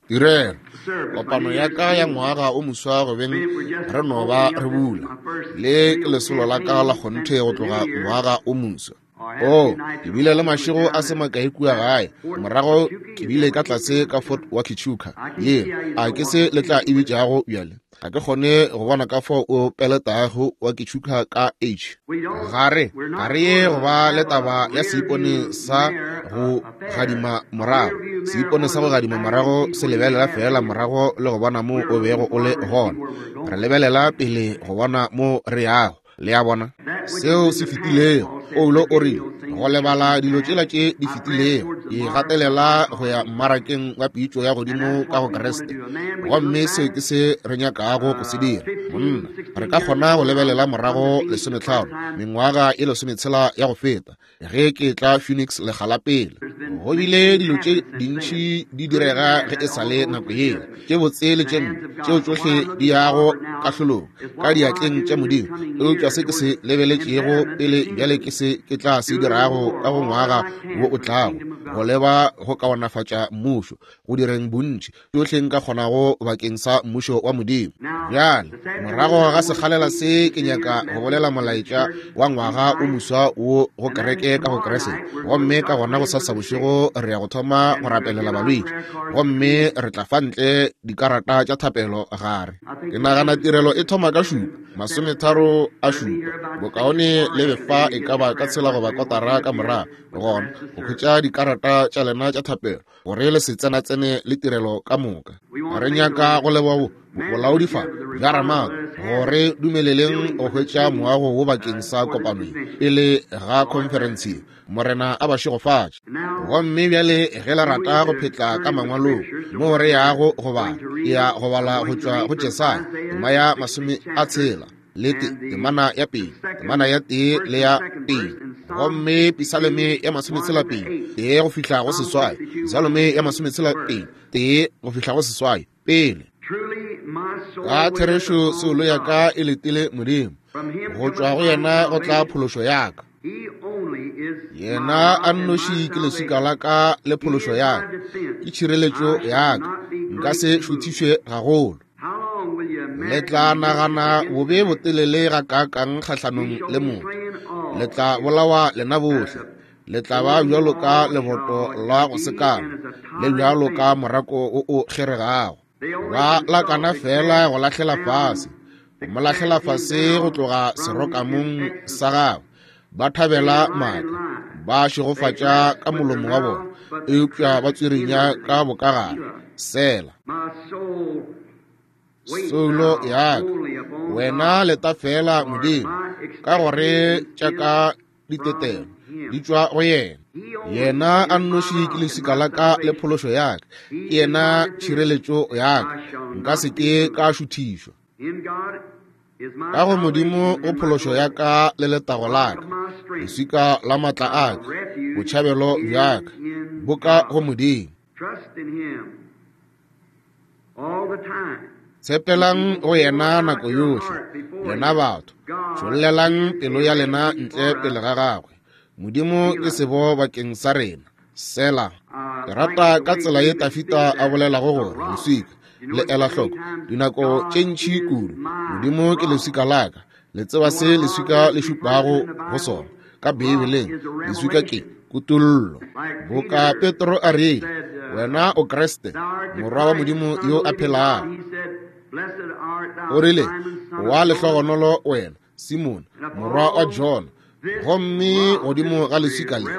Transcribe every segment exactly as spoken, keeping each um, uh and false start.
Tirelo kopano ya ka ya ngwaga o moswa go beng re no ba re bula. Le ke lesolo la ka la kgonthe go tloga ngwaga o moswa. Oh, ke bile le mašego a se makae kua gae. Morago ke bile ka tlase ka Fort Huachuca. Ye, a ke se le tla e bitšago bjale. Ga ke kgone go bona ka fao o peletago Huachuca ka H. Ga re, ga re ye go ba le taba ya seipone sa go gadima morago. Seipone sa go gadima morago se lebelela fela morago le go bona mo o bego o le gona. Re lebelela pele go bona mo re yago. Le a bona seo se fetilego. Paulo o rile go lebala dilo tšela tše di fetilego, e gatelela go ya mmarakeng wa pitšo ya godimo ka go Kriste. Gomme seo ke se re nyakago go se dira. Monna, re ka kgona go lebelela morago lesometlhano mengwaga e lesometshela ya go feta ge ke tla Phoenix lekga la pele. Go bile dilo tše dintši di direga ge e sa le nako yela, tše botse le tše mpe, tšeo tšohle di yago kahlolong ka diatleng tša Modimo. Eupša se ke se lebeletšego pele bjale ke se ke tla se dirago ka go ngwaga wo o tlago, go leba go kaonafatša mmušo, go direng bontši tšohle nka kgonago bakeng sa mmušo wa Modimo. Bjale morago ga sekgalela se ke nyaka go bolela molaetša wa ngwaga o moswa wo go kereke ka go Kriste. Gomme ka gona go sasa bošego re ya go thoma go rapelela balwetši, gomme re tla fa ntle dikarata tša thapelo gare. Ke nagana tirelo e thoma ka šupa masometharo a šupa. Bokaone le be fa e ka ba ka tshela goba kotara ka morago gona go hwetša dikarata tša lena tša thapelo gore le se tsenatsene le tirelo ka moka. Re nyaka go leboga bolaodi fa bja Ramako gore dumeleleng go hwetša moago wo bakeng sa kopano pele ga conference. Morena a ba šegofatše. Gomme bjale ge le rata go phetla ka mangwalong mo re yago go bala, ke ya go bala go tšwa go Jesaya tema ya masome a tshela le temana ya pele, temana ya tee le ya pele. Gomme Pisalome ya masometshela pedi tee go fihla go seswai. Pisalome ya masometshela pedi tee go fihla go seswai pele. Ka therešo soulo ya ka e letile Modimo, go tšwa go yena go tla phološo ya ka. Yena a nnoši ke leswika la ka le phološo ya ka, ke tšhireletšo ya ka, nka se šuthišwe gagolo. Le tla nagana bobe botelele ga kaakang kgahlanong le motho, le tla bolawa lena bohle. Le tla ba bjalo ka leboto la go sekama, le bjalo ka morako o o kgeregago. Ba lakana fela go lahlela fase, go mo lahlela fase go tloga serokamong sa gagwe. Ba thabela maaka, ba šegofatša ka molomo wa bona, eupša ba tswirinya ka bokagare. Sela. Soulo ya ka, wena leta fela Modimo, ka gore tša ka ditetelo di tšwa go yena. Yena a nnoši ke leswika la ka le phološo ya ka, ke yena tšhireletšo ya ka, nka se ke ka šuthišwa. Ka go Modimo go phološo ya ka le letago la ka, leswika la maatla a ka, botšhabelo bja ka, bo ka go Modimo. Tshepelang go yena nako yohle, lena batho, tšhollelang pelo ya lena ntle pele ga gagwe. Modimo ke sebo bakeng sa rena. Sela. Ke rata ka tsela ye Tafita a bolelago gore leswika le ela hloko dinako tše ntši kudu. Modimo ke leswika la ka. Le tseba se leswika le šupago go sona ka Beibeleng. Leswika ke kutollo. Boka Petro a rile, wena o Kriste, morwa wa Modimo yo a phelago. O rile, wa lehlogonolo wena, Simon, morwa wa Jona. Gomme godimo ga leswika le,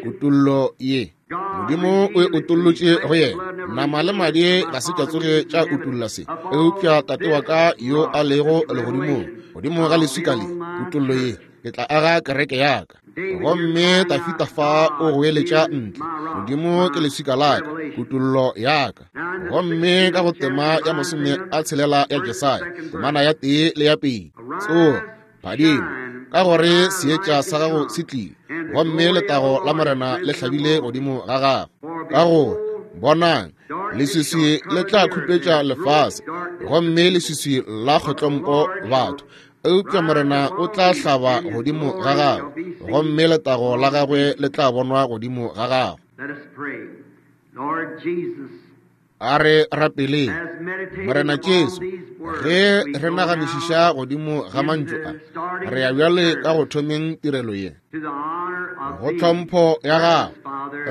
kutollo ye Modimo o e utollotše go yena. Nama le madi ga se tša tsoge tša utolla se, eupša Tate wa ka yo a lego legodimong. Godimo ga leswika le, kutollo ye, ke tla aga kereke ya ka. Gomme Tafita fa o goeletša ntle, Modimo ke leswika la ka, kutollo ya ka. Gomme ka go tema ya masome a tshelela ya Jesaya, temana ya tee le ya pedi, tsoga, phadima, ka gore seetša sa gago se tlile, gomme letago la Morena le hlabile godimo ga gago. Ka gore bonang, leswiswi le tla khupetša lefase, gomme leswiswi la kgotlompo batho, eupša Morena o tla hlaba godimo ga gago, gomme letago la gagwe le tla bonwa godimo ga gago. Let us pray. Lord Jesus, A re rapeleng. Morena Jesu, ge re naganišiša godimo ga mantšu a, re ya bjale ka go thomeng tirelo ye. Go tlhompho ya gago,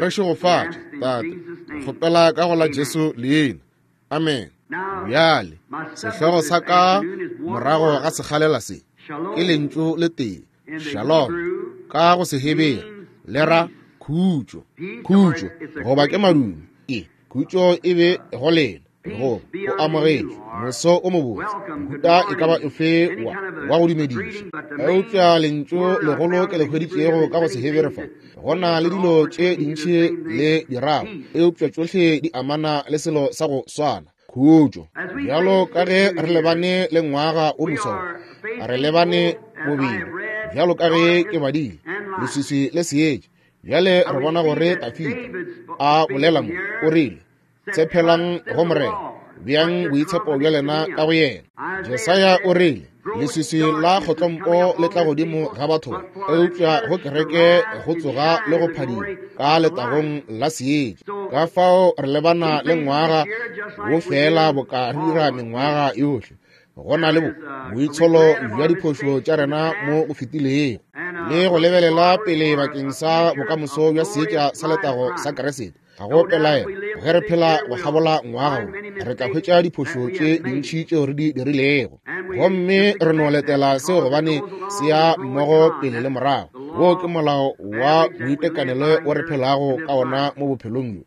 re šegofatše, Tate, kgopela ka go la Jesu leina. Amen. Bjale, sehlogo sa ka morago ga sekgalela se ke lentšu le tee, shalom, ka go Sehebere le ra khutšo, khutšo goba ke madume. E khutšo e be go lena, go o amogetšwe moso o mobotse, mohuta e ka ba efe wa wa go dumediša. Eupša lentšu legolo ke le hweditšego ka go Sehebere fa, go na le dilo tše dintši le dirago, eupša tšohle di amana le selo sa go swana, khutšo. Bjalo ka ge re lebane le ngwaga o moswa, re lebane bobedi, bjalo ka ge ke badile leswiswi le seetša. Bjale re bona gore Dafida a bolela mo, o rile, tshepelang go Morena, bjang boitshepo bja lena ka go yena. Jesaya o rile, leswiswi la kgotlompo le tla godimo ga batho, eupša go kereke go tsoga le go phadima ka letagong la seetša. Ka fao re lebana le ngwaga wo fela boka re dira mengwaga yohle. Go na le bo boitsholo bja diphošo tša rena mo go fetilego, le go lebelela pele bakeng sa bokamoso bja seetša sa letago sa Kriste. Ga go pelaelo, ge re phela go kgabola ngwaga wo, re tla hwetša diphošo tše dintši tšeo re di dirilego, gomme re no letela seo gobane se ya mmogo pele le morago. Wo ke molao wa boitekanelo wo re phelago ka ona mo bophelong bjo.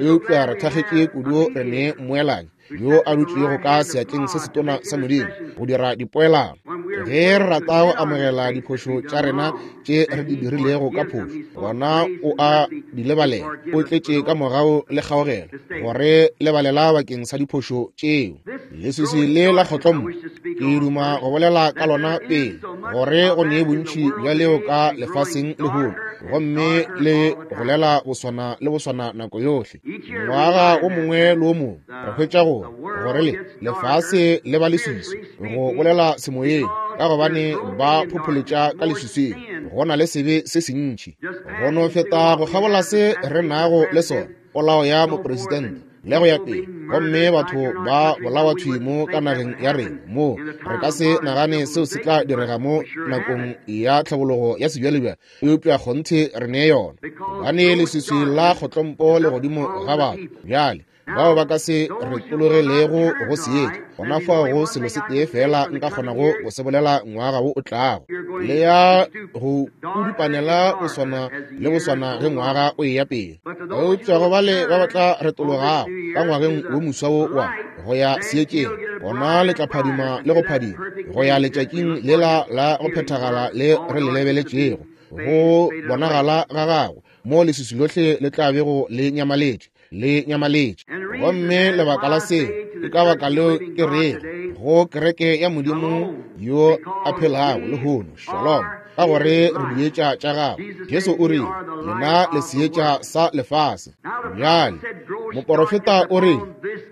Eupša re thakgetše kudu re ne mmoelanyi yo a dutšego ka seatleng se setona sa Modimo go dira dipoelano. Ge re rata go amogela diphošo tša rena tše re di dirilego ka phošo, gona o a di lebalela, o tletše ka mogau le kgaogelo gore lebalela bakeng sa diphošo tšeo. Leswiswi le la kgotlommo ke duma go bolela ka lona pele, gore go ne bontši bja leo ka lefaseng lehono, gomme le golela boswana le boswana nako yohle. Ngwaga o mongwe le o mongwe re hwetša gore gore le lefase le ba leswiswi, go bolela semoyeng, ka gobane ba phopholetša ka leswiswing. Go na le sebe se sentši go no feta go kgabola se re nago le sona, polao ya mopresidente le go ya pele, gomme batho ba bolawa thwi mo ka nageng ya rena mo re ka se nagane seo se tla direga mo nakong ya tlhabologo ya sebjalebjale, eupša kgonthe re ne yona, gobane leswiswi la kgotlompo le godimo ga batho. Bjale bao ba ka se retologelego go seetša, gona fao go selo se tee fela nka kgonago go se bolela ngwaga wo o tlago, le ya go kudupanela boswana le boswana ge ngwaga o eya pele. Eupša go bale ba ba tla retologago ka ngwageng wo moswa wo wa go ya seetšeng, gona le tla phadima le go phadima go ya letšatšing lela la go phethagala le re le lebeletšego, go bonagala ga gagwe mo leswiswi lohle le tla bego le nyamaletše le nyamaletše. Gomme lebaka la se ke ka baka leo ke rego go kereke ya Modimo yo a phelago lehono, shalom, ka gore re dietša tša gagwe. Jesu o rile, lena le seetša sa lefase. Bjale moporofeta o rile,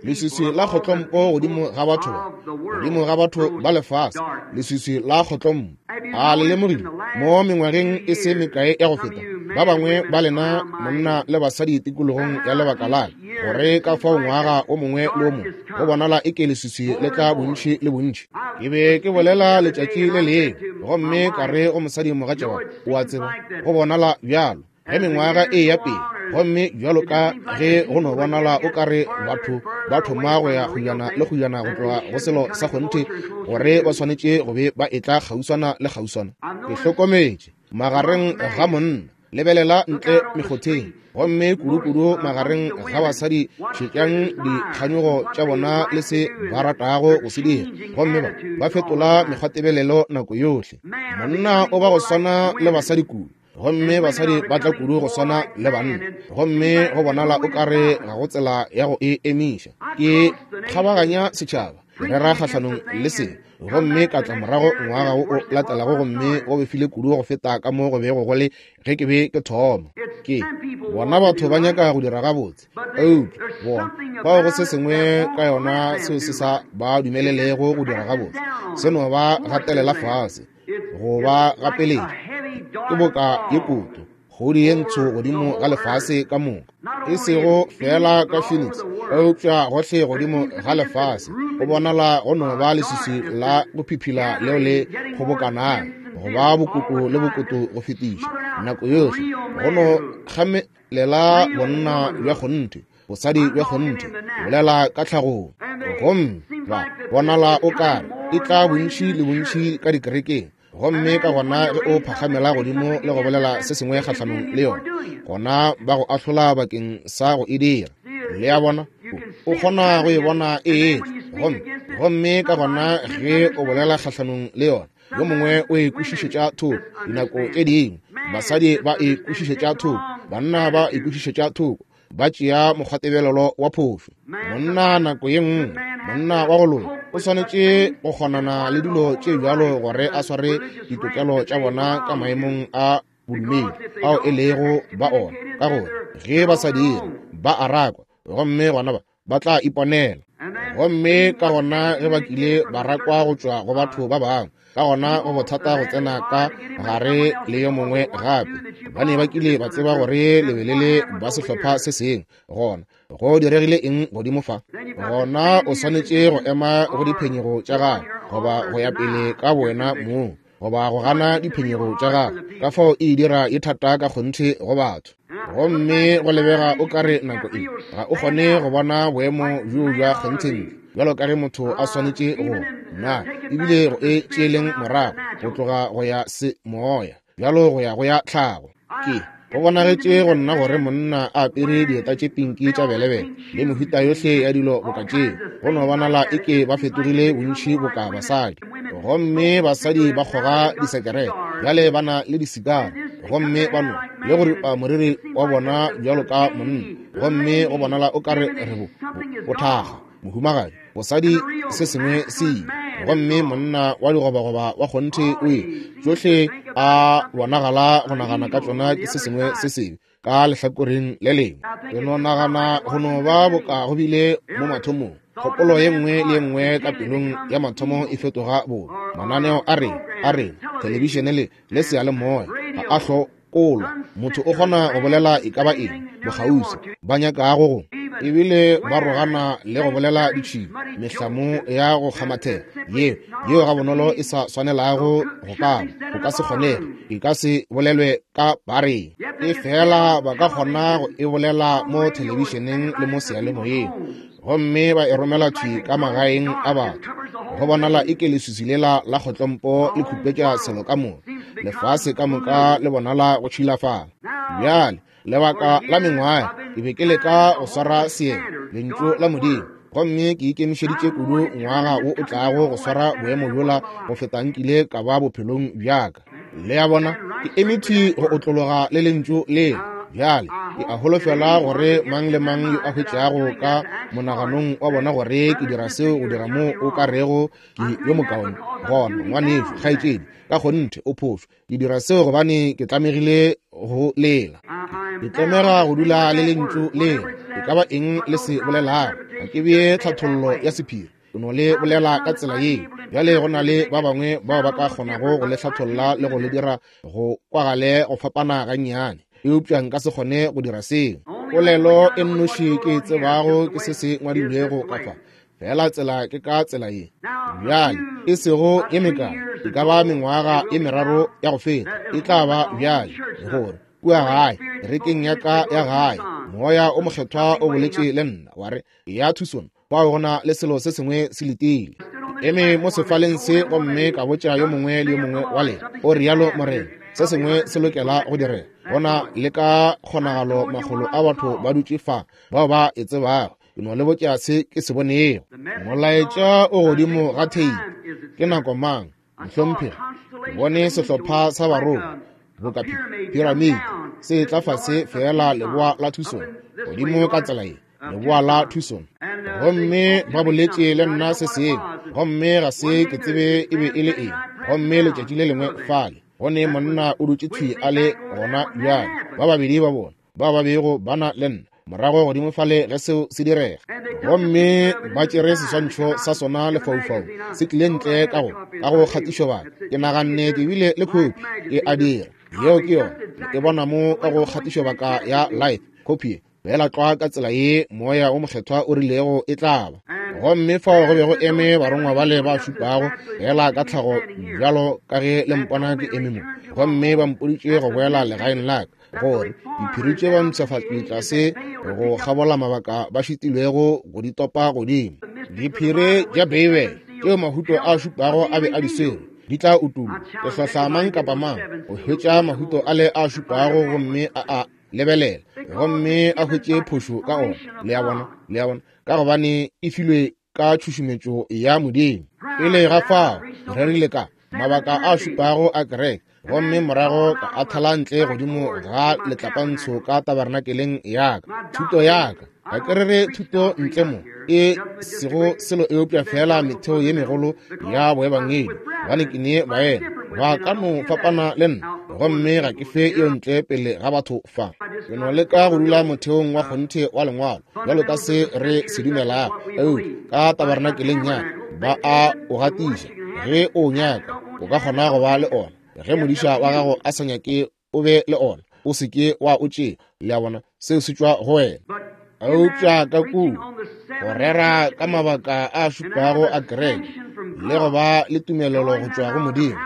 leswiswi la kgotlompo godimo ga batho, godimo ga batho ba lefase, leswiswi la kgotlompo. A le lemogile mo mengwageng e se mekae ya go feta, ba bangwe ba lena monna le basadi tikologong ya lebaka la gore ka fao ngwaga o mongwe le o mongwe go bonala e ke leswiswi le tla bontši le bontši. Ke be ke bolela letšatši le lengwe, gomme ka re go mosadi mogatša wa, o a tseba, go bonala bjalo ge mengwaga e ya pele, gomme bjalo ka ge go no bonala o ka re batho ba thoma go ya kgojana le kgojana go tloga go selo sa kgonthe, gore ba swanetše go be ba etla kgauswana le kgauswana. Ke hlokometše magareng ga monna, lebelela ntle mekgotheng, gomme kudu-kudu magareng ga basadi, šetšang dikganyogo tša bona le se ba ratago go se dira, gomme ba ba fetola mekgwatebelelo nako yohle. Monna o ba go swana le basadi kudu, gomme basadi ba tla kudu go swana le banna, gomme go bonala o kare ga go tsela ya go e emiša. Ke kgabaganya setšhaba, rera kgahlanong le se, gomme ka tla morago ngwaga wo o latelago, gomme go befile kudu go feta ka mo go bego go le ge ke be ke thoma. Ke bona batho ba nyaka go dira gabotse, eupša bona fao go se sengwe ka yona seo se sa ba dumelelego go dira gabotse, se no ba gatelela fase, go ba gapeletša. Ke boka ye koto, Kgodi ye ntsho godimo ga lefase ka moka, e sego fela ka Phoenix, eupša gohle godimo ga lefase. Go bonala go no ba leswiswi la go phiphila leo le kgobokanago, go ba bokoto le bokoto go fetiša nako yohle, go no kgamelela bonna bja kgonthe, bosadi bja kgonthe, bolela ka tlhagong. Gomme ba bonala o kare e tla bontši le bontši ka dikerekeng, gomme ka gona ge o phakgamela godimo le go bolela se sengwe kgahlanong le yona, gona ba go ahlola bakeng sa go e dira. Le a bona, o kgona go e bona e etla, gomme gomme ka gona ge o bolela kgahlanong le yona, yo mongwe o e kwešišetša thoko. Dinako tše dingwe basadi ba e kwešišetša thoko, banna ba e kwešišetša thoko, ba tšea mokgwatebelelo wa phošo. Monna nako ye nngwe, monna wa go loka o swanetše go kgonana le dilo tše bjalo gore a sware ditokelo tša bona ka maemong a bodumedi ao e lego ba ona, ka gore ge ba sa dire ba a rakwa, gomme gona ba ba tla iponela. Gomme ka gona ge ba kile ba rakwa go tšwa go batho ba bangwe, ka gona go bothata go tsena ka gare le yo mongwe gape. Ba ne ba kile ba tseba gore le be le le ba sehlopha se sengwe. Gona go diregile eng godimo fa? Gona o swanetše go ema go diphenyego tša gago, goba go ya pele ka wena mong, goba go gana diphenyego tša gago. Ka fao e dira e thata ka kgonthe go batho. Gomme go lebega o kare nako e ga o kgone go bona boemo bjo bja kgonthe bjalo ka ge motho a swanetše go na, ebile go e tšeeleng morago go tloga go ya se moya bjalo go ya go ya tlhago. Ke go bonagetše go nna gore monna a apere dieta tše pinki tša belebele le mehuta yohle ya dilo boka tšeo, go no bonala eke ba fetogile bontši boka basadi. Gomme basadi ba kgoga disekerete bjale ba na le disikara, gomme ba no le go ripa moriri wa bona bjalo ka monna, gomme go bonala o kare re bo bothaga mohumagadi bosadi se sengwe se ile. Gomme monna wa digobagoba wa kgonthe o ile, tšohle a bonagala go nagana ka tšona ke se sengwe se sebe ka lehlakoreng le lengwe. Ke no nagana go no ba boka go bile mo mathomong. Kgopolo ye nngwe le ye nngwe ka pelong ya mathomo e fetoga bobe. Mananeo a rena a rena thelebišene le le seyalemoya ga a hlokolwa. Motho o kgona go bolela e ka ba eng bokgauswi ba nyakago go, ebile ba rogana le go bolela ditšhila, mehlamo ya go kgamathela yeo yeo ga bonolo e sa swanelago go ka go ka se kgonege, e ka se bolelwe ka bareng, e fela ba ka kgona go e bolela mo thelebišeneng le mo seyalemoyeng, gomme ba e romela thwi ka magaeng a batho. Go bonala eke leswiswi lela la kgotlompo le khupetša selo ka moka, lefase ka moka le bonala go tšhilafala. Bjale lebaka la mengwaga ke be ke leka go swara seemo lentšu la Modimo, gomme ke ikemišeditše kudu ngwaga wo o tlago go swara boemo bjola go feta nkile ka ba bophelong bjaka. Le a bona, ke eme thwi go otlologa le lentšu leo. Bjale ke a holofela gore mang le mang yo a hwetšago ka monaganong wa bona gore ke dira seo go dira mo o ka rego ke yo mokaone, gona ngwanešu kgaetšedi ka kgonthe o phošo. Ke dira seo gobane ke tlamegile go lela, ke tlamega go dula le lentšu leo. E ka ba eng le se bolelago, ga ke bee tlhathollo ya sephiri, ke no le bolela ka tsela yeo. Bjale go na le ba bangwe bao ba ka kgonago go le hlatholla le go le dira go kwagale go fapana gannyane, eupša nka se kgone go dira seo. Polelo e nnoši ke e tsebago ke se se ngwadilwego ka fa, fela tsela ke ka tsela ye. Bjale e sego ye mekae, e ka ba mengwaga ye meraro ya go feta, e tla ba bjale gore kua gae kerekeng ya ka ya gae moya o mokgethwa o boletše le nna wa re ya Tucson, fao go na le selo se sengwe se letile. Ke eme mo sefaleng se gomme ka botša yo mongwe le yo mongwe wa lena, o rialo Morena, se sengwe se lokela go direga. Gona le ka kgonagalo makgolo a batho ba dutše fa bao ba e tsebago. Ke no le botša se ke se bonego. Molaetša o godimo ga theipi. Ke nako mang, mohlomphegi? Ke bone sehlopha sa barongwa boka piramidi se tla fase fela leboa la Tucson, godimo ka tsela ye, leboa la Tucson. Gomme ba boletše le nna se sengwe, gomme ga se ke tsebe e be e le eng. Gomme letšatši le lengwe fale go ne monna o dutše thwi a le gona bjale, ba babedi ba bona ba ba bego ba na le nna morago godimo fale ge seo se direga. Gomme ba tšere seswantšho sa sona lefaufau se tlile ntle ka go ka go kgatišobaka. Ke naganne ke bile le khopi e a dira. Yeo ke yona. Le e bona mo ka go kgatišobaka ya Life copy, feela tlwa ka tsela ye Moya o Mokgethwa o rilego e tla ba. Gomme fao go be go eme barongwa bale ba šupago, feela ka tlhago bjalo ka ge le mpona ke eme mo. Gomme ba mpoditše go boela legaeng la ka, gore diphiri tše ba mpshafatšwe tlase go kgabola mabaka ba šitilwego go di topa godimo. Diphiri tša Beibele tšeo mahuto a šupago a be a di swere di tla utollwa. Ke hlohla mang kapa mang go hwetša mahuto ale a šupago gomme a a lebelela, gomme a hwetše phošo ka ona. Le a bona, le a bona, ka gobane e filwe ka tšhušumetšo ya Modimo. Pele ga fao re rerile ka mabaka a šupago a kereke, gomme morago ka a thala ntle godimo ga letlapantsho ka tabernakeleng ya ka. Thuto ya ka, ga ke rere thuto ntle mo e sego selo eupša fela metheo ye megolo ya boebangedi, gobane ke ne baena ba ka no fapana le nna, gomme ga ke fe eo ntle pele ga batho fa. Ke no leka go dula motheong wa kgonthe wa lengwalo bjalo ka se re se dumelago, eupša ka tabernakeleng ya ka ba a o gatiša. Ge o nyaka, o ka kgona go ba le ona. Ge modiša wa gago a sa nyake o be le ona, o se ke wa o tšea. Le a bona, seo se tšwa go wena. Eupša ka kua go rera ka mabaka a šupago a kereke le go ba le tumelelo go tšwa go Modimo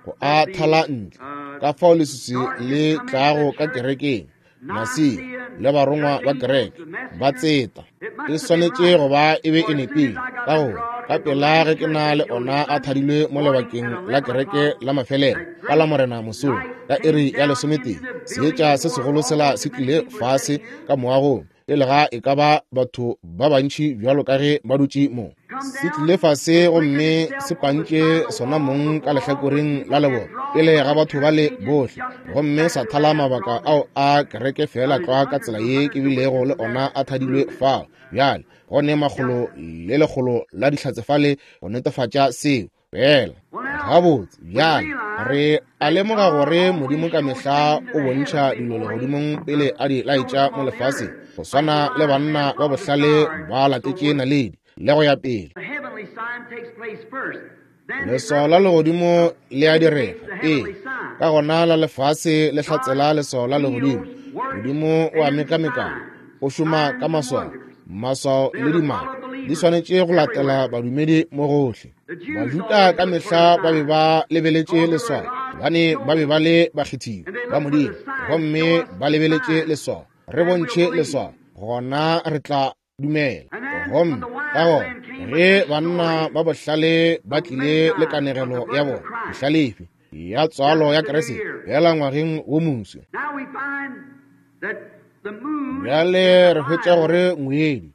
go a thala ntle, ka fao leswiswi le tlago ka kerekeng, Nasia le barongwa ba kereke ba tseta, e swanetše go ba e be e nepile, ka gore ka pela ge ke na le ona a thadilwe mo lebakeng la kereke la mafelelo ka la Morena mosong ka iri ya lesometee, seetša se segolo sela se tlile fase ka moagong pele ga e ka ba batho ba bantši bjalo ka ge ba dutše mo. Se tlile fase gomme se pantše sona mong ka lehlakoreng la leboto pele ga batho ba le bohle, gomme sa thala mabaka ao a kereke fela tlwa ka tsela ye ke bilego le ona a thadilwe fao. Bjale go ne makgolo le lekgolo la dihlatse fale go netefatša seo. Fela gabotse, bjale re a lemoga gore Modimo ka mehla o bontšha dilo legodimong pele a di laetša mo lefaseng, go swana le banna ba bohlale ba latetše naledi le go ya pele. Leswao la legodimo le a direga pele, ka gona la lefase le hlatsela leswao la legodimo. Modimo o a mekamekana, o šoma ka maswao. Maswao le dimaka di swanetše go latela badumedi mo gohle. Bajuda ka mehla ba be ba lebeletše leswao, gobane ba be ba le bakgethiwa ba Modimo, gomme ba lebeletše leswao. Re bontšhe leswao, gona re tla dumela. Gomme ka gona ge banna ba bohlale ba tlile le kanegelo ya bona bohlalefi ya tswalo ya Kriste fela ngwageng wo moswa, bjale re hwetša gore ngwedi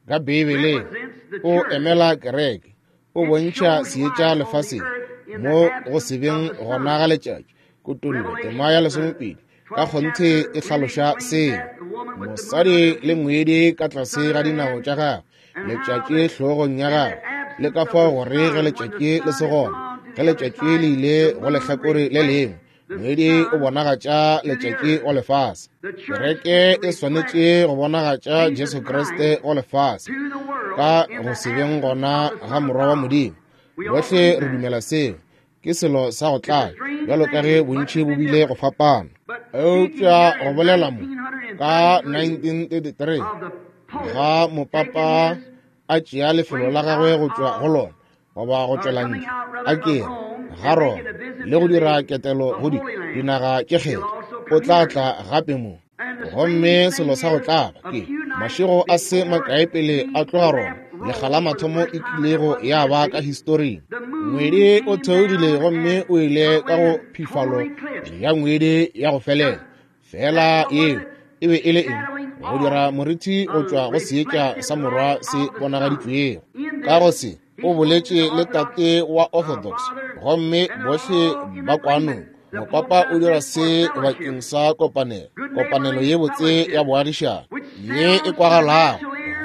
ka Beibeleng o emela kereke, o bontšha seetša lefaseng mo go se beng gona ga letšatši. Kutollo tema ya lesomepedi ka kgonthe e hlaloša seo. Mosadi le ngwedi ka tlase ga dinao tša gagwe, letšatši hlogong ya gagwe, le ka fao gore ge letšatši le se gona, ge letšatši le ile go lehlakore le lengwe, ngwedi o bonagatša letšatši go lefase. Kereke e swanetše go bonagatša Jesu Kriste go lefase ka go se beng gona ga Morwa wa Modimo. Bohle re dumela seo. Ke selo sa go tlala, bjalo ka ge bontši bo bile go fapana. Eupša go bolela mo ka nineteen thirty-three ga mopapa a tšea lefelo la gagwe go tšwa go lona goba go tšwela ntle a kere ga Roma le go dira ketelo go di dinaga tše kgetho, o tla tla gape mo. Gomme selo sa go tlaba ke mašego a se makae pele a tloga Roma, lekga la mathomo e kilego ya ba ka historing. Ngwedi o theogile gomme o ile ka go phifalo ya ngwedi ya go felela. Fela yeo e be e le eng? Go dira moriti go tšwa go seetša sa Morwa se bonagaditšwego. Ka go se o boletše le tate wa Orthodox, gomme bohle ba kwanong. Mopapa o dira se bakeng sa kopanelo, kopanelo ye botse ya boagišano ye e kwagalago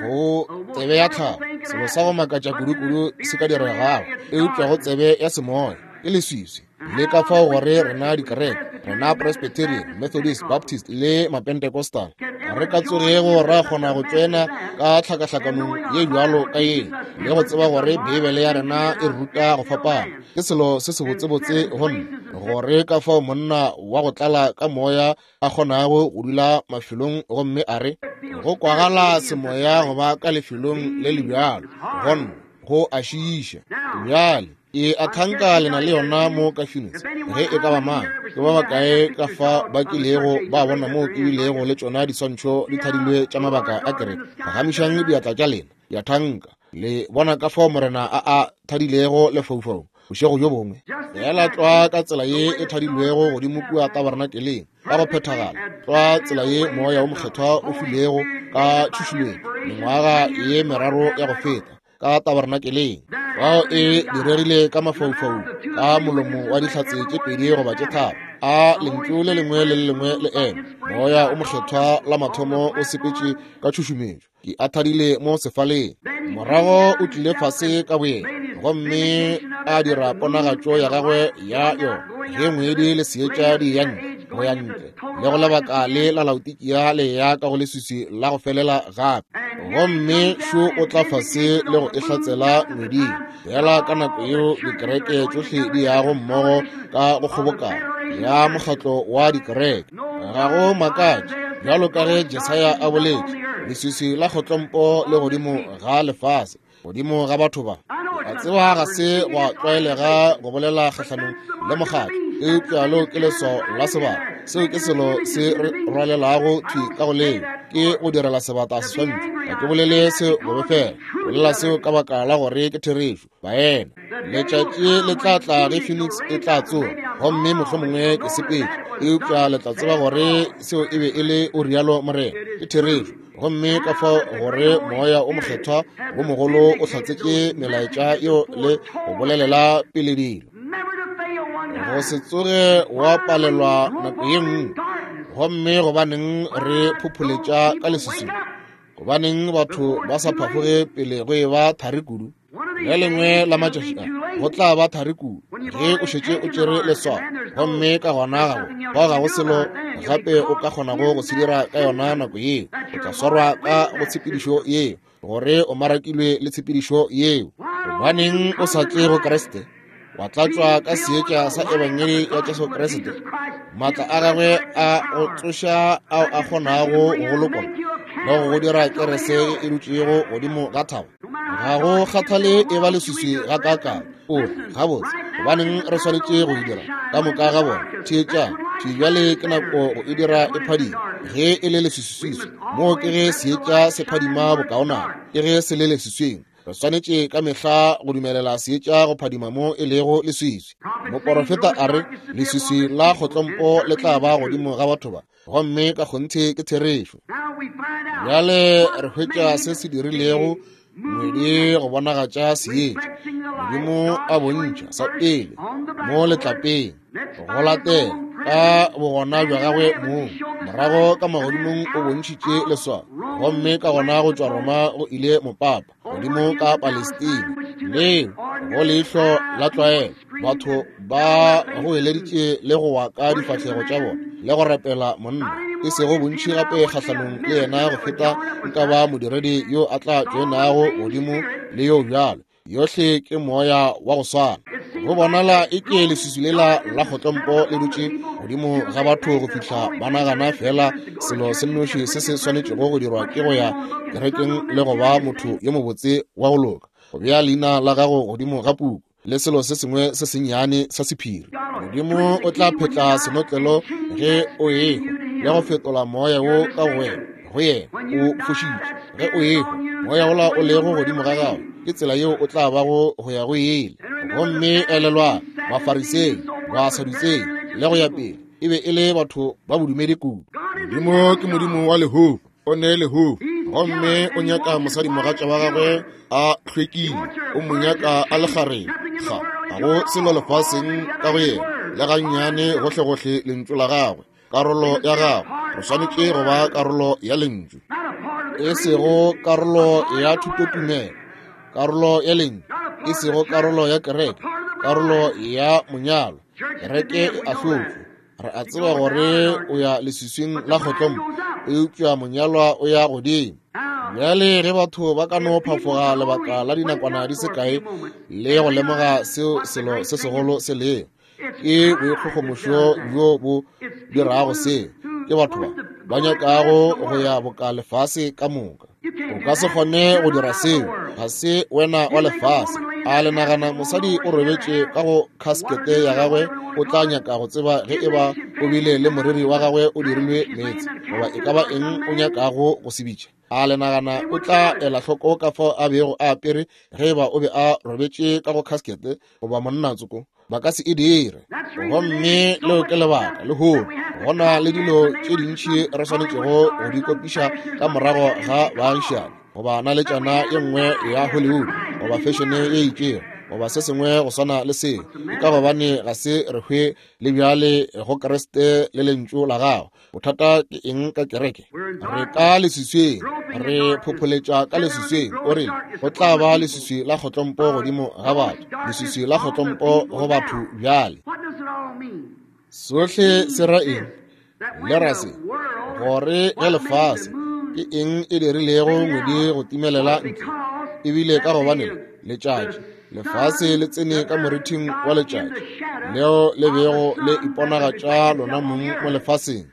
go tsebe ya tlhago. Selo sa go makatša kudu-kudu se ka diregago, eupša go tsebe ya semoya ke leswiswi. Le ka fao gore rena dikereke, rena Presbyterian, Methodist, Baptist le Mapentecostal, re ka tsogego ra kgona go tsena ka tlhakahlakanong ye bjalo ka ye, le go tseba gore Beibele ya rena e ruta go fapana. Ke selo se sebotsebotse go nna gore ka fao monna wa go tlala ka moya a kgonago go dula mafelong gomme a re go kwagala semoya go ba ka lefelong le le bjalo, go nna go a šiiša. Bjale ke a thanka lena le yona mo ka Phoenix, ge e ka ba mang, ke ba bakae ka fa ba kilego ba bona moo ke bilego le tšona diswantšho di thadilwe tša mabaka a kereke. Phagamišang diatla tša lena, ya thanka le bona ka fao Morena a a thadilego lefaufaung bošego bjo bongwe, fela tlwa ka tsela ye e thadilwego godimo kua tabernakeleng ka go phethagala, tlwa tsela ye Moya wo Mokgethwa o filego ka tšhušumetšo mengwaga ye meraro ya go feta ka tabernakeleng. Bao e diregile ka mafaufaung ka molomo wa dihlatse tše pedi goba tše tharo, a lentšu le lengwe le le lengwe le ema. Moya o Mokgethwa la mathomo o sepetše ka tšhušumetšo, ke a thadile mo sefaleng, morago o tlile fase ka boyena gomme a dira ponagatšo ya gagwe ya yona ge ngwedi le seetša di ya ntle go ya ntle le go lebaka le la Laodikia le ya ka go leswiswi la go felela gape. Gomme šo o tla fase le go e hlatsela ngweding, fela ka nako yeo dikereke tšohle di yago mmogo ka go kgobokano ya mokgatlo wa dikereke. Ga go makatše, bjalo ka ge Jesaya a boletše, leswiswi la kgotlompo le godimo ga lefase, godimo ga batho ba. A tseba ga se gwa tlwaelega go bolela kgahlanong le mokgatlo, eupša leo ke leswao la sebata. Seo ke selo se re rwalelago thwi ka go leo, ke go direla sebata seswantšho. Ga ke bolele seo bobe fela, bolela seo ka baka la gore ke therešo. Baena, letšatši le tla tla ge Phoenix e tla tsoga, gomme mohlomongwe ke sepetše, eupša le tla tseba gore seo e be e le o rialo Morena. Ke therešo. Gomme ka fao gore Moya o Mokgethwa wo mogolo o hlatsetše melaetša yeo le go bolelela pele dilo, go se tsoge wa palelwa nako ye nngwe. Gomme gobaneng re phopholetša ka leswiswing? Gobaneng batho ba sa phafoge pele go e ba thari kudu? Le lengwe la matšatši a go tla ba thari kudu ge o šetše o tšere leswao, gomme ka gona gago bao ga go selo gape o ka kgonago go se dira ka yona nako yeo. O tla swarwa ka go tshepedišo yeo, gore o marakilwe le tshepedišo yeo. Gobaneng o sa tle go Kriste, wa tlatšwa ka seetša sa ebangedi ya Jesu Kriste, maatla a gagwe a go tsoša ao a kgonago go lokolla le go go dira kerese e dutšego godimo ga thaba? Ga go kgathale e ba leswiswi ga kaakang. O re, gabotse, gobaneng re swanetše go e dira ka moka ga bona? Theetšang, bjale ke nako go e dira e phadima. Ge e le leswiswiswi, moo ke ge seetša se phadima bokaonana, ke ge se le leswiswing. Re swanetše ka mehla go dumelela seetša go phadima mo e lego leswiswi. Moporofeta a re leswiswi la kgotlompo le tla ba godimo ga batho ba, gomme ka kgonthe ke therešo. Bjale re hwetša se se dirilego ngwedi go bonagatša seetša. Modimo a bontšha sa pele mo letlapeng, go latela ka bogona bja gagwe mong, morago ka magodimong o bontšhitše leswao, gomme ka gona go tšwa Roma go ile mopapa godimo ka Palestina. Leo go leihlo la tlwaelo, batho ba go eleditše le go wa ka difahlego tša bona le go rapela monna, e sego bontši gape kgahlanong le yena go feta nka ba modiredi yo a tla tšoenago godimo le yo bjalo. Yohle ke moya wa go swana. Go bonala e ke leswiswi lela la kgotlompo le dutše godimo ga batho go fihla ba nagana fela selo se nnoši se se swanetšego go dirwa ke go ya kerekeng le go ba motho yo mobotse wa go loka, go bea leina la gago godimo ga puku le selo se sengwe se sennyane sa sephiri. Modimo o tla phetla senotlelo ge o ehwa le go fetola moya wo ka go wena go yena o fošitše. Ge o ehwa, moya wola o lego godimo ga gago ke tsela yeo o tla bago go ya go ele. Gomme elelwa, Bafarisei, Basadutsei le go ya pele e be e le batho ba bodumedi kudu. Modimo ke Modimo wa lehono, o ne lehono, gomme o nyaka mosadimogatša wa gagwe a hlwekile, o mo nyaka a le kgarebe. Ga ga go selo lefaseng ka go yena le gannyane gohlegohle lentšu la gagwe, karolo ya gagwe. Re swanetše go ba karolo ya lentšu, e sego karolo ya thutotumelo, karolo ya lentšu, e sego karolo ya kereke, karolo ya monyalo. Kereke e ahlotšwe, Re a tseba gore o ya leswiswing la kgotlompo, eupša monyalwa o ya godimo. Bjale ge batho ba ka no phafoga lebaka la dinakwana di se kae le go lemoga seo selo se segolo se lego, ke boikgogomošo bjo bo dirago seo. Ke batho ba ba nyakago go ya boka lefase ka moka. O ka se kgone go dira seo, ga se wena wa lefase. A le nagana mosadi o robetše ka go khaskete ya gagwe o tla nyaka go tseba ge e ba o bile le moriri wa gagwe o dirilwe meetse, goba e ka ba eng o nyakago go se bitša? A le nagana o tla ela hloko ka fao a bego a apere ge e ba o be a robetše ka go khaskete goba monna tsoko? Ba ka se e dire. Gomme leo ke lebaka lehono go na le dilo tše dintši re swanetšego go di kopiša ka morago ga baagišani, goba naletšana ye nngwe ya Hollywood, goba fešene ye itšego, goba se sengwe go swana le seo. Ke ka gobane ga se re hwe le bjale go Kriste le lentšu la gagwe. Bothata ke eng ka kereke? Re ka leswiswing, re phopholetša ka leswiswing. O rile go tla ba leswiswi la kgotlompo godimo ga batho, leswiswi la kgotlompo go batho bjale. Sohle se ra eng? Le ra se gore ge lefase ke eng e dirilego ngwedi go timelela ntle, ebile ka gobane letšatši lefase le tsene ka morithing wa letšatši leo le bego le iponagatša lona mong mo lefaseng.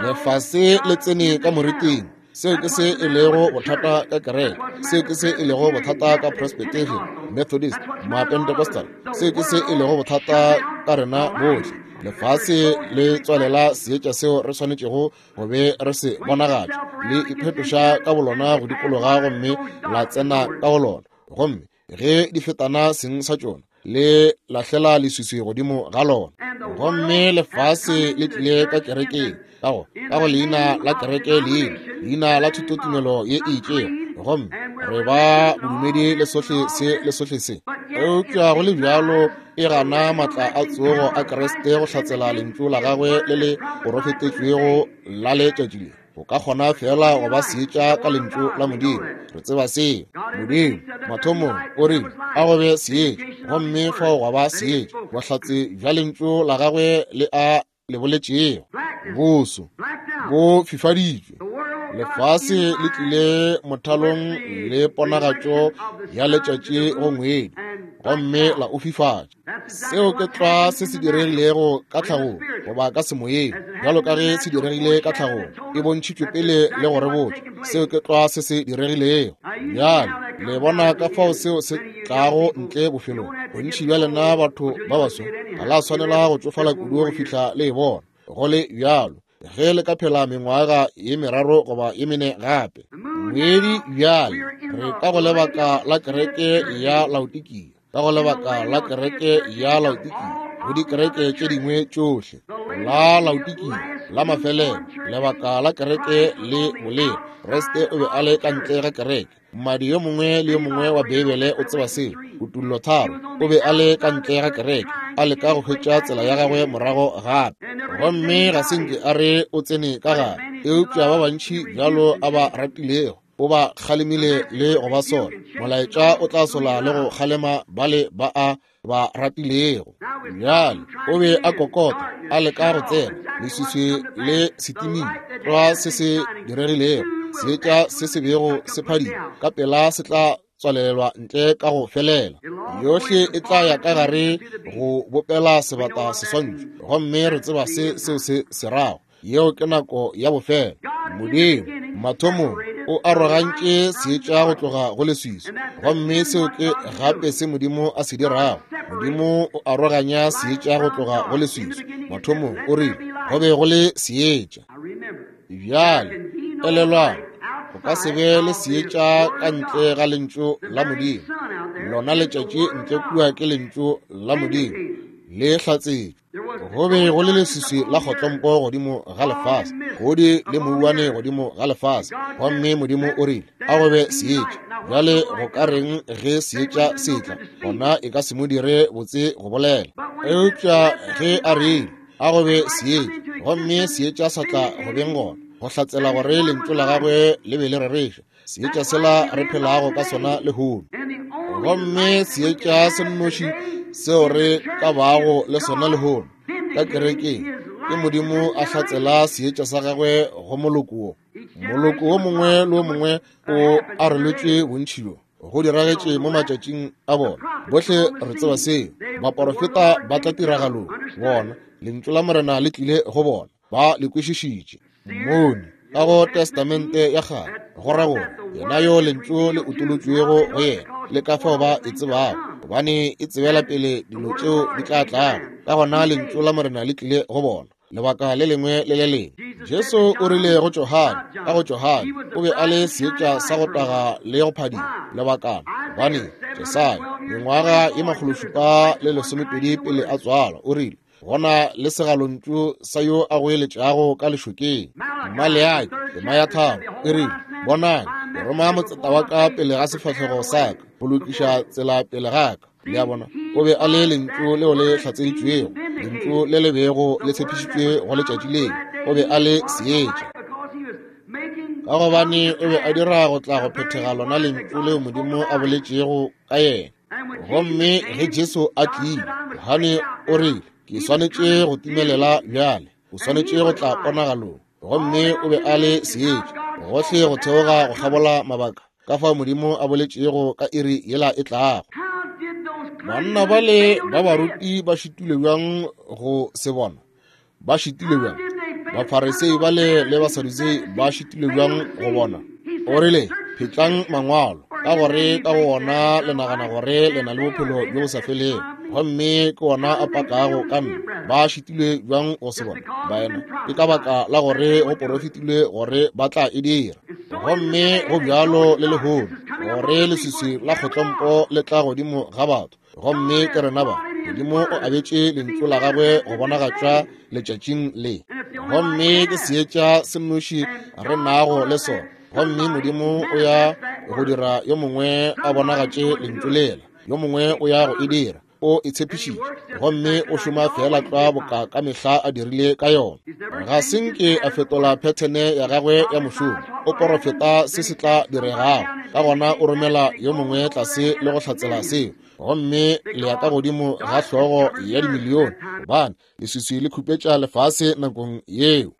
Lefase le tsene ka moriting. Seo ke se e lego bothata ka kereke, seo ke se e lego bothata ka Presbyterian, Methodist, Mapentecostal, seo ke se e lego bothata ka rena bohle. Lefase le tswalela seetša seo re swanetšego go be re se bonagatša, le iphetoša ka bolona go dikologa gomme la tsena ka go lona, gomme ge di fetana seng sa tšona le lahlela leswiswi godimo ga lona. Gomme lefase le tlile ka kerekeng ka go ka go leina la kereke, leina leina la thutotumelo ye e itšego, gomme re ba bodumedi le sohle se le sohle se. Eupša go le bjalo e gana maatla a tsogo a Kriste go hlatsela lentšu la gagwe le le porofetetšwego la letšatši le. O ka kgona fela go ba seetša ka lentšu la Modimo. Re tseba seo. Modimo mathomong o rile a go be seetša, gomme fao gwa ba seetša. Bohlatse bja lentšu la gagwe le a le boletšego. Boso bo fifaditšwe. Lefase le tlile mothalong le ponagatšo ya letšatši go ngwedi, gomme la o fifatša. Seo ke tlwa se se diregilego ka tlhagong goba ka semoyeng, bjalo ka ge se diregile ka tlhagong, e bontšhitšwe pele le go re botša. Seo ke tlwa se se diregilego. Bjale le bona ka fao seo se tlago ntle bofelong. Bontši bja lena batho ba baso ga la swanela go tšofala kudu go fihla le e bona. Go le bjalo ge le ka phela mengwaga ye meraro goba ye mene gape. Ngwedi bjale re ka go lebaka la kereke ya Laodikia, ka go lebaka la kereke ya Laodikia, go dikereke tše dingwe tšohle, la Laodikia la mafelelo, lebaka la kereke le boleng. Kriste o be a le ka ntle ga kereke. Mmadi yo mongwe le yo mongwe wa Beibele o tseba seo. Kutullo tharo, o be a le ka ntle ga kereke, a leka go hwetša tsela ya gagwe morago gape, gomme ga se nke a re o tsene ka gare. Eupša ba bantši bjalo a ba ratilego o ba kgalemile le go ba sola. Molaetša o tla sola le go kgalema bale ba a ba ratilego. Bjale o be a kokota, a leka go tsena, leswiswi le setimile. Tlwa se se diregilego, seetša se se bego se phadima ka pela se tla tswalelwa ntle ka go felela. Yohle e tla ya ka gare go bopela sebata seswantšho, gomme re tseba se seo se se rago. Yeo ke nako ya bofelo. Modimo mathomong o arogantše seetša go tloga go leswiswi, gomme seo ke gape se Modimo a se dirago. Modimo o aroganya seetša go tloga go leswiswi. Mathomong o rile go be go le seetša. Bjale elelwang, go ka se be le seetša ka ntle ga lentšu la Modimo. Lona letšatši ntle kua ke lentšu la Modimo le hlatsetšwe. Go be go le leswiswi la kgotlompo godimo ga lefase, godi le mouwane godimo ga lefase, gomme Modimo o rile a go be seetša. Bjale go ka reng ge seetša se tla? Gona e ka se mo dire botse go bolela. Eupša ge a rile a go be seetša, gomme seetša sa tla go beng gona, go hlatsela gore lentšu la gagwe le be le rereša. Seetša sela re phelago ka sona lehono, gomme seetša se nnoši seo re ka bago le sona lehono ka kerekeng Ke Modimo a hlatsela seetša sa gagwe go moloko wo. Moloko wo mongwe le wo mongwe o aroletšwe bontši bjo go diragetše mo matšatšing a bona. Bohle re tseba seo. Baporofeta ba tla tiragalong. Bona, lentšu la Morena le tlile go bona. Ba le kwešišitše. Mmoni ka go Testamente ya kgale, go ra gore yena yo lentšu le utolotšwego go yena, le ka fao ba e tsebago, gobane e tsebela pele dilo tšeo di tla tlago. Ka gona lentšu la Morena le tlile go bona lebaka le lengwe le le lengwe. Jesu o rile go Johane, ka go Johane o be a le seetša sa go taga le go phadima lebakana, gobane Jesaya mengwaga ye makgološupa le lesomepedi pele a tswalwa o rile, gona le segalontšu sa yo a goeletšago ka lešokeng. Maleaki tema ya tharo e rile, bonang, ke roma motseta wa ka pele ga sefahlego sa ka go lokiša tsela pele ga ka. Le a bona, o be a le lentšu leo le hlatseditšwego, lentšu le le bego le tshepišitšwe go letšatši leo. O be a le seetša, ka gobane o be a dira go tla go phethega lona lentšu leo Modimo a boletšego ka yena. Gomme ge Jesu a tlile, Johane o rile, ke swanetše go timelela bjale, o swanetše go tla ponagalong. Gomme o be a le seetša gohle go theoga go kgabola mabaka, ka fao Modimo a boletšego ka iri yela e tlago. Banna bale ba baruti ba šitilwe bjang go se bona? Ba šitilwe bjang? Bafarisei bale le Basadutsei ba šitilwe bjang go bona? O rile, phetlang mangwalo, ka gore ka go ona le nagana gore le na le bophelo bjo bo sa felego, gomme ke ona a pakago ka nna. Ba šitilwe bjang go se bona, baena? Ke ka baka la gore go porofetilwe gore ba tla e dira. Gomme go bjalo le lehono, gore leswiswi la kgotlompo le tla godimo ga batho. Gomme ke rena ba, Modimo o abetše lentšu la gagwe go bonagatšwa letšatšing le. Gomme ke seetša se nnoši re nago le sona. Gomme Modimo o ya go dira yo mongwe a bonagatše lentšu lela, yo mongwe o ya go e dira. O e tshepišitše, gomme o šoma fela tlwa boka ka mehla a dirile ka yona. Ga se nke a fetola phethene ya gagwe ya mošomo. O porofeta se se tla diregago, ka gona o romela yo mongwe tlase le go hlatsela seo. Gomme le ya ka godimo ga hlogo ya dimilione, gobane leswiswi le khupetša lefase nakong yeo.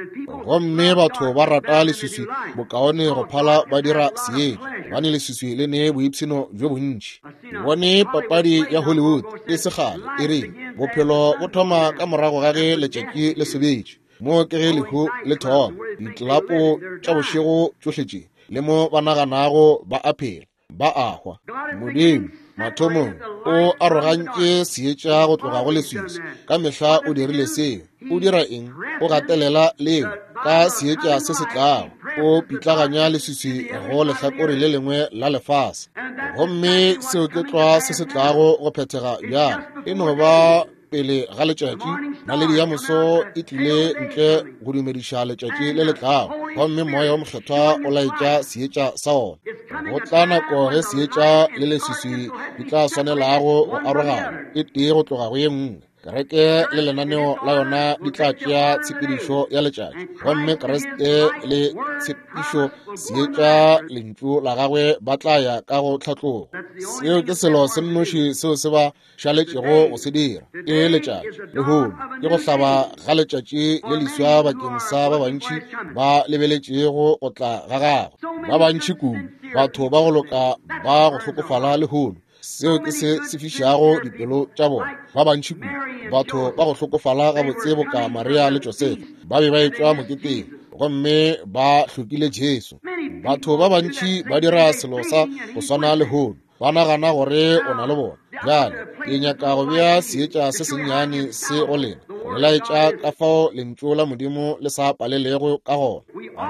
Gomme batho ba rata leswiswi bokaone go phala ba dira seetša, gobane leswiswi le ne boipshino bjo bontši. Ke bone papadi ya Hollywood e se kgale e rile, bophelo bo thoma ka morago ga ge letšatši le sobetše, mo ke ge lehu le thoma. Ditlelapo tša bošego tšohle tše, le mo ba naganago ba a phela, ba a hwa. Modimo mathomong o arogantše seetša go tloga go leswiswi. Ka mehla o dirile seo. O dira eng? O gatelela leo ka seetša se se tlago. O pitlaganya leswiswi go lehlakore le lengwe la lefase. Gomme seo ke tlwa se se tlago go phethega bjalo. E no ba pele ga letšatši, naledi ya moso e tlile ntle go dumediša letšatši le le tlago, gomme moya wo mokgethwa o laetša seetša sa ona. Go tla nako ge seetša le leswiswi di tla swanelago go arogana, e tee go tloga go ye nngwe. Kereke le lenaneo la yona di tla tšea tshepedišo ya letšatši, gomme Kriste le tshepišo seetša lentšu la gagwe ba tla ya ka go tlhatlogo. Seo ke selo se nnoši seo se ba šaletšego go se dira. Ke letšatši lehono, ke go hlaba ga letšatši le leswa bakeng sa ba bantši ba lebeletšego go tla ga gagwe. Ba bantši kudu, batho ba go loka ba go hlokofala lehono. Seo ke se se fišago dipelo tša bona. Ba bantši kudu, batho ba go hlokofala gabotse boka Maria le Josefa, ba be ba etšwa moketeng gomme ba hlokile Jesu. Batho ba bantši ba dira selo sa go swana lehono, ba nagana gore o na le bona. Bjale ke nyaka go bea seetša se sennyane se go lena, go le laetša ka fao lentšu la Modimo le sa palelego ka gona.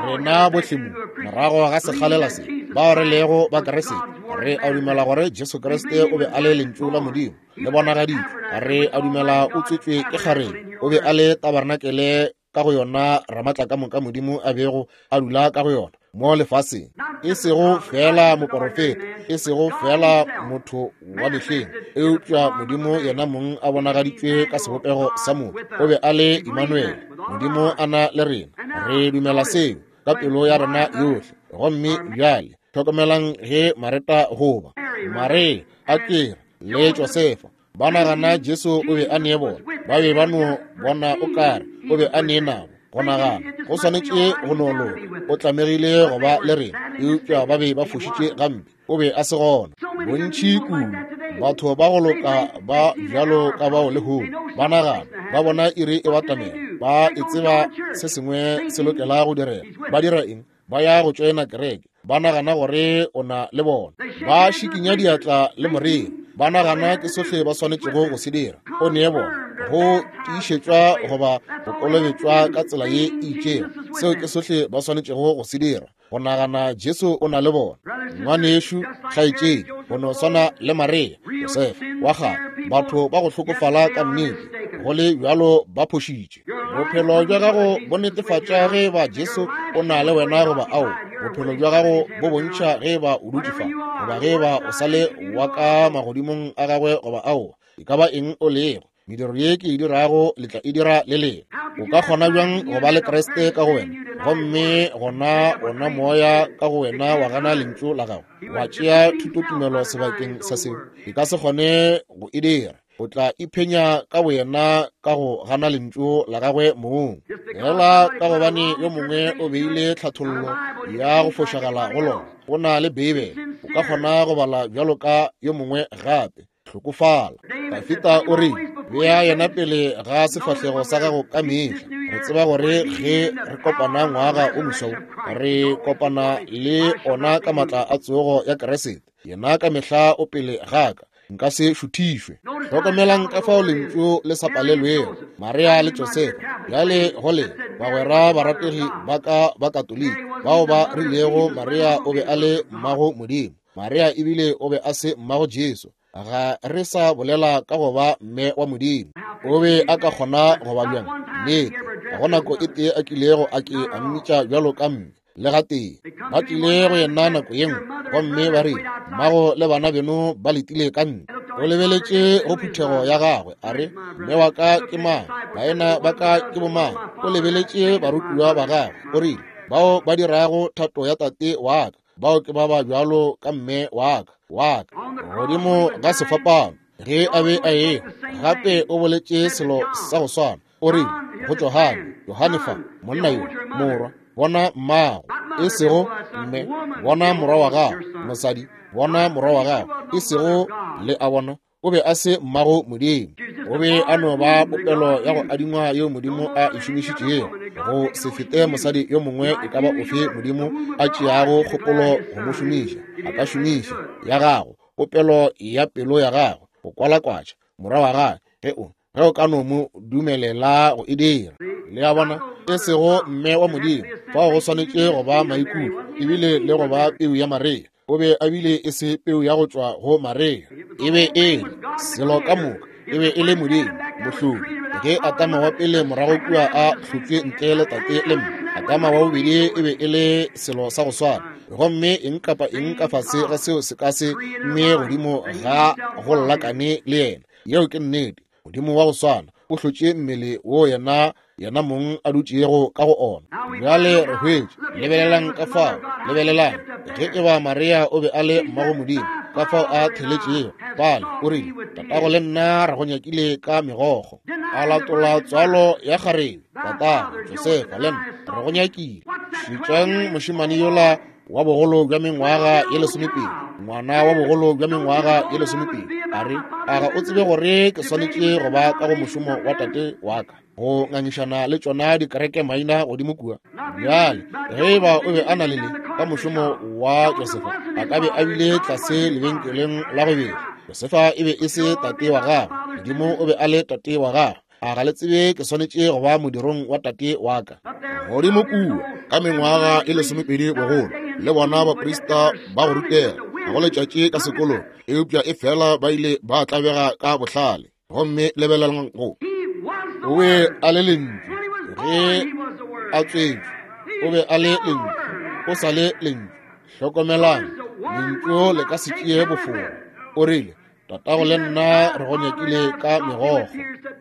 Rena bohle mo morago ga sekgalela se, bao re lego ba Kriste, re a dumela gore Jesu Kriste o be a le lentšu la Modimo le bonagaditšwe. Re a dumela o tswetšwe ke kgarebe, o be a le tabarnakele ka go yona Ramatlakamoka Modimo a bego a dula ka go yona mo lefaseng. E sego fela moporofeta, e sego fela motho wa mehleng, eupša Modimo yena mong a bonagaditšwe ka sebopego sa motho. O be a le Emmanuel, Modimo a na le rena. Re dumela seo ka pelo ya rena yohle. Gomme bjale hlokomelang ge Mareta goba Maria a kere le Josefa Ba nagana Jesu o be a ne bona. Ba be ba no bona o kare o be a ne nabo. Go nagana go swanetše go no loka, o tlamegile go ba le rena, eupša ba be ba fošitše gampe. O be a se gona. Bontši kudu batho ba go loka ba bjalo ka bao lehono ba nagana ba bona iri e batamela, ba e tseba se sengwe se lokela go direga. Ba dira eng? Ba ya go tšoena kereke, ba nagana gore o na le bona. Ba šikinya diatla le moriri, ba nagana ke sohle ba swanetšego go se dira. O nee bona go tiišetšwa goba go kolobetšwa ka tsela ye e itšego, seo ke sohle ba swanetšego go se dira, go nagana Jesu o na le bona. Ngwanešu, kgaetšedi, go no swana le Maria, Josefa wa kgale, batho ba go hlokofala ka nnete, go le bjalo ba phošitše. Bophelo bja gago bo netefatša ge ba Jesu o na le wena goba ao. Bophelo bja gago bo bontšha ge ba o dutše fa goba ge ba o sa le wa ka magodimong a gagwe goba ao. E ka ba eng o lego, mediro ye ke e dirago le tla e dira le lena. O ka kgona bjang go ba le Kriste ka go wena, gomme gona ona moya ka go wena wa gana lentšu la gago, wa tšea thutotumelo sebakeng sa seo? E ka se kgone go e dira. O tla iphenya ka boyena ka go gana lentšu la gagwe mong, fela ka gobane yo mongwe o beile tlhathollo ya go fošagala go lona. Go na le Beibele, o ka kgona go bala bjalo ka yo mongwe gape. Hlokofala. Dafita o re bea yena pele ga sefahlego sa gago ka mehla. Re tseba gore ge re kopana ngwaga o moswa, re kopana le ona ka matla a tsogo ya Kriste. Yena ka mehla o pele ga ka, nka se šuthišwe. Hlokomelang ka fao lentšu le sa palelwego. Maria le Josefa bjale go le bagwera barategi ba ka ba Katoliki bao ba rilego Maria o be a le mmago Modimo. Maria ebile o be a se mmago Jesu. Ga re sa bolela ka go ba mme wa Modimo. O be a ka kgona go ba bjang? Nnete, ga go nako e tee a kilego a ke a mmitša bjalo ka mme le gatee. Ba tlile go yena nako ye nngwe gomme ba re, mmago le bana beno ba letile ka ntle. O lebeletše go phuthego ya gagwe a re, mme wa ka ke mang? Baena ba ka ke bomang? O lebeletše barutiwa ba gagwe o rile, bao ba dirago thato ya tate wa ka, bao ke ba ba bjalo ka mme wa ka wa ka. Godimo ga sefapano ge a be a e gape o boletše selo sa go swana. O rile go Johane, Johane fa, monna yo, morwa, bona mmago, e sego mme, bona morwa wa gago, mosadi, bona morwa wa gago, e sego le a bona. O be a se mmago Modimo. O be a no ba popelo ya go adingwa yeo Modimo a e šomišitšego go se fete mosadi yo mongwe e ka ba ofe Modimo a tšeago kgopolo go mo šomiša. A ka šomiša ya gago, popelo ya pelo ya gago, go kwalakwatša morwa wa gagwe ge o ge o ka no mo dumelela go e dira. Le a bona, e sego mme wa Modimo, fao go swanetše go ba maikutlo ebile le go ba peu ya Maria. O be a bile e se peu ya go tšwa go Maria. E be e le selo ka moka, e be e le Modimo mohlodi. Ge Adama wa pele morago kua a hlotšwe ntle le tate le mme, Adama wa bobedi e be e le selo sa go swana. Gomme eng kapa eng ka fase ga seo se ka se mme godimo ga go llakane le yena. Yeo ke nnete. Modimo wa go swana o hlotše mmele wo yena yena mong a dutšego ka go ona. Bjale re hwetše, lebelelang ka fao, lebelelang ge e ba Maria o be a le mmago Modimo, ka fao a theletšego. Pale o rile, tatago le nna re go nyakile ka megokgo. A latola tswalo ya kgarebe, tatago Josefa le nna re go nyakile. Šetšang mošemane yola wa bogolo bja mengwaga ye lesomepedi, ngwana wa bogolo bja mengwaga ye lesomepedi, a re, a ga o tsebe gore ke swanetše go ba ka go mošomo wa tate wa ka, go ngangišana le tšona dikereke maina godimo kua? Bjale ge e ba o be a na le le ka mošomo wa Josefa, a ka be a bile tlase lebenkeleng la go betla. Josefa e be e se tate wa gagwe, Modimo o be a le tate wa gagwe. A ga le tsebe ke swanetše go ba modirong wa tate wa ka? Godimo kua ka mengwaga e lesomepedi bogolo, le bona baprista ba go rutega, ga go letšatši ka sekolong, eupša e fela ba ile ba tlabega ka bohlale. Gomme lebelelang go, o be a le lentšu ge a tswetšwe, o be a le lentšu, o sa le lentšu. Hlokomelang, lentšu le ka se tšee bofora. O rile, tatago le nna re go nyakile ka megokgo.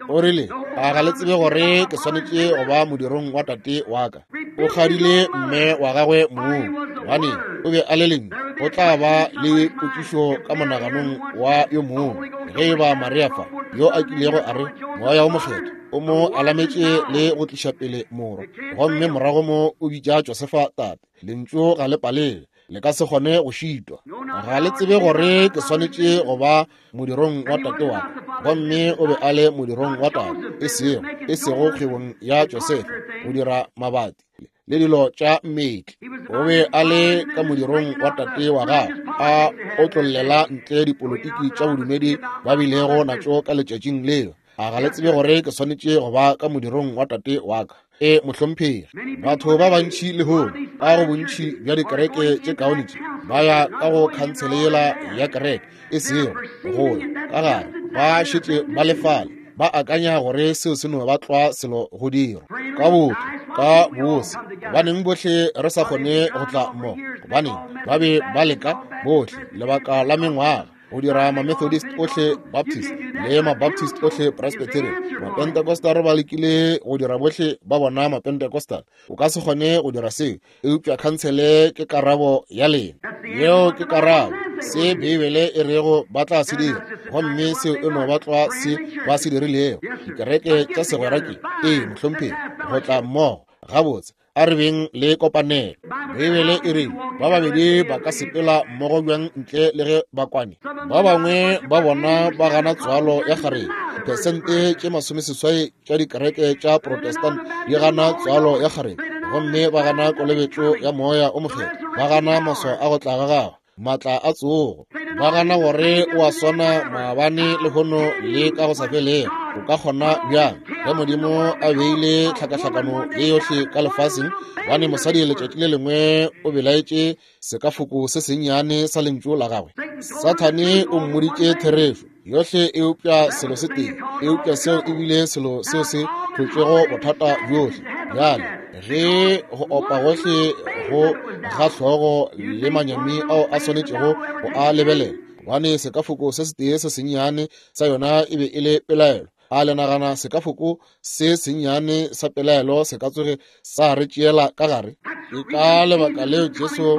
O rile, a ga le tsebe gore ke swanetše go ba modirong wa tate wa ka? O kgadile mme wa gagwe mong, gobane o be a le lentšu. Go tla ba le potšišo ka monaganong wa yo mongwe ge e ba Maria fa yo a kilego a re Moya o Mokgethwa o mo alametše le go tliša pele morwa, gomme morago mo o bitša Josefa tate. Lentšu ga le palele, le ka se kgone go šitwa. Ga le tsebe gore ke swanetše go ba modirong wa tate wa ka, gomme o be a le modirong wa tate, e sego e sego kgwebong ya Josefa go dira mabati le dilo tša mmetli. O be a le ka modirong wa tate wa gagwe, a otlollela ntle dipolotiki tša bodumedi ba bilego natšo ka letšatšing leo. A ga le tsebe gore ke swanetše go ba ka modirong wa tate wa ka? E mohlomphegi, batho ba bantši lehono ka go bontši bja dikereke tše kaone tše ba ya ka go khansele yela ya kereke, e sego go ya ka gare, ba šetše ba lefale, ba akanya gore seo se no ba tlwa selo go dirwa ka botho ka bose. Gobaneng bohle re sa kgone go tla mmogo? Gobaneng ba be ba leka bohle lebaka la mengwaga go dira ma-Methodist ohle Baptist le ma-Baptist ohle Presbyterian. Ma-Pentecostal ba lekile go dira bohle ba bona ma-Pentecostal. O ka se kgone go dira seo, eupša khansele ke karabo ya lena. Yeo ke karabo se Beibele e rego ba tla se dira, gomme seo e no ba tlwa se ba se dirilego. Dikereke tša segwera ke ee mohlomphegi go tla mmogo gabotse, a re beng le kopanelo. Beibele e re ba babedi ba ka sepela mmogo bjang ntle le ge ba kwane? Ba bangwe ba bona ba gana tswalo ya kgarebe. Diphesente tše masomeseswai tša dikereke tša Protestant di gana tswalo ya kgarebe, gomme ba gana kolobetšo ya Moya o Mokgethwa, ba gana maswao a go tla ga gagwe, maatla a tsogo, ba gana gore o a swana maabane lehono le ka go sa felego. O ka kgona bjang ge Modimo a beile tlhakahlakano ye yohle ka lefaseng? Gobane mosadi letšatši le lengwe o belaetše sekafoko se sennyane sa lentšu la gagwe. Sathane o mmoditše therešo yohle eupša selo se tee, eupša seo e bile selo seo se hlotšego bothata bjohle. Bjale ge go opa gohle go ga hlogo le manyami ao a swanetšego go a lebelela, gobane sekafoko se setee se sennyane sa yona e be e le pelaelo. A le nagana sekafoko se sennyane sa pelaelo se ka tsoge sa re tšeela ka gare? Ke ka lebaka leo Jesu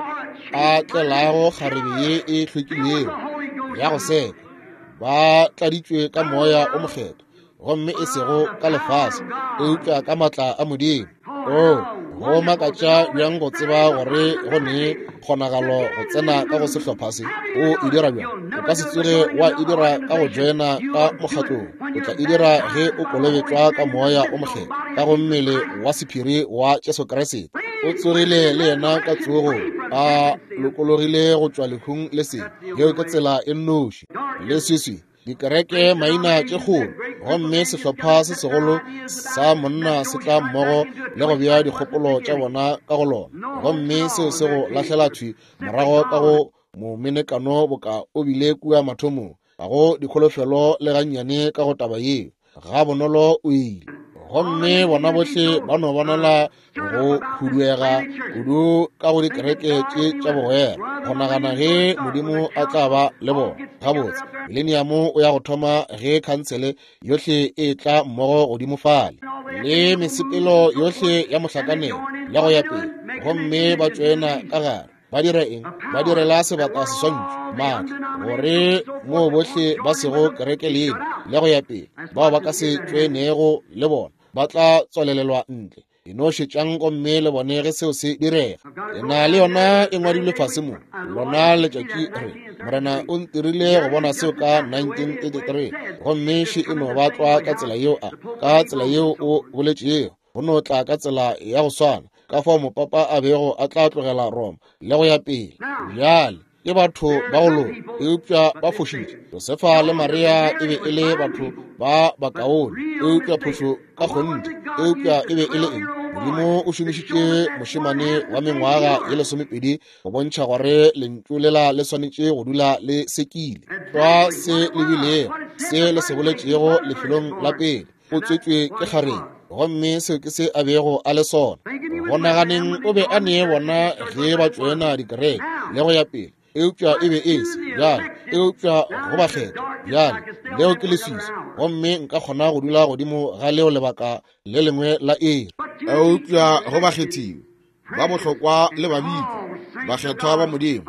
a tlelago kgarebe ye e hlwekilego ya go seka, ba tladitšwe ka Moya o Mokgethwa, gomme e sego ka lefase, eupša ka maatla a Modimo. O go makatša bjang go tseba gore go ne kgonagalo go tsena ka go sehlopha se. O e dira bjang? O ka se tsoge wa e dira ka go joina ka mokgatlong. O tla e dira ge o kolobetšwa ka Moya o Mokgethwa, ka go mmele wa sephiri wa Jesu Kriste. O tsogile le yena ka tsogong, a lokologile go tšwa lehung le sebe. Yeo ke tsela e nnoši. Leswiswi, dikereke maina tše kgolo, gomme sehlopha se segolo sa monna se tla mmogo le go bea dikgopolo tša bona ka go lona, gomme seo se go lahlela thwi morago ka go momenekano boka o bile kua mathomong. Ga go dikholofelo le gannyane ka go taba yeo, ga bonolo o ile. Gomme bona bohle ba no bonala go huduega kudu ka go dikereke tše tša bogwera, go nagana ge Modimo a tla ba le bona. Gabotse, mileniamo o ya go thoma ge khansele yohle e tla mmogo godimo fale, le mesepelo yohle ya mohlakanelo le go ya pele, gomme ba tšoena ka gare. Ba dira eng? Ba direla sebata seswantšho maatla, gore moo bohle ba sego kereke leina le go ya pele, bao ba ka se tšoenego le bona ba tla tswalelelwa ntle. E no šetšang gomme le bone ge seo se direga. E na le yona e ngwadilwe fase mo lona letšatši re Morena o ntirile go bona seo ka nineteen eighty-three, gomme še e no ba tlwa ka tsela yeo a ka tsela yeo o boletšego, go no tla ka tsela ya go swana ka fao mopapa a bego a tla tlogela Roma le go ya pele. Bjale ke batho ba go loka, eupša ba fošitše. Josefa le Maria e be e le batho ba bakaone, eupša phošo ka kgonthe. Eupša e be e le eng? Modimo o šomišitše mošemane wa mengwaga ye lesomepedi go bontšha gore lentšu lela le swanetše go dula le sekile. Tlwa se le bilego se le se boletšego lefelong la pele, o tswetšwe ke kgarebe, gomme seo ke se a bego a le sona. Go naganeng o be a nee bona ge ba tšoena dikereke le go ya pele, eupša e be e se bjale, eupša go bakgethwa bjale leo ke leswiswi, gomme nka kgona go dula godimo ga leo lebaka le lengwe la iri. Eupša go bakgethiwe ba bohlokwa le babitšwa, bakgethwa ba Modimo,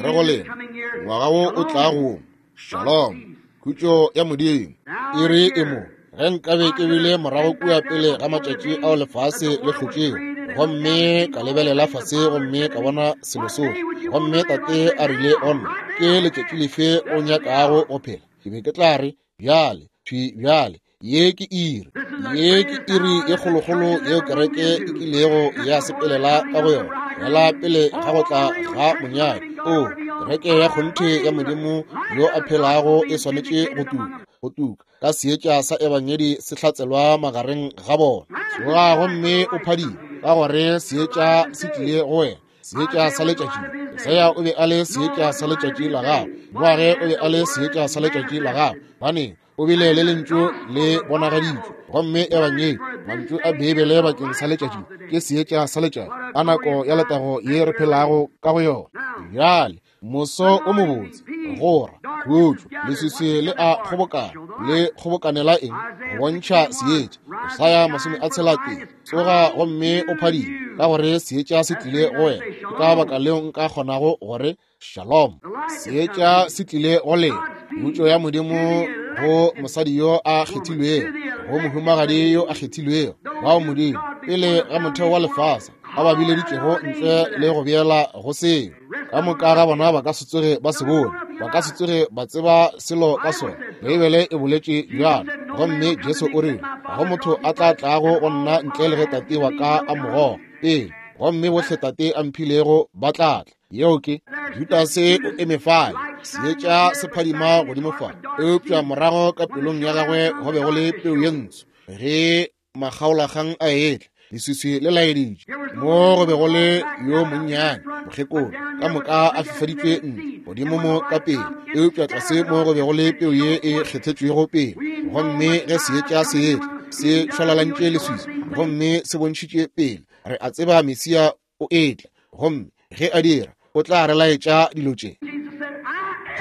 Re go lena, ngwaga wo o tlago wo, shalom, khutšo ya Modimo. Iri e mo, ge nkabe ke bile morago kua pele ga matšatši ao lefase le hlotšego, gomme ka lebelela fase gomme ka bona selo sohle, gomme tate a rile go nna, ke letšatši lefe o nyakago go phela? Ke be ke tla re, bjale, thwi bjale, ye ke iri, ye ke iri ye kgolokgolo yeo kereke e kilego ya sepelela ka go yona, fela pele ga go tla ga monyadi. O, kereke ya kgonthe ya Modimo yo a phelago e swanetše go tuka, go tuka ka seetša sa ebangedi se hlatselwa magareng ga bona. Tsoga gomme o phadime, ka gore seetša se tlile go wena, seetša sa letšatši. Isaya o be a le seetša sa letšatši la gagwe, Noage o be a le seetša sa letšatši la gagwe, baneng o bile le lentšu le bonagaditšwe, gomme ebangedi, mantšu a Beibele bakeng sa letšatši, ke seetša sa letšatši a nako ya letago ye re phelago ka go yona. Bjale moso o mobotse, gora, khutšo, leswiswi le a kgobokana, le kgobokanela eng? Go bontšha seetša. Isaya masome a tshela tee, tsoga gomme o phadime, ka gore seetša se tlile go wena. Ke ka baka leo nka kgonago gore shalom, seetša se tlile go lena. Khutšo ya Modimo go mosadi yo a kgethilwego, go mohumagadi yo a kgethilwego, bao Modimo pele ga motheo wa lefase a ba bileditšego ntle le go beela go seo. Ka moka ga bona ba ka se tsoge ba se bone, ba ka se tsoge ba tseba selo ka sona. Beibele e boletše bjalo, gomme Jesu o rile, ga go motho a tla tlago go nna ntle le ge tate wa ka a mo goga pele, gomme bohle tate a mphilego ba tla tla. Yeo ke Judase o eme fale, seetša se phadima godimo fa, eupša morago ka pelong ya gagwe go be go le peu ye ntsho. Ge makgaolakgang a etla, leswiswi le laeditše mo go be go le yo monnyane mokgekolo, ka moka a fifaditšwe ntle godimo mo ka pele, eupša tlase mo go be go le peu ye e kgethetšwego pele. Gomme ge seetša se etla, se šwalalantše leswiswi gomme se bontšhitše pele. Re a tseba Mesia o etla, gomme ge a dira, o tla re laetša dilo tše.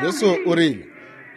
Jesu o rile,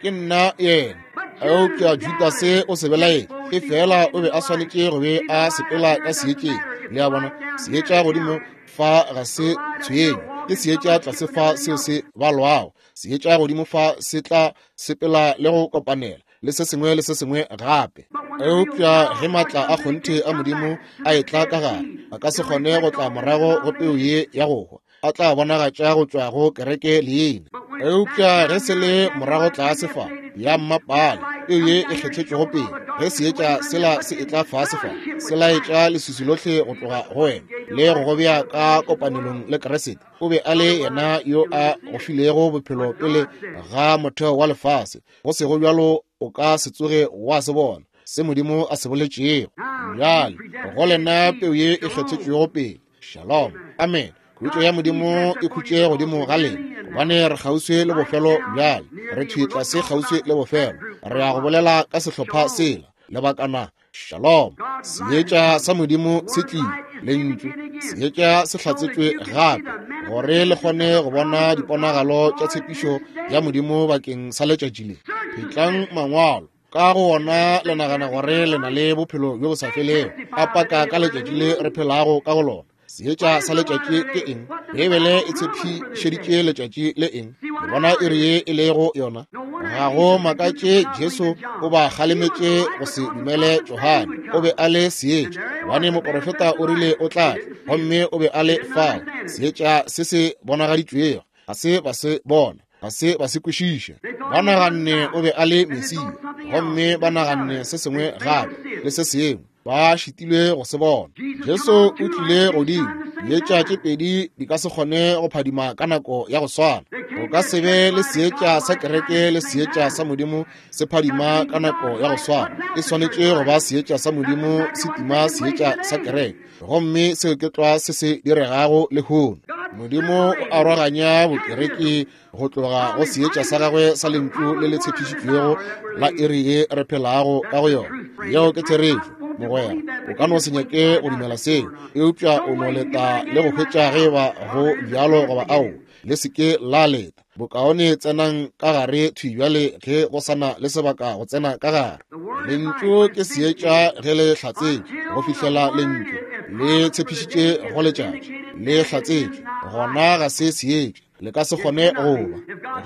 ke nna yena. Eupša Judase o se belaetše, e fela o be a swanetše go be a sepela ka seetšeng. Le a bona, seetša godimo fa ga se tshwenye, ke seetša tlase fa seo se balwago. Seetša godimo fa se tla sepela le go kopanela le se sengwe le se sengwe gape. Eupša ge maatla a kgonthe a Modimo a etla ka gare, a ka se kgone go tla morago go peu ye ya go hwa, a tla bonagatša go tšwa go kereke leina. Eupša ge se le morago tlase fa ya mmapale, peu ye e kgethetšwego pele, ge seetša sela se etla fase fa, se laetša leswiswi lohle go tloga go wena le go go bea ka kopanelong le Kriste. O be a le yena yo a go filego bophelo pele ga motheo wa lefase. Go sego bjalo o ka se tsoge wa se bona se Modimo a se boletšego. Bjale go lena peu ye e kgethetšwego pele, shalom, amen. Khutšo ya Modimo e khutše godimo ga lena, gobane re kgauswi le bofelo bjale, re thwi tlase kgauswi le bofelo. Re ya go bolela ka sehlopha sela lebakana. Shalom. Seetša sa Modimo se tlile, lentšu seetša se hlatsetšwe gape, gore le kgone go bona diponagalo tša tshepišo ya Modimo bakeng sa letšatši le. Phetlang mangwalo, ka go ona le nagana gore le na le bophelo bjo bo sa felego, a paka ka letšatši le re phelago ka go lona. Seetša sa letšatši ke eng? Beibele e tshepišeditše letšatši le eng? Le bona iri ye e lego yona? Ga go makatše Jesu o ba kgalemetše go se dumele Johane. O be a le seetša, gobane moprofeta o rile o tla tla, gomme o be a le fao. Seetša se se bonagaditšwego ga se ba se bona, ga se ba se kwešiše. Ba naganne o be a le Mesia, gomme ba naganne se sengwe gape le se sengwe, ba šitilwe go se bona. Jesu o tlile godimo. Dietša tše pedi di ka se kgone go phadima ka nako ya go swana. Go ka se be le seetša sa kereke le seetša sa Modimo se phadima ka nako ya go swana. E swanetše go ba seetša sa Modimo se tima seetša sa kereke, gomme seo ke tlwa se se diregago lehono. Modimo o aroganya bokereke go tloga go seetša sa gagwe sa lentšu le le tshepišitšwego la iri ye re phelago ka go yona. Yeo ke therešo, mogwera. O ka no se nyake go dumela seo, eupša o no leta le go hwetša ge ba go bjalo goba ao. Le se ke la leta. Bokaone tsenang ka gare thwi bjale ge go sana le sebaka go tsena ka gare. Lentšu ke seetša ge le hlatsetšwe, go fihlela lentšu le tshepišitše go letšatši le hlatsetšwe, gona ga se seetša. Le ka se kgone go ba.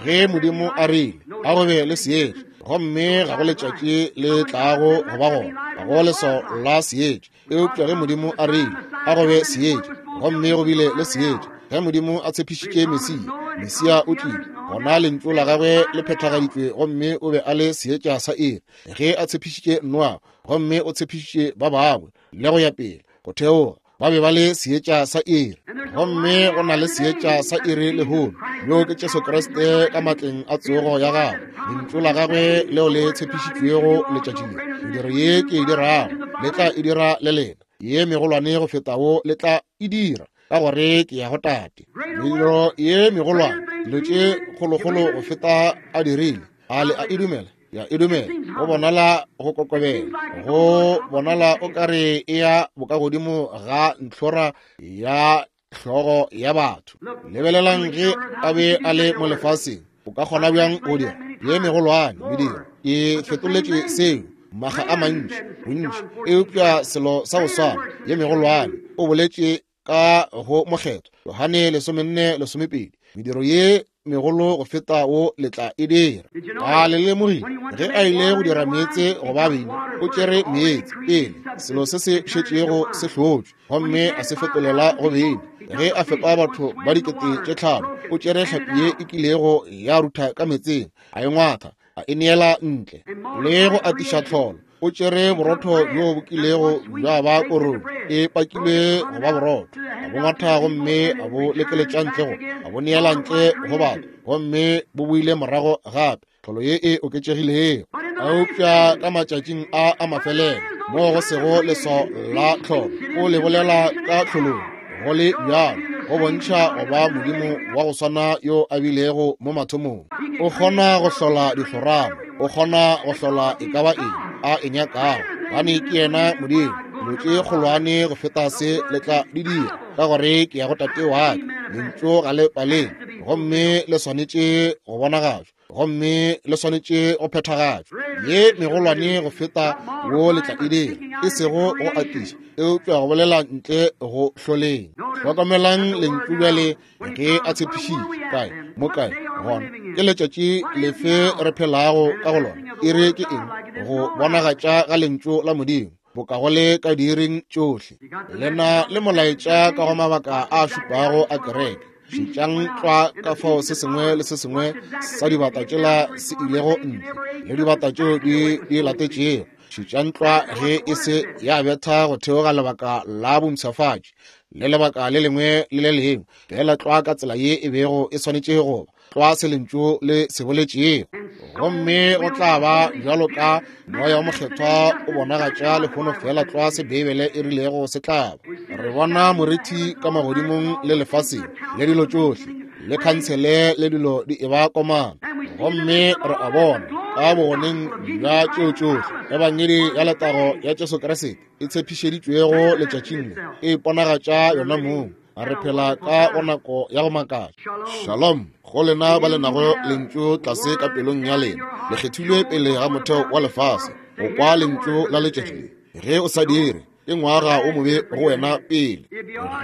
Ge Modimo a rile a go be le seetša, gomme ga go letšatši le tlago go ba gona, ga go leswao la seetša. Eupša ge Modimo a rile a go be seetša, gomme go bile le seetša. Ge Modimo a tshepišitše Mesia, Mesia o tlile, gona lentšu la gagwe le phethagaditšwe, gomme o be a le seetša sa iri. Ge a tshepišitše Noa, gomme o tshepišitše ba bangwe, le go ya pele go theoga, ba be ba le seetša sa iri. Gomme go na le seetša sa iri lehono, yo ke Jesu Kriste ka matleng a tsogo ya gagwe, lentšu la gagwe leo le tshepišitšwego letšatši le. Mediro ye ke e dirago le tla e dira le lena, ye megolwane go feta wo le tla e dira, ka gore ke ya go Tate. Mediro ye megolwane, dilo tše kgolokgolo go feta a dirile. A le a e dumela? Ya e dumela. Go bonala go kokobela, go bonala o kare e ya bokagodimo ga ntlhora ya hlogo ya batho. Lebelelang ge a be a le mo lefaseng, o ka kgona bjang go dira ye megolwane mediro? Ke fetoletše seo maga a mantši, bontši, eupša selo sa go swana, ye megolwane. O boletše ka go mokgethwa Johane lesomenne lesomepedi, mediro ye megolo go feta wo le tla e dira. A le lemogile ge a ile go dira meetse go ba beine, o tšere meetse pele, selo se se šetšego se hlotšwe, gomme a se fetolela go beine. Ge a fepa batho ba dikete tše tlhano, o tšere hlapi ye e kilego ya rutha ka metseng, a e ngwatha, a e neela ntle. Le go atiša tlholo, o tšere borotho bjo bo kilego bja ba korong e pakilwe go ba borotho, a bo ngwatha gomme a bo lekeletša ntle go, a bo neela ntle go batho, gomme bo boile morago gape, tlholo ye e oketšegilego. Eupša ka matšatšing a a mafelelo, mo go sego leswao la tlholo, o le bolela ka tlholong, go le bjalo go bontšha go ba Modimo wa go swana yo a bilego mo mathomong. O kgona go hlola dihlorana, o kgona go hlola e ka ba eng a e nyakago, gobane ke yena Modimo. Dilo tše kgolwane go feta se le tla di dira, ka gore ke ya go Tate wa ka. Lentšu ga le paleng, gomme le swanetše go bonagatšwa, gomme le swanetše go phethagatšwa. Ye megolwane go feta wo le tla e dira, e sego go atiša, eupša go bolela ntle go hloleng. Hlokomelang lentšu bjale ge a tshepišitše. Kae mo kae gona ke letšatši lefe re phelago ka go lona? Iri ke eng? Go bonagatša ga lentšu la Modimo boka go le ka diiring tšohle. Le na le molaetša ka go mabaka a šupago a kereke. Šetšang tlwa ka fao se sengwe le se sengwe sa dibata tšela se ilego ntle, le dibata tšeo di di latetšego. Šetšang tlwa ge e se ya betha go theoga lebaka la bompshafatši le lebaka le lengwe le le lengwe, fela tlwa ka tsela ye e bego e swanetše go ba, tlwa se lentšu le se boletšego. Gomme go tla ba bjalo ka Moya wa Mokgethwa o bonagatša lehono fela tlwa se Beibele e rilego se tla ba. Re bona morithi ka magodimong le lefaseng, le dilo tšohle, le khansele le dilo di eba komana. Gomme re a bona ka bogoneng bja tšeo tšohle ebangedi ya letago ya Jesu Kriste e tshepišeditšwego letšatšing le e iponagatša yona mong. Re phela ka go nako ya go makatša. Shalom go lena ba le nago lentšu tlase ka pelong ya lena, le kgethilwe pele ga motheo wa lefase go kwa lentšu la letšatši le. Ge o sa dire, ke ngwaga o mobe go wena pele.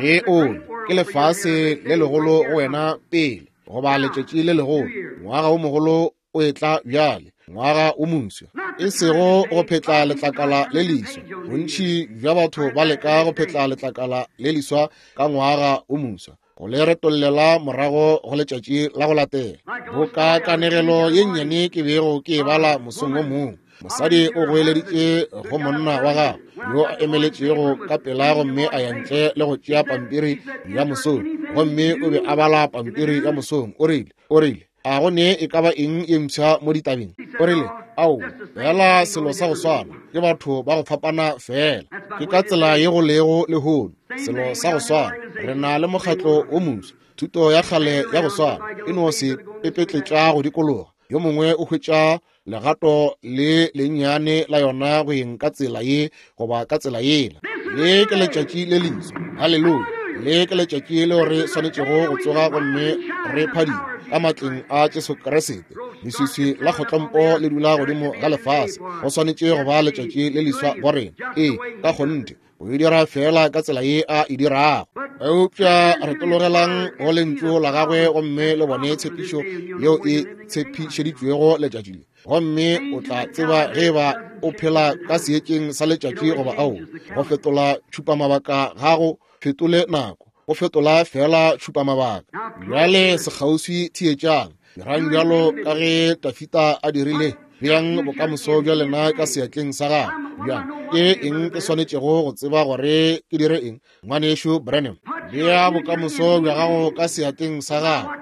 Ge o le, ke lefase le legolo go wena pele, goba letšatši le legolo. Ngwaga o mogolo o etla bjale, ngwaga o moswa, e sego go phetla letlakala le leswa. Bontši bja batho ba leka go phetla letlakala le leswa ka ngwaga o moswa, go le retollela morago go letšatši la go latela. Boka kanegelo ye nnyane ke bego ke e bala mosong o mongwe, mosadi o goeleditše go monna wa gagwe yo a emeletšego ka pela, gomme a ya ntle le go tšea pampiri ya mosong, gomme o be a bala pampiri ya mosong. O rile, o rile, a go ne e ka ba eng ye mpsha mo ditabeng? O rile, ao, fela selo sa go swana, ke batho ba go fapana fela. Ke ka tsela ye go lego lehono, selo sa go swana. Re na le mokgatlo o moswa, thuto ya kgale ya go swana, e no se pepetletša go dikologa. Yo mongwe o hwetša legato le lennyane la yona go eng ka tsela ye goba ka tsela yela. Le ke letšatši le leswa. Haleluya! Le ke letšatši leo re swanetšego go tsoga gomme re phadime. ka matleng a Jesu Kriste. Leswiswi la kgotlompo le dula godimo ga lefase. Go swanetše go ba letšatši le leswa go rena. Ee, ka kgonthe, o e dira fela ka tsela ye a e dirago. Eupša re tologelang go lentšu la gagwe gomme le bone tshepišo yeo e tshepišeditšwego letšatši le. Gomme o tla tseba ge ba o phela ka seetšeng sa letšatši goba ao. Go fetola tšhupamabaka gago fetole nako, go fetola fela tšhupamabaka. Bjale sekgauswi theetšang, dirang bjalo ka ge Dafida a dirile. Beang bokamoso bja lena ka seatleng sa gagwe. Bjang ke eng ke swanetšego go tseba gore ke dire eng, ngwanešu Branham? Bea bokamoso bja gago ka seatleng sa gagwe.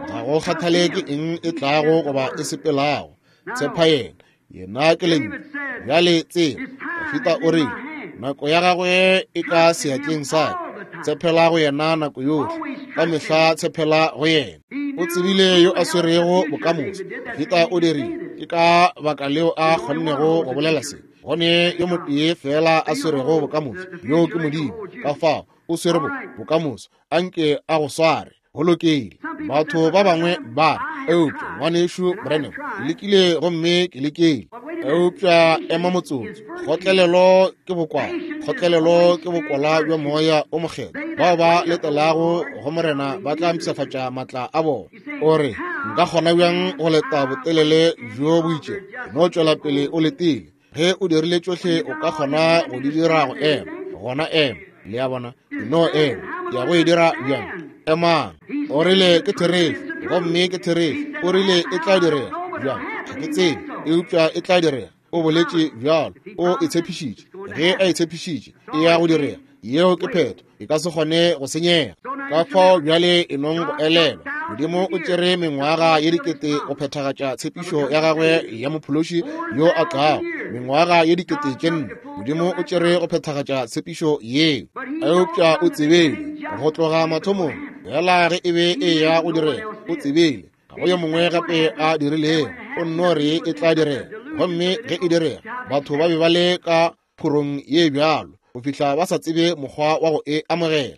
Ga go kgathale ke eng e tlago goba e sepelago. Tshepa yena, yena ke lentšu. Bjale tseba, Dafida o rile nako ya gagwe e ka seatleng sa ka. Tshepela go yena nako yohle, ka mehla tshepela go yena. O tsebile yo a swerego bokamoso. Dafida o dirile. Ke ka baka leo a kgonnego go bolela se. Go ne yo motee fela a swerego bokamoso, yo ke Modimo. Ka fao o swere bokamoso, anke a go sware. Go lokile. Batho ba bangwe ba re, eupša ngwanešu Branham, ke lekile gomme ke lekile. Eupša ema motsotso. Kgotlelelo ke bokwala. Kgotlelelo ke bokwala bja moya o mokgethwa. Bao ba letelago go Morena ba tla mpshafatša matla a bona. O re, nka kgona bjang go leta botelele bjo bo itšego? No tšwela pele o letile. Ge o dirile tšohle o ka kgona go di dira go ema. Gona ema. Le a bona? No ema. Ke ya go e dira bjang? Emang. O rile ke therešo, gomme ke therešo. O rile e tla direga bjang? Ga ke tsebe, eupša e tla direga. O boletše bjalo, o e tshepišitše. Ge a e tshepišitše, e ya go direga. Yeo ke phetho, e ka se kgone go senyega. Ka fao bjale e nong go elelwa, Modimo o tšere mengwaga ye dikete go phethagatša tshepišo ya gagwe ya mophološi yo a tlago. Mengwaga ye dikete tše nne Modimo o tšere go phethagatša tshepišo yeo. Eupša o tsebile go tloga mathomong, fela ge e be e ya go direga, o tsebile ga go yo mongwe gape a dirilego. O nno re e tla direga, gomme ge e direga, batho ba be ba le ka phorong ye bjalo go fihla ba sa tsebe mokgwa wa go e amogela.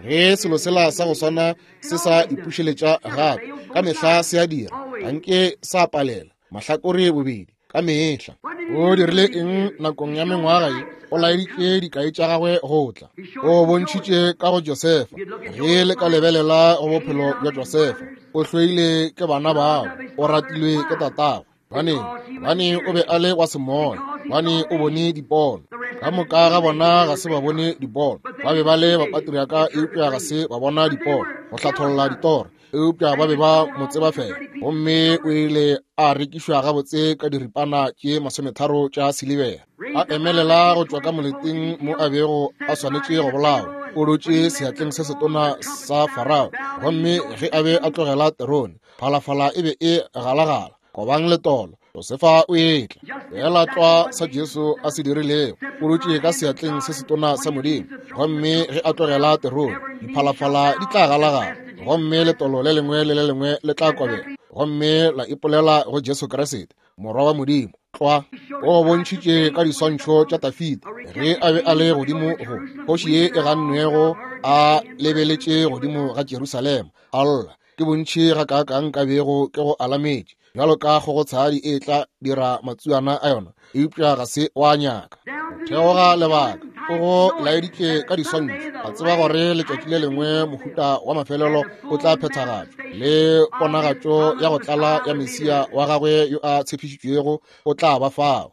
Ge selo sela sa go swana se sa ipušeletša gape, ka mehla se a dira, anke sa palela mahlakore bobedi ka mehla. O dirile eng nakong ya mengwaga ye? O laeditše dikai tša gagwe go tla. O bontšhitše ka go Josefa. Ge le ka lebelela go bophelo bja Josefa, o hloile ke bana bao, o ratilwe ke tatagwe. Baneng, bane o be a le wa semoya, bane o bone dipono. Ka moka ga bona ga se ba bone dipono. Ba be ba le bapatriaka, eupša ga se ba bona dipono, go hlatholla ditoro, eupša ba be ba mo tseba fela. Gomme o ile a rekišwa gabotse ka diripana tše masometharo tša silibera. A emelela go tšwa ka moleteng mo a bego a swanetše go bolawa. O dutše seatleng se setona sa Farao, gomme ge a be a tlogela terone, phalafala e be e galagala. Kobang letolo, Josefa o etla. Fela tlwa sa Jesu a se dirilego, o dutše ka seatleng se setona sa Modimo, gomme ge a tlogela terone, diphalafala di tla galagala, gomme letolo le lengwe le le lengwe le tla kobela, gomme la ipolela go Jesu Kriste, Morwa wa Modimo. Tlwa o bontšhitše ka diswantšho tša Dafida ge a be a le godimo go kgoši ye e gannwego, a lebeletše godimo ga Jerusalema, a lla. Ke bontši ga kaakang ka bego ke go alametše bjalo ka kgogotshadi e tla dira matsuana a yona, eupša ga se wa nyaka. Go theoga lebaka, o go laeditše ka diswantšho, a tseba gore letšatši le lengwe mohuta wa mafelelo o tla phethagatšwa, le ponagatšo ya go tlala ya Mesia wa gagwe yo a tshepišitšwego o tla ba fao.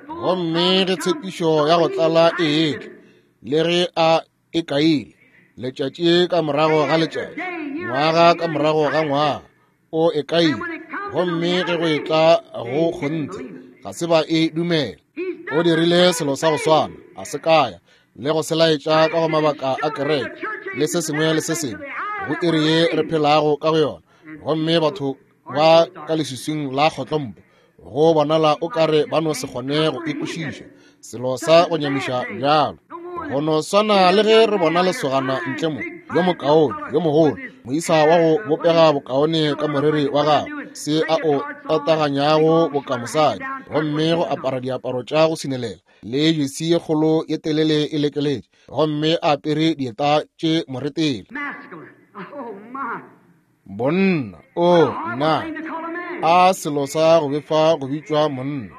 Gomme ge tshepišo ya go tlala e etla, le ge a e kaile, letšatši ka morago ga letšatši, ngwaga ka morago ga ngwaga, o e kaile. Gomme ge go etla go kgonthe, ga se ba e dumela. O dirile selo sa go swana, a se kaya le go se laetša ka go mabaka a kereke le se sengwe le se sengwe go iri ye re phelago ka go yona. Gomme batho ba ka leswiswing la kgotlompo, go bonala o kare ba no se kgone go ikwešiša selo sa go nyamiša bjalo. Go no swana le ge re bona lesogana ntle mo, yo mokaone, yo mogolo, moisa wa go bopega bokaone ka moriri wa gagwe, se a o tataganyago boka mosadi, gomme go apara diaparo tša go sinelela, le jesi ye kgolo ye telele e lekeletše, gomme a apere dieta tše moretele. Bonna, o nna, a selo sa go befa go bitšwa monna,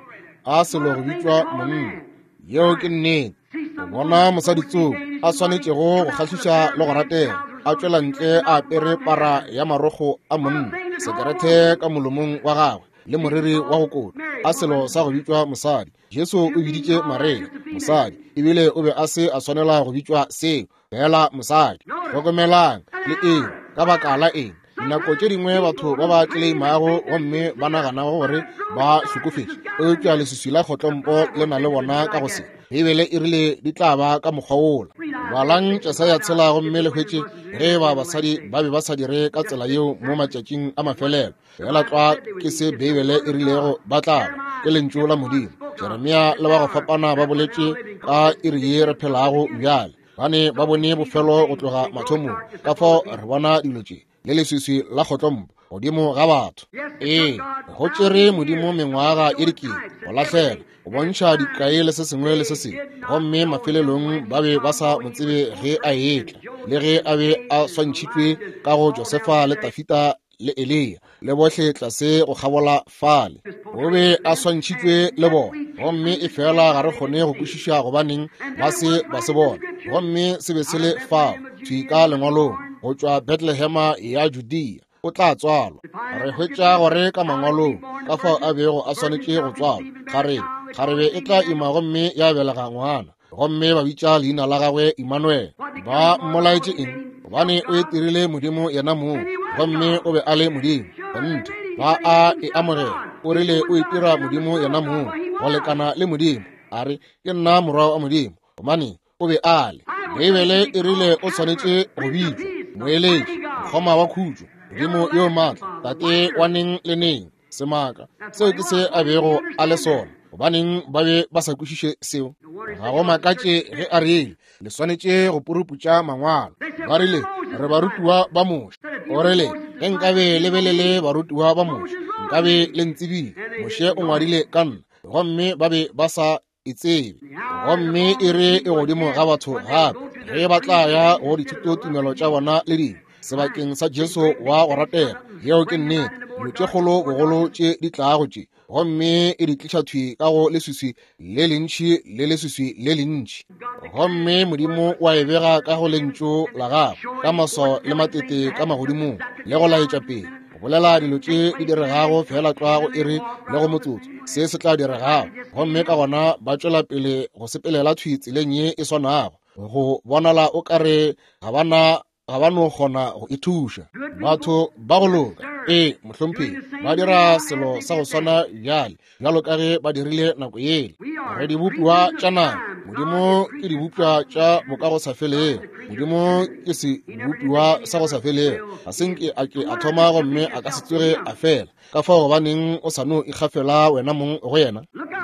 a selo go bitšwa monna. Yeo ke nnete. O bona mosadi tsoko a swanetšego go kgahliša le go ratega, a tšwela ntle a apere para ya marokgo a monna, sekerete ka molomong wa gagwe le moriri wa go kota, a selo sa go bitšwa mosadi. Jesu o biditše Maria mosadi, ebile o be a se a swanela go bitšwa seo, fela mosadi. Hlokomelang le eng, ka baka la eng? Dinako tše dingwe batho ba ba tleleimago gomme ba naganago gore ba hlokofetše, eupša leswiswi la kgotlompo le na le bona ka go se. Beibele e rile di tla ba ka mokgwa wola. Balang Jesaya tshela gomme le hwetše ge ba basadi ba be ba sa dire ka tsela yeo mo matšatšing a mafelelo. Fela tlwa ke se Beibele e rilego ba tla ba, ke lentšu la Modimo. Jeremia le ba go fapana ba boletše ka iri ye re phelago bjale. Ba ne ba bone bofelo go tloga mathomong. Ka fao re bona dilo tše le leswiswi la kgotlompo godimo ga batho. Ee, go tšere Modimo mengwaga e dikete go lahlela, go bontšha dikai le se sengwe le se sengwe, gomme mafelelong ba be ba sa mo tsebe ge a etla, le ge a be a swantšhitšwe ka go Josefa le Tafita le Eliya le bohle tlase go kgabola fale. O be a swantšhitšwe le bona, gomme e fela ga re kgone go kwešiša gobaneng ba se ba se bona. Gomme se be se le fao thwi ka lengwalong, go tšwa Bethlehema ya Judea o tla tswalwa. Re hwetša gore ka mangwalong ka fao a bego a swanetše go tswalwa. Kgarebe, kgarebe e tla ima gomme ya belega ngwana, gomme ba bitša leina la gagwe Immanuel. Ba mmolaetše eng? Gobane o itirile Modimo yena mong, gomme o be a le Modimo. Kgonthe, ba a e amogela. O rile o itira Modimo yena mong, go lekana le Modimo. A re, ke nna morwa wa Modimo, gobane o be a le. Beibele e rile o swanetše go bitšwa moeletši, mokgoma wa khutšo, Modimo yo maatla, Tate wa neng le neng, semaka. Seo ke se a bego a le sona. Gobaneng ba be ba sa kwešiše seo? Ga go makatše ge a rile le swanetše go puruputša mangwalo. Ba rile re barutiwa ba Moshe. O rile ge nkabe le be le le barutiwa ba Moshe, nkabe le ntsebile. Moshe o ngwadile ka nna, gomme ba be ba sa e tsebe. Gomme e re e godimo ga batho gape ge ba tla ya go dithutotumelo tša bona le dingwe sebakeng sa Jesu wa go ratega. Yeo ke nnete. Dilo tše kgolo bogolo tše di tlago tše, gomme e di tliša thwi ka go leswiswi le lentši le leswiswi le lentši. Gomme Modimo wa e bega ka go lentšu la gagwe ka maswao le matete ka magodimong, le go laetša pele, go bolela dilo tše di diregago fela tlwa go iri le go motsotso se se tla diregago. Gomme ka gona ba tšwela pele go sepelela thwi tseleng ye e swanago, go bonala o kare ga bana ga ba no kgona go ithuša. Batho ba go loka, ee mohlomphegi, ba dira selo sa go swana bjale bjalo ka ge ba dirile nako yele. Re dibopiwa tša nama, Modimo ke dibopiwa tša bokagosafelego. Modimo ke sebopiwa sa go sa felego, ga se nke a ke a thoma gomme a ka se tsoge a fela. Ka fao gobaneng o sa no ikgafela wena mong go yena?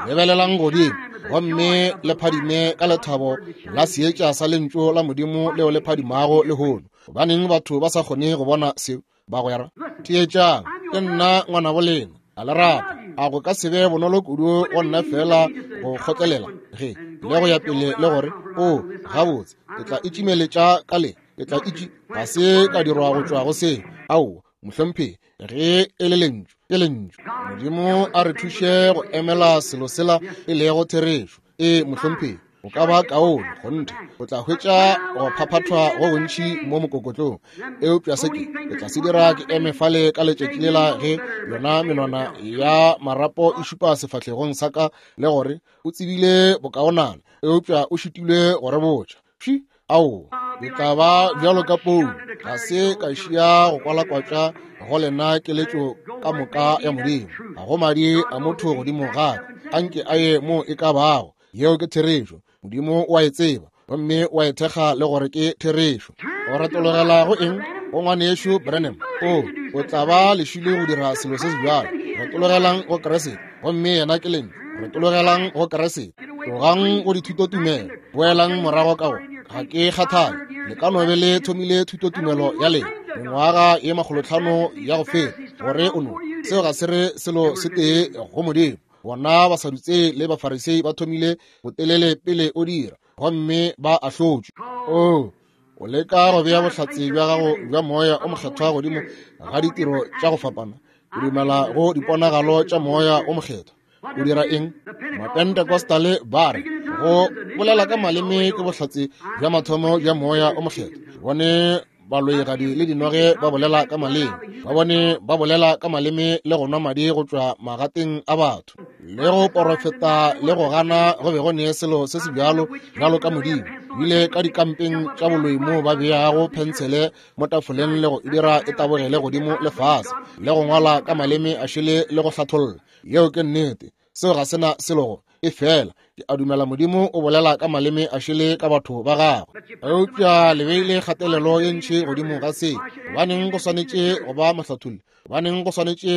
Lebelelang godimo gomme le phadime ka lethabo la seetša sa lentšu la Modimo leo le phadimago lehono. Gobaneng batho ba sa kgone go bona seo? Bagwera, theetšang, ke nna ngwanabo lena, a le rata. A go ka se be bonolo kudu go nna fela go kgotlelela ge le go ya pele le gore o gabotse ke tla itšimeletša ka le, ke tla itši, ga se ka dirwa go tšwa go seo. Aowa mohlomphegi, ge e le lentšu ke lentšu. Modimo a re thuše go emela selo sela e lego therešo. Ee mohlomphegi, o ka ba kaone kgonthe, o tla hwetša go phaphathwa go bontši mo mokokotlong. Eupša se ke ke tla se dira ke eme fale ka letšatši lela ge yona menwana ya marapo e šupa sefahlegong sa ka le gore o tsebile bokaonana, eupša o šitilwe go re botša. Pši, aowa, ke tla ba bjalo ka Paulo, ga se ka šia go kwalakwatša go lena keletšo ka moka ya Modimo. Ga go madi a motho godimo ga ka, anke a ye mo e ka bago. Yeo ke therešo. Modimo wa e tseba gomme wa e thekga le gore ke therešo. O retologela go eng? Go ngwanešu Branham. O o tla ba lešilo go dira selo se se bjalo. Retologelang go Kriste, gomme yena ke lentšu. Retologelang go Kriste. Tlogang go dithutotumelo, boelang morago ka go. Ga ke kgathale, le ka no be le thomile thutotumelo ya lena mengwaga ye makgolotlhano ya go feta, gore o no seo ga se re selo se tee go Modimo. Bona Basadutsei le Bafarisei ba thomile botelele pele o dira, gomme ba ahlotšwe. O O leka go bea bohlatse bja gago bja Moya o Mokgethwa godimo ga ditiro tša go fapana. O dumela go diponagalo tša Moya o Mokgethwa. O dira eng? Mapentecostale ba re go bolela ka maleme ke bohlatse bja mathomo bja Moya o Mokgethwa. Bone baloigadi le dinoge ba bolela ka maleme, ba bone ba bolela ka maleme le go nwa madi go tšwa magateng a batho, le go porofeta le go gana go be go nee selo se se bjalo bjalo ka Modimo. Bile ka dikampeng tša boloi moo ba beago phentshele mo tafoleng le go e dira e tabogele godimo le fase, le go ngwala ka maleme a šele le go hlatholla. Yeo ke nnete. Seo ga sena selo go e fela. Ke a dumela Modimo o bolela ka maleme a šele ka batho ba gagwe. Eupša le beile kgatelelo ye ntši godimo ga se. Gobaneng go swanetše go ba mohlatholli? Gobaneng go swanetše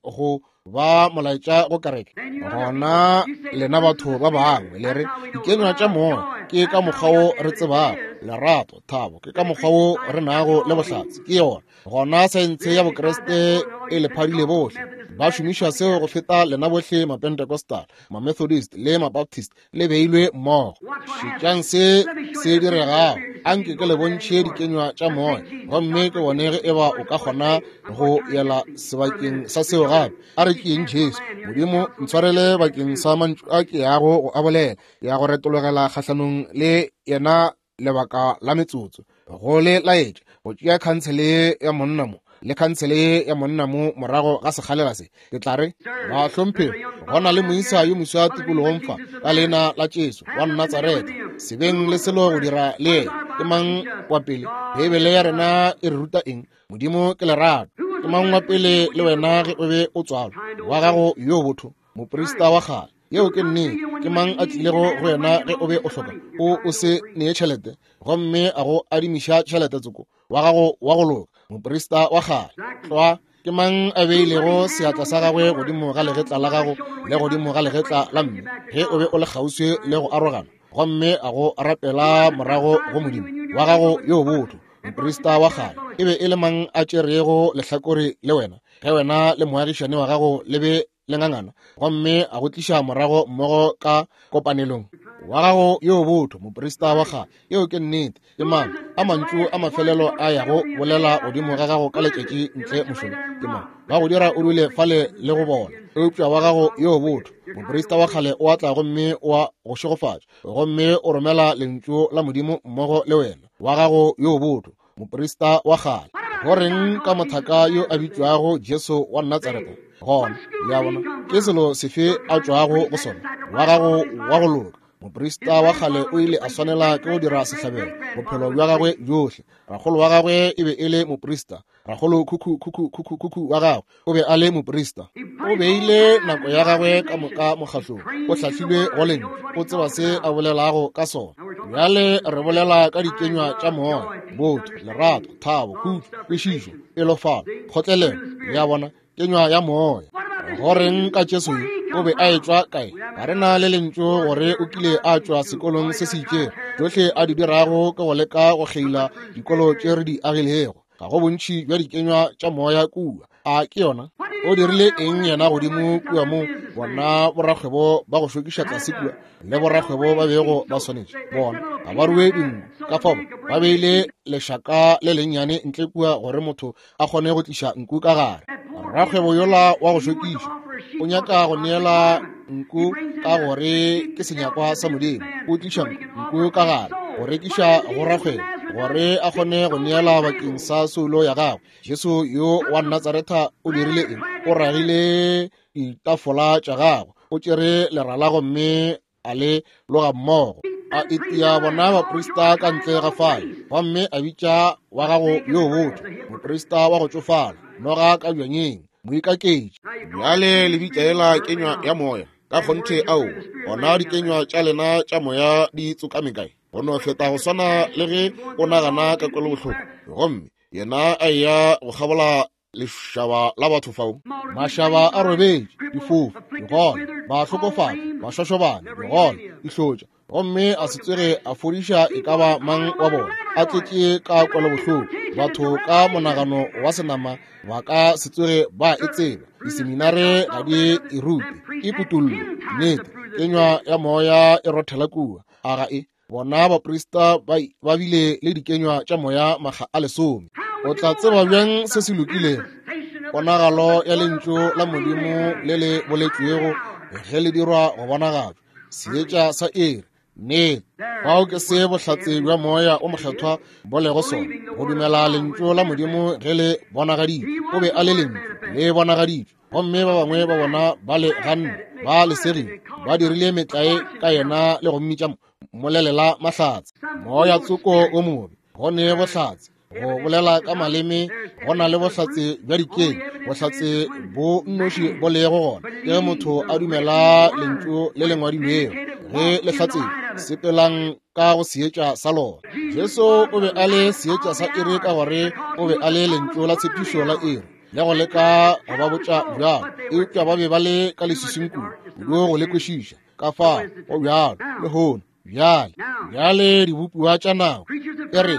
go ba molaetša go kereke? Gona lena batho ba bangwe le re dikenywa tša moya ke ka mokgwa wo re tsebago, lerato, thabo ke ka mokgwa wo re nago le bohlatse, ke yona. Gona saense ya Bokreste e le phadile bohle. Ba šomiša seo go feta lena bohle Mapentecostal, Mamethodist le Mabaptist le beilwe mmogo. Šetšang se se diregago. Anke ke le bontšhe dikenywa tša moya, gomme ke bone ge eba o ka kgona go yela sebakeng sa seo gape. A re ke eng Jesu? Modimo ntshwarele bakeng sa mantšu a ke yago go a bolela, ya go retologela kgahlanong le yena lebaka la metsotso. Go le laetša go tšea khansele ya monna mo le khansele ya monna mo morago ga sekgalela se. Ke tla re bahlomphegi, go na le moisa yo moswa tikologong fa ka leina la Jesu wa Natsaretha, sebeng le selo go dira le yena. Ke mang wa pele? Beibele ya rena e re ruta eng? Modimo ke lerato. Ke mang wa pele le wena ge o be o tswalwa? Wa gago yo botho, moprista wa kgale. Yeo ke nnete. Ke mang a tlilego go wena ge o be o hloka o o se nee tšhelete, gomme a go adimiša tšhelete tsoko? Wa gago wa go loka, moprista wa kgale. Tlwa. Ke mang a beilego seatla sa gagwe godimo ga legetla la gago le godimo ga legetla la mme ge o be o le kgauswi le go arogana, gomme a go rapela morago go Modimo? Wa gago yo botho, moprista wa kgale. E be e le mang a tšerego lehlakore le wena ge wena le moagišane wa gago le be le ngangana, gomme a go tliša morago mmogo ka kopanelong? Wa gago yo botho, moprista wa kgale. Yeo ke nnete. Ke mang a mantšu a mafelelo a yago bolela godimo ga gago ka letšatši ntle mošomo? Ke mang ba go dira o dule fale le go bona? Eupša wa gago yo botho, moprista wa kgale, o atla gomme o a go šegofatša, gomme o romela lentšu la Modimo mmogo le wena. Wa gago yo botho, moprista wa kgale. Go reng ka mothaka yo a bitšwago Jesu wa Natsaretha? Gona le a bona ke selo sefe a tšwago go sona? Wa gago wa go loka, moprista wa kgale, o ile a swanela ke go dira sehlabelo bophelo bja gagwe bjohle. Rakgolo wa gagwe e be e le moprista. Rakgolo khukhu khukhu khukhu khukhu wa gagwe o be a le moprista. O beile nako ya gagwe ka moka mokgahlong. O hlahlilwe go lentšu, o tseba se a bolelago ka sona. Bjale re bolela ka dikenywa tša moya: botho, lerato, thabo, khutšo, kwešišo, pelofalo, kgotlelelo. Le a bona, kenywa ya moya. Go reng ka Jesu yo? O be a etšwa kae? Ga re na le lentšu gore o kile a tšwa sekolong se se itšego. Tšohle a di dirago ke go leka go kgeila dikolo tše re di agilego. Ga go bontši bja dikenywa tša moya kua. A ke yona? O dirile eng yena godimo kua mo bona borakgwebo ba go šokiša tlase kua le borakgwebo ba bego ba swanetše? Bona ga ba rue dinku, ka fao ba beile lešaka le lennyane ntle kua gore motho a kgone go tliša nku ka gare. Rakgwebo yola wa go šokiša o nyaka go neela nku ka gore ke senyakwa sa Modimo. O tliša nku ka gare go rekiša go rakgwebo gore a kgone go neela bakeng sa soulo ya gagwe. Jesu yo wa Natsaretha o dirile eng? O ragile ditafola tša gagwe, o tšere lerala gomme a le loga mmogo, a itia bona baprista ka ntle ga fale, gomme a bitša wa gago yo botho, moprista wa go tšofala, noga ka bjanyeng, moikaketši. Bjale le bitša ela kenywa ya moya? Ka kgonthe ao. Gona dikenywa tša lena tša moya di tsokame kae? Go no feta go swana le ge o nagana ka kwelobohloko, gomme yena a eya go kgabola lešaba la batho fao. Mašaba a robetše, difofu, digole, bahlokofadi, bašošobane, digole, dihlotša, gomme a se tsoge a fodiša e ka ba mang wa bona. A tletše ka kwelobohloko. Batho ka monagano wa senama ba ka se tsoge ba e tseba. Diseminare ga di e rute, ke kutollo. Nnete, kenywa ya moya e rothela kua. A ga e? Bona baprista ba, ba bile le dikenywa tša moya makga a lesome. O tla tseba bjang se se lokilego? Ponagalo ya lentšu la Modimo le le boletšwego ge le dirwa go bonagatšwa. Seetša sa iri. Nnete. Fao ke se bohlatse bja moya o mokgethwa bo lego sona, go dumela lentšu la Modimo ge le bonagaditšwe. O be a le lentšu le bonagaditšwe, gomme ba bangwe ba bona ba le ganne, ba le segile, ba dirile metlae ka yena le go mmitša molelela mahlatse. Moya tsoko o mobe, go ne bohlatse go bolela ka maleme, go na le bohlatse bja dikeng, bohlatse bo nnoši bo lego gona ke ge motho a dumela lentšu le le ngwadilwego ge le hlatsetšwe. Sepelang ka go seetša sa lona. Jesu o be a le seetša sa iri ka gore o be a le lentšu la tshepišo la iri, le go leka go ba botša bjalo, eupša ba be ba le ka leswiswing kudu kudu go le kwešiša. Ka fao go bjalo lehono. Bjale, bjale dibopiwa tša nako e re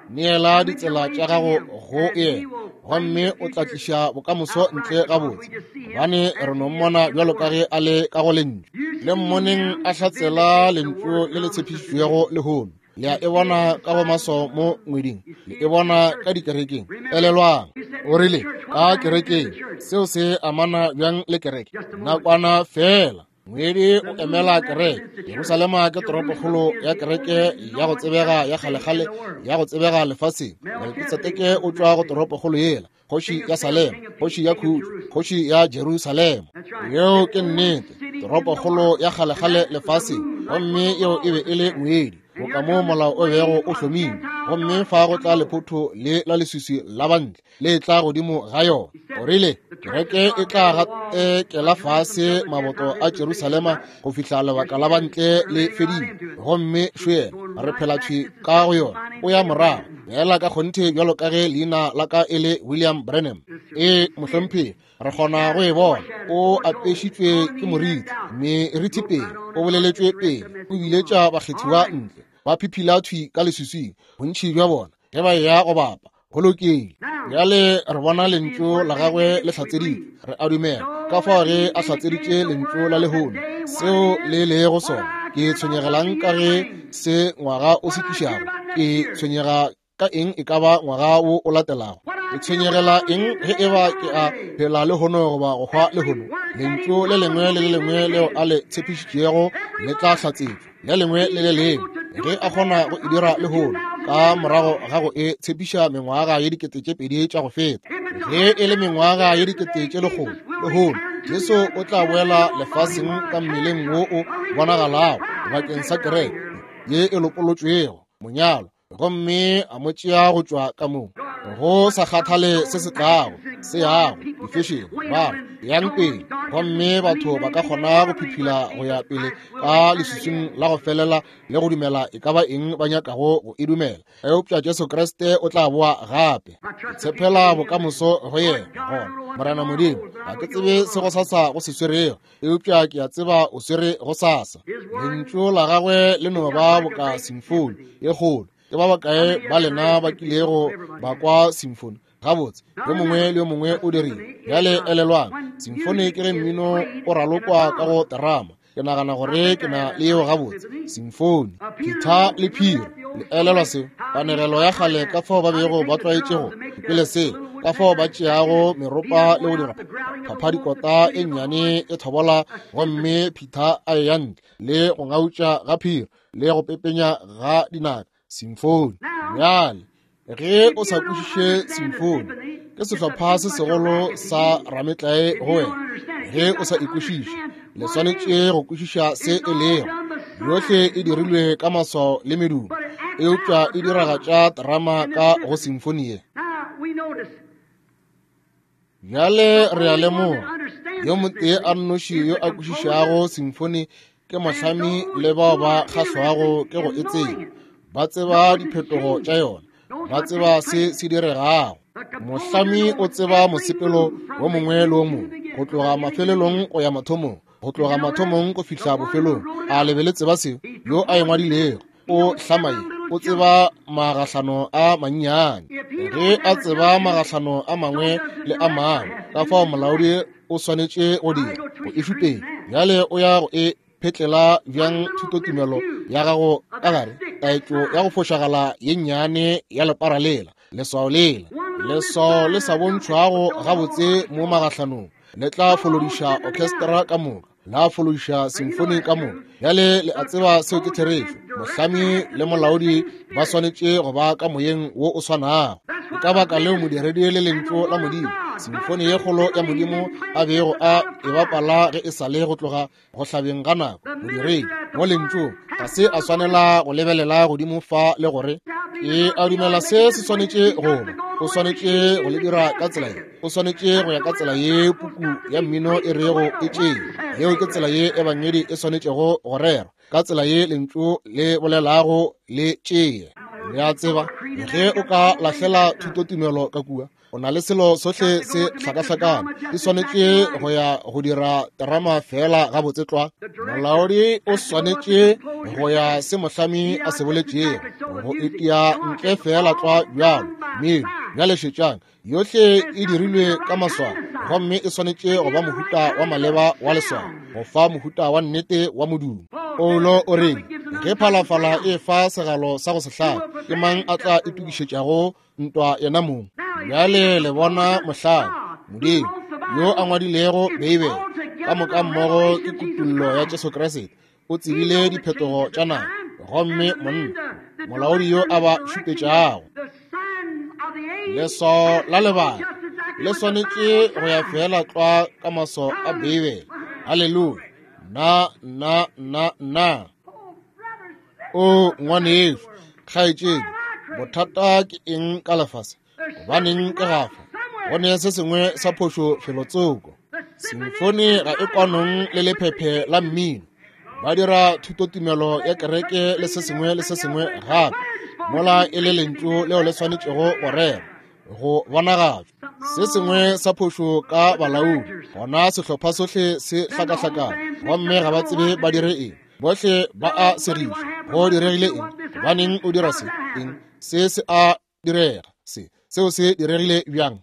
neela ditsela tša gago go yena, gomme o tla tliša bokamoso ntle gabotse, gobane re no mmona bjalo ka ge a le ka go lentšu. Le mmoneng a hlatsela lentšu le le tshepišitšwego lehono. Le a e bona ka go maswao mo ngweding, le e bona ka dikerekeng. Elelwang, o rile ka kerekeng. Seo se amana bjang le kereke? Nakwana fela. Ngwedi o emela kereke. Jerusalema ke toropokgolo ya kereke ya go tsebega ya kgalekgale ya go tsebega lefaseng. Melkisedeke o tšwa go toropokgolo yela, kgoši ya Salema, kgoši ya khutšo, kgoši ya Jerusalema. Yeo ke nnete, toropokgolo ya kgalekgale lefaseng, gomme yeo e be e le ngwedi, boka mo molao o bego o hlomilwe. Gomme fa go tla lephotho le la leswiswi la bantle le tla godimo ga yona. O rile kereke e tla gatekela fase maboto a Jerusalema go fihla lebaka la bantle le fedile, gomme šo yena re phela thwi ka go yona. O ya morago bjala ka kgonthe bjalo ka ge leina la ka e le William Branham. E mohlomphegi, re kgona go e bona. O apešitšwe ke moriti, meriti pele, o boleletšwe pele, o biletša bakgethiwa ntle, ba phiphila thwi ka leswiswing, bontši bja bona ge ba eya go bapa. Go lokile. Bjale re bona lentšu la gagwe le hlatseditšwe, re a dumela. Ka fao ge a hlatseditše lentšu la lehono, seo le lego sona, ke tshwenyegelang ka ge se ngwaga o se tlišago? Ke tshwenyega ka eng e ka ba ngwaga wo o latelago? Ke tshwenyegela eng ge e ba ke a phela lehono goba go hwa lehono? Lentšu le lengwe le le lengwe leo a le tshepišitšego le tla hlatsetšwa, le lengwe le le lengwe. Ge a kgona go e dira lehono ka morago ga go e tshepiša mengwaga ye dikete tše pedi tša go feta, ge e le mengwaga ye dikete tše lekgolo lehono, Jesu o tla boela lefaseng ka mmeleng wo o bonagalago bakeng sa kereke ye e lopolotšwego, monyalo, gomme a mo tšea go tšwa ka moo. Go sa kgathale se se tlago, se yago, difešene, ba re yang pele, gomme batho ba ka kgona go phiphila go ya pele ka leswiswing la go felela le go dumela e ka ba eng ba nyakago go e dumela. Eupša Jesu Kriste o tla boa gape. Ke tshepela bokamoso go yena. Gona Morena Modimo, ga ke tsebe se go sasa go se swerego, eupša ke a tseba o swere go sasa. Lentšu la gagwe le no ba boka simfoni ye kgolo. Ke ba bakae ba lena ba kilego ba kwa simfoni? Gabotse, yo mongwe le yo mongwe o dirile. Bjale elelwang, simfoni ke ge mmino o ralokwa ka go terama. Ke nagana gore ke na le yeo gabotse. Simfoni, phitha le phiro. Le elelwa seo? Kanegelo ya kgale ka fao ba bego ba tlwaetšego pele se, ka fao ba tšeago meropa le go dira phaphadikota e nnyane e thobola, gomme phitha a eya ntle le go ngautša ga phiro le go pepenya ga dinaka. Simfoni. Bjale ge o sa kwešiše simfoni, ke sehlopha se segolo sa rametlae go wena. Ge o sa e kwešiše, le swanetše go kwešiša se e lego. Yohle e dirilwe ka maswao le medumo, eupša e diragatša terama ka go simfoni ye. Bjale re a lemoga, yo motee a nnoši yo a kwešišago simfoni ke mohlami le bao ba kgahlwago ke go e tseba. Ba tseba diphetogo tša yona, ba tseba se se diregago. Mohlami o tseba mosepelo wo mongwe le wo mongwe, go tloga mafelelong go ya mathomong, go tloga mathomong go fihla bofelong. A le be le tseba seo? Yo a e ngwadilego o hlama ye, o tseba magahlano a mannyane. Ge a tseba magahlano a mangwe le a mangwe, ka fao molaodi o swanetše go dira go e šupetša. Bjale o ya go e phetlela bjang thutotumelo ya gago ka gare, taetšo ya go fošagala ye nnyane ya lepara lela, leswao lela, leswao le sa bontšhwago gabotse mo magahlanong, le tla folodiša orchestra ka moka, la folodiša simfoni ka moka. Bjale le a tseba seo ke therešo. Mohlami le molaodi ba swanetše go ba ka moyeng wo o swanago. Ke ka baka leo modiredi le lentšu la Modimo, simfoni ye kgolo ya Modimo a bego a e bapala ge e sa le go tloga go hlabeng ga nako. Modiredi mo lentšung ga se a swanela go lebelela godimo fa le gore ke a dumela se se swanetše go ba, o swanetše go le dira ka tsela ye, o swanetše go ya ka tsela ye puku ya mmino e rego e tšee. Yeo ke tsela ye ebangedi e swanetšego go rerwa, ka tsela ye lentšu le bolelago le tšee. Le a tseba, ge o ka lahlela thutotumelo ka kua, o na le selo sohle se hlakahlakane. E swanetše go ya go dira terama fela gabotse tlwa. Molaodi o swanetše go ya se mohlami a se boletšego, go itia ntle fela tlwa bjalo. Mme bjale šetšang, yohle e dirilwe ka maswao, gomme e swanetše go ba mohuta wa maleba wa leswao, go fa mohuta wa nnete wa modumo. Paulo o reng? Ge phalafala e fa segalo sa go se hlabe, ke mang a tla itokišetšago ntwa yena mong? Bjale le bona mohlami, Modimo, yo a ngwadilego Beibele ka moka mmogo ke kutullo ya Jesu Kriste, o tsebile diphetogo tša nako, gomme monna molaodi yo a ba šupetšago. Leswao la lebaka le swanetše go ya fela tlwa ka maswao a Beibele. Haleluya! Na na na na o ngwanešu, kgaetšedi, bothata ke eng ka lefase? Gobaneng ke gafa? Go ne se sengwe sa phošo felotsoko. Simfoni ga e kwanong le lephephe la mmino. Ba dira thutotumelo ya kereke le se sengwe le se sengwe gape, mola e le lentšu leo le swanetšego go rerwa, go bonagatšwa. Se sengwe sa phošo ka balaodi, gona sehlopha sohle se hlakahlakane, gomme ga ba tsebe ba dire eng. Bohle ba a segišwa. Go diregile eng? Gobaneng o dira se? Eng? Se se a direga. Se seo se diregile bjang?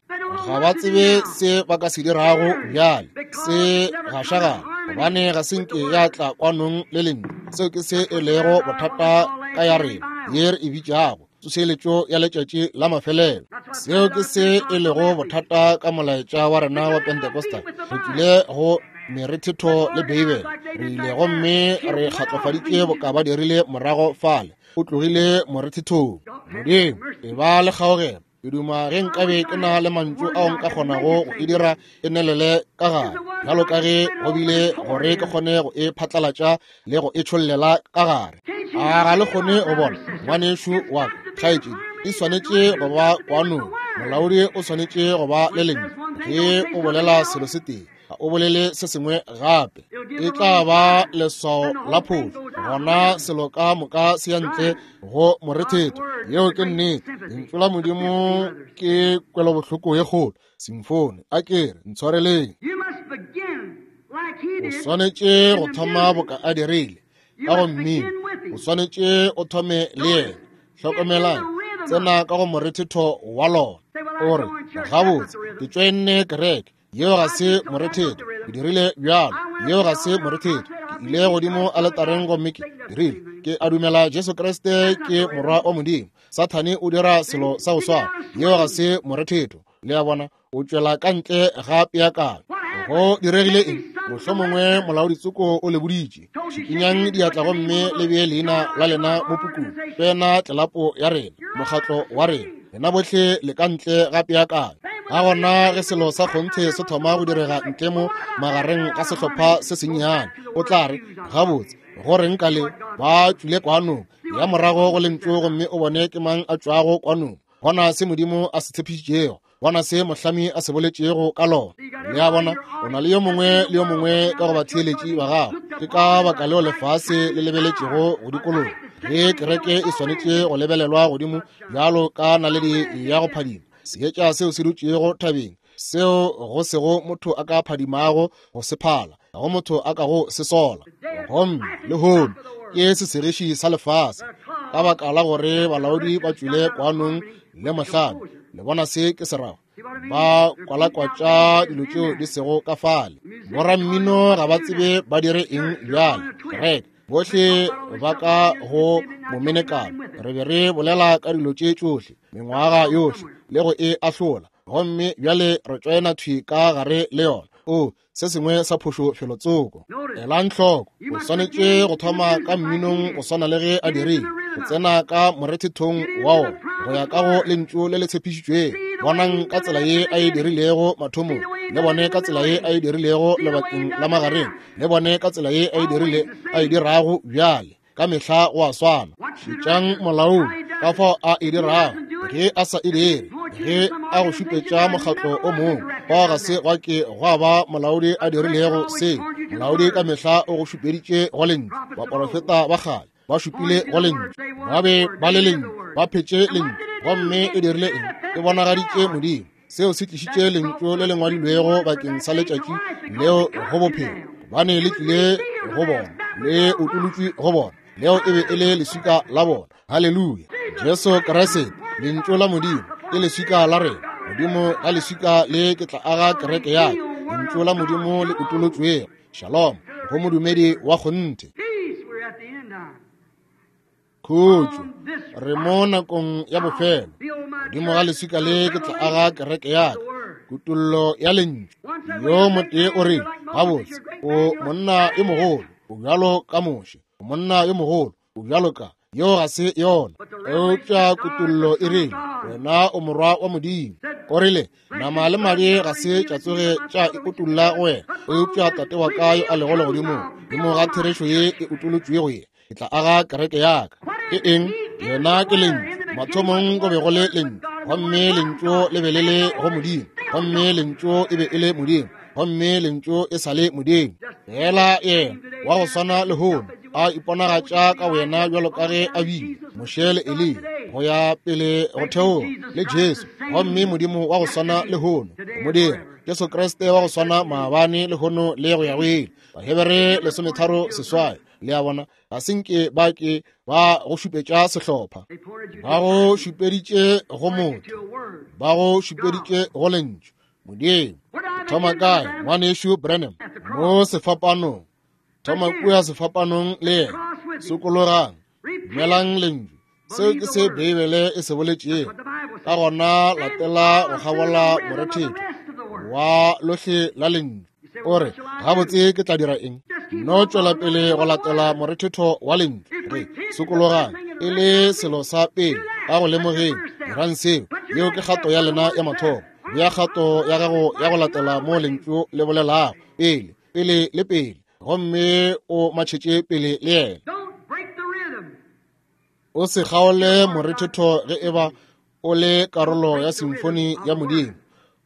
Ga ba tsebe se ba ka se dirago bjale. Se gašagana, gobane ga se nke ya tla kwanong le lentšu. Seo ke se e lego bothata ka ya rena ye re e bitšago tsošeletšo ya letšatši la mafelelo. Seo ke se e lego bothata ka molaetša wa rena wa Pentecostal. Re tšwile go merethetho le Beibele, re ile gomme re kgatlofaditše boka ba dirile morago fale. O tlogile morethethong. Modimo, e ba le kgaogelo. Ke duma ge nkabe ke na le mantšu ao nka kgonago go e dira e nelele ka gare, bjalo ka ge go bile gore ke kgone go e phatlalatša le go e tšhollela ka gare. A ga le kgone go bona, ngwanešu wa ka, kgaetšedi, e swanetše go ba kwanong. Molaodi o swanetše go ba le lentšu. Ge o bolela selo se tee, ga o bolele se sengwe gape, e tla ba leswao la phošo. Gona selo ka moka se ya ntle go morethetho. Yeo ke nnete. Lentšu la Modimo ke kwelobohloko ye kgolo. Simfoni, a ke re ntshwareleng. O swanetše go thoma boka a dirile ka go mmino. O swanetše o thome le yena. Hlokomelang, tsena ka go morethetho wa lona. O re, gabotse, ke tšoenne kereke. Yeo ga se morethetho. Ke dirile bjalo. Yeo ga se morethetho. Ke ile godimo aletareng gomme ke dirile. Ke a dumela Jesu Kriste ke morwa wa Modimo. Sathane o dira selo sa go swana. Yeo ga se morethetho. Le a bona, o tšwela ka ntle ga peakanyo. Go diregile eng? Mohlomongwe molaoditsoko o le boditše, šikinyang diatla gomme le bee leina la lena mo pukung. Pena tlelapo ya rena, mokgatlo wa rena, lena bohle le ka ntle ga peakanyo. Ga gona ge selo sa kgonthe se thoma go direga ntle mo magareng ga sehlopha se sennyane, o tla re, gabotse, go reng ka le ba tšwile kwanong ya morago go lentšu, gomme o bone ke mang a tšwago kwanong. Bona se Modimo a se tshepišitšego, bona se mohlami a se boletšego ka lona. Le a bona, o na le yo mongwe le yo mongwe ka go batheeletši ba gago. Ke ka baka leo lefase le lebeletšego go dikologa. Ge kereke e swanetše go lebelelwa godimo bjalo ka naledi ya go phadima, seetša seo se dutšego thabeng, seo go sego motho a ka phadimago go se phala, ga go motho a ka go se sola. Gomme lehono ke sesegiši sa lefase, ka baka la gore balaodi ba tšwile kwanong le mohlami. Le bona se ke se rago? Ba kwalakwatša dilo tšeo di sego ka fale. Borammino ga ba tsebe ba dire eng bjale. Kereke bohle ba ka go momenekano. Re be re bolela ka dilo tše tšohle mengwaga yohle le go e ahlola, gomme bjale re tšoena thwi ka gare le yona. O se sengwe sa phošo felotsoko. Elang hloko, o swanetše go thoma ka mminong go swana le ge a dirile, go tsena ka morethethong wa wona go ya ka go lentšu le le tshepišitšwego. Bonang ka tsela ye a e dirilego mathomong, le bone ka tsela ye a e dirilego lebakeng la magareng, le bone ka tsela ye a e dirile a e dirago bjale. Ka mehla go a swana. Šetšang molaodi ka fao a e dirago. Ge a sa e dire, ge a go šupetša mokgatlo o mongwe, fao ga se gwa ke gwa ba molaodi a dirilego seo. Molaodi ka mehla o go šupeditše go lentšu. Baporofeta ba kgale ba šupile go lentšu, ba be ba le lentšu, ba phetše lentšu, gomme e dirile eng? E bonagaditše Modimo. Seo se tlišitše lentšu le le ngwadilwego bakeng sa letšatši leo go bophelo, gobane le tlile go bona, le utolotšwe go bona. Leo e be e le leswika la bona. Haleluya! Jesu Kriste, lentšu la Modimo, ke leswika la rena. Modimo ga leswika le ke tla aga kereke ya ka. Lentšu la Modimo le utolotšwego. Shalom go modumedi wa kgonthe. Khutšo, re mo nakong ya bofelo. Modimo ga leswika le ke tla aga kereke ya ka. Kutollo ya lentšu. Yo motee o re, gabotse, o monna yo mogolo, o bjalo ka Moshe, o monna yo mogolo, o bjalo ka yo ga se yona. Eupša kutollo e rile, wena o morwa wa Modimo. O rile, nama le madi ga se tša tsoge tša e utolla go wena, eupša Tate wa ka yo a lego legodimong. Modimo ga therešo ye e utolotšwego ye, ke tla aga kereke ya ka. Ke eng? Yena ke lentšu. Mathomong go be go le lentšu, gomme lentšu le be le le go Modimo, gomme lentšu e be e le Modimo, gomme lentšu e sa le Modimo. Fela yena wa go swana lehono a iponagatša ka wena bjalo ka ge a bile Moshe le Eliya go ya pele go theoga le Jesu, gomme Modimo wa go swana lehono mo dira Jesu Kriste wa go swana maabane lehono le go ya go ile. Bahebere lesometharo seswai. Le a bona, ga se nke ba ke ba go šupetša sehlopha, ba go šupeditše go motho, ba go šupeditše go lentšu Modimo. Thoma kae, ngwanešu Branham? Mo sefapanong. Thoma kua sefapanong le yena. Sokologang, dumelang lentšu. Seo ke se Beibele e se boletšego. Ka gona latela go kgabola morethetho wa lohle la lentšu. O re, gabotse ke tla dira eng? No tšwela pele go latela morethetho wa lentšu. Re sokologang e le selo sa pele ka go lemogeng. Dirang seo. Yeo ke kgato ya lena ya mathomo. Bea kgato ya gago ya go latela mo lentšu le bolelago pele, pele le pele, gomme o matšhetše pele le yena. O se kgaole morethetho ge eba o le karolo ya simfoni ya Modimo.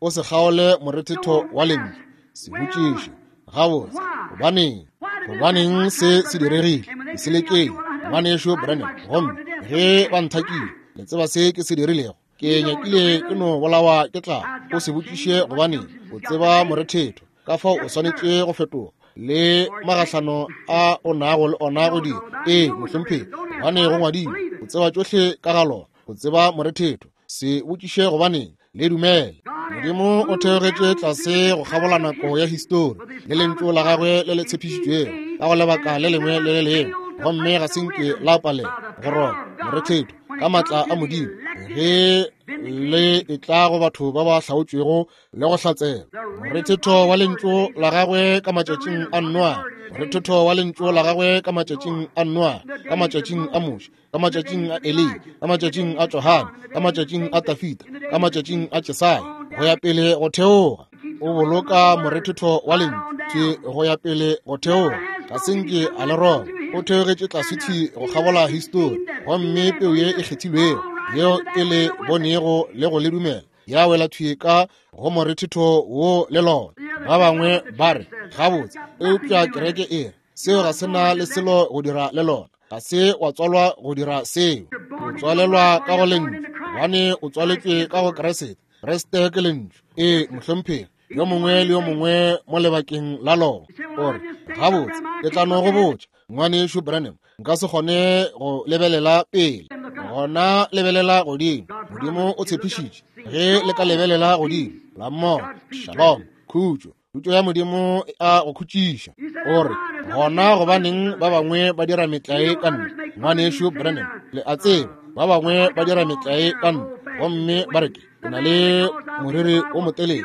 O se kgaole morethetho wa lentšu. Se botšiše, gabotse, gobaneng? Gobaneng se se diregile? Ke se lekeng, ngwanešu Branham. Gomme ge ba nthakile, le tseba se ke se dirilego? Ke nyakile ke no bolawa ke tlala. O se botšiše gobaneng, o tseba morethetho. Ka fao o swanetše go fetoga le magahlano a o nago le ona go dira. Ee, mohlomphegi, gobane go ngwadilwe. O tseba tšohle ka ga lona. O tseba morethetho. Se botšiše gobaneng, le dumele. Modimo o theogetše tlase go kgabola nako ya histori le lentšu la gagwe le le tshepišitšwego ka go lebaka le lengwe le le lengwe, gomme ga se nke la palela go roba morethetho ka maatla a Modimo ge le e tla go batho ba ba hlaotšwego le go hlatsela. Morethetho wa lentšu la gagwe ka matšatšing a Noa, morethetho wa lentšu la gagwe ka matšatšing a Noa, ka matšatšing a Moshe, ka matšatšing a Eliya, ka matšatšing a Johane, ka matšatšing a Tafita, ka matšatšing a Jesaya, go ya pele go theoga. O boloka morethetho wa lentšu go ya pele go theoga. Ga se nke a le roba. O theogetše tlase thwi go kgabola histori, gomme peu ye e kgethilwego yeo e le bonego le go le dumela ya wela thwi ka go morethetho wo le lona. Ba bangwe ba re, gabotse, eupša kereke e re seo ga se na le selo go dira le lona. Ga se wa tswalwa go dira seo. O tswalelwa ka go lentšu, gobane o tswaletšwe ka go Kriste. Kriste ke lentšu. Ee, mohlomphegi, yo mongwe le yo mongwe mo lebakeng la lona. O re, gabotse, ke tla no go botša, ngwanešu Branham, nka se kgone go lebelela pele. Gona lebelela godimo. Modimo o tshepišitše ge le ka lebelela godimo la mmona. Shalom, khutšo. Khutšo ya Modimo e a go khutšiša. O re, gona gobaneng ba bangwe ba dira metlae ka nna, ngwanešu Branham? Le a tseba, ba bangwe ba dira metlae ka nna, gomme ba re ke na le moriri o motelele,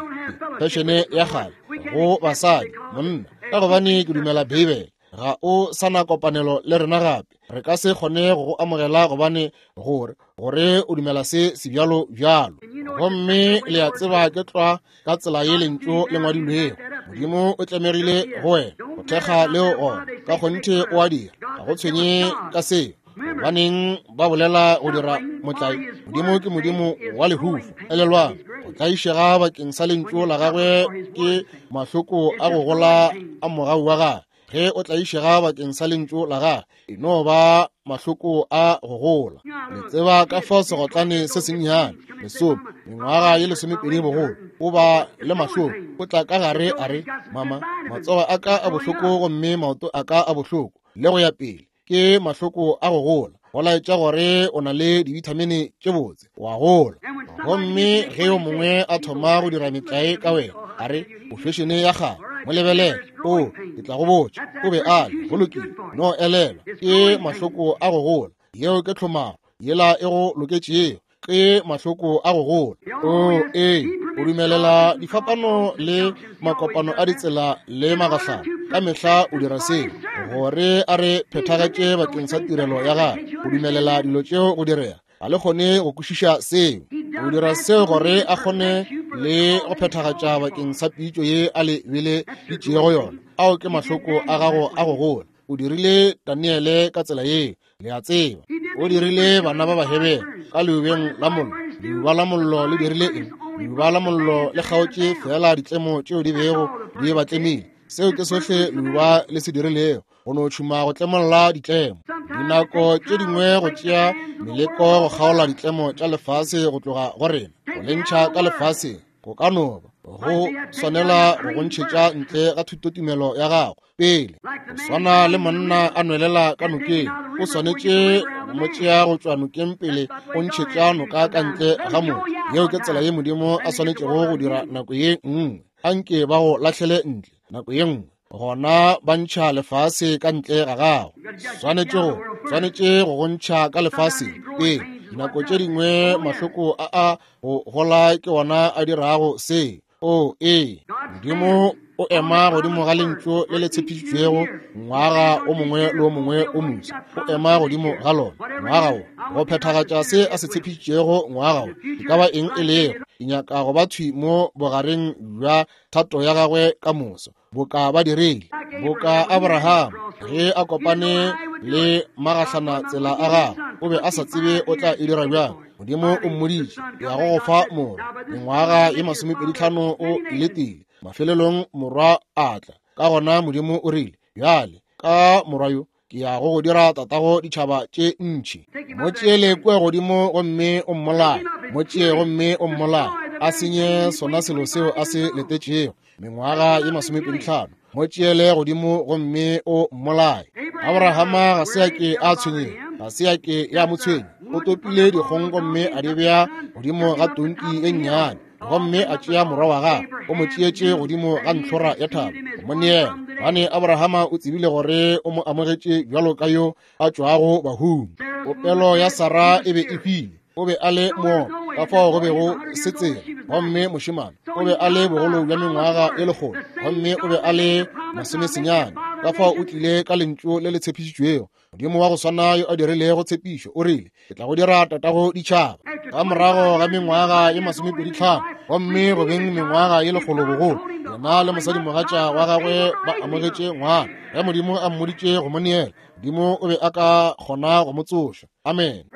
fešene ya kgale go basadi, monna, ka gobane ke dumela Beibele. Ga o sa na kopanelo le rena gape. Re ka se kgone go go amogela gobane gore gore o dumela se sebjalo bjalo. Gomme le a tseba ke tlwa ka tsela ye lentšu le ngwadilwego. Modimo o tlemegile go wena go thekga leo gona. Ka kgonthe o a dira. Ga go tshwenye ka seo. Gobaneng ba bolela go dira motlae? Modimo ke Modimo wa lehufa. Elelwang, go tlaišega bakeng sa lentšu la gagwe ke mahloko a go gola a mogau wa gagwe. Ge o tlaišega bakeng sa lentšu la gagwe, e no ba mahloko a go gola. Le tseba ka fao segotlane se sennyane, lesome, mengwaga ye lesomepedi bogolo, o ba le mahloko, o tla ka gare a re, mama, matsogo a ka a bohloko gomme maoto a ka a bohloko, le go ya pele. Ke mahloko a go gola, go laetša gore o na le dibithamini tše botse, wa gola. Gomme ge yo mongwe a thoma go dira metlae ka wena, a re o fešene ya kgale, mo lebelele, o ke tla go botša, o be a le, go lokile, no elelwa, ke mahloko a go gola. Yeo ke tlhomaro yela e go loketšego, ke mahloko a go gola. O ee, o dumelela difapano le makopano a ditsela le magahlano. Ka mehla o dira seo gore a re phethagatše bakeng sa tirelo ya gagwe. O dumelela dilo tšeo go direga. Ga le kgone go kwešiša seo. O dira seo gore a kgone le go phethagatša bakeng sa pitšo ye a le beleditšego yona. Ao ke mahloko a gago a go gola. O dirile Daniele ka tsela yeo, le a tseba. O dirile bana ba Bahebere ka leubeng la mollo. Leuba la mollo le dirile eng? Leuba la mollo le kgaotše fela ditlemo tšeo di bego di ba tlemile. Seo ke sohle leuba le se dirilego, go no tšhuma go tlemolla ditlemo. Dinako tše dingwe go tšea meleko go kgaola ditlemo tša lefase go tloga go rena, go le ntšha ka lefaseng. Go ka no ba go swanela go go ntšhetša ntle ga thutotumelo ya gago pele. Go swana le monna a nwelela ka nokeng, o swanetše go mo tšea go tšwa nokeng pele o ntšhetša noka ka ntle ga motho. Yeo ke tsela ye Modimo a swanetšego go dira nako ye nngwe. Anke ba go lahlele ntle nako ye nngwe, gona ba ntšha lefase ka ntle ga gago. Swanetše go swanetše go go ntšha ka lefaseng pele. Dinako tše dingwe mahloko a a go gola ke ona a dirago se. O ee, Modimo o ema godimo ga lentšu le le tshepišitšwego ngwaga o mongwe le o mongwe o moswa. O ema godimo ga lona ngwaga wo go phethagatša se a se tshepišitšego ngwaga wo. E ka ba eng e lego, ke nyaka go ba thwi mo bogareng bja thato ya gagwe ka moso, boka ba dirile, boka Abraham ge a kopane le magahlana tsela a gagwe, o be a sa tsebe o tla e dira bjang. Modimo o mmoditše, ke ya go go fa morwa. Mengwaga ye masomepedi tlhano o letile. Mafelelong morwa a tla. Ka gona Modimo o rile, bjale ka morwa yo ke ya go go dira tatago ditšhaba tše ntši. Mo tšeele kua godimo gomme o mmolaye. Mo tšee gomme o mmolaye, a senye sona selo seo a se letetšego mengwaga ye masomepedi tlhano. Mo tšeele godimo gomme o mmolaye. Abrahama ga se a ke a tshwenyega, ga se a ke ya mo tshwenya. O topile dikgong gomme a di bea godimo ga tonki e nnyane, gomme a tšea morwa wa gagwe, o mo tšeetše godimo ga ntlhora ya thaba go mo neela. Gobane Abrahama o tsebile gore o mo amogetše bjalo ka yo a tšwago bahung. Popelo ya Sara e be e hwile, o be a le moopa, ka fao go bego se tsela. Gomme mošemane o be a le bogolo bja mengwaga e lekgolo, gomme o be a le masomesenyane. Ka fao o tlile ka lentšu le le tshepišitšwego. Modimo wa go swana yo a dirilego tshepišo o rile, ke tla go dira tatago ditšhaba. Ka morago ga mengwaga ye masomepedi tlhano, gomme go beng mengwaga ye lekgolo bogolo, yena le mosadimogatša wa gagwe ba amogetše ngwana. Ge Modimo a mmoditše go mo neela, Modimo o be a ka kgona go mo tsoša. Amen.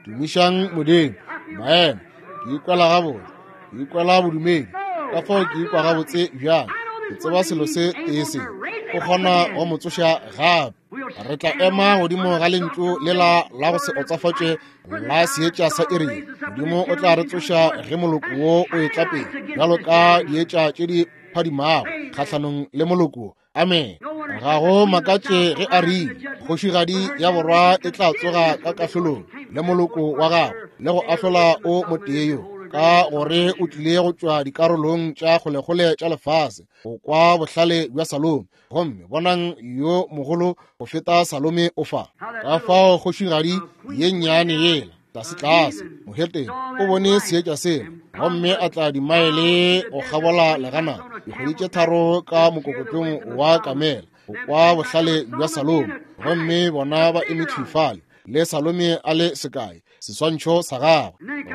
Tumišang Modimo. Maemo, ke ikwela gabotse, ke ikwela bodumedi, ka fao ke ikwa gabotse bjang. Ke tseba selo se tee se, o kgona go mo tsoša gape. Re tla ema godimo ga lentšu lela la go se otsafatše la seetša sa iri. Modimo o tla re tsoša ge moloko wo o etla pele, bjalo ka dietša tše di phadimago kgahlanong le moloko. Amen. Ga go makatše ge a rile, kgošigadi ya borwa e tla tsoga ka kahlolong le moloko wa gagwe le go ahlola o motee yo. ka gore o tlile go tšwa dikarolong tša kgolekgole tša lefase go kwa bohlale bja Salome, gomme bonang yo mogolo go feta Salome o fa. Ka fao kgošigadi ye nnyane yela tlase-tlase moheteng o bone seetša sela, gomme a tla dimaele go kgabola legana dikgwedi tše tharo ka mokokotlong wa kamela go kwa bohlale bja Salome, gomme bona ba eme thwi fale le Salome a le sekae seswantšho sa gagwe.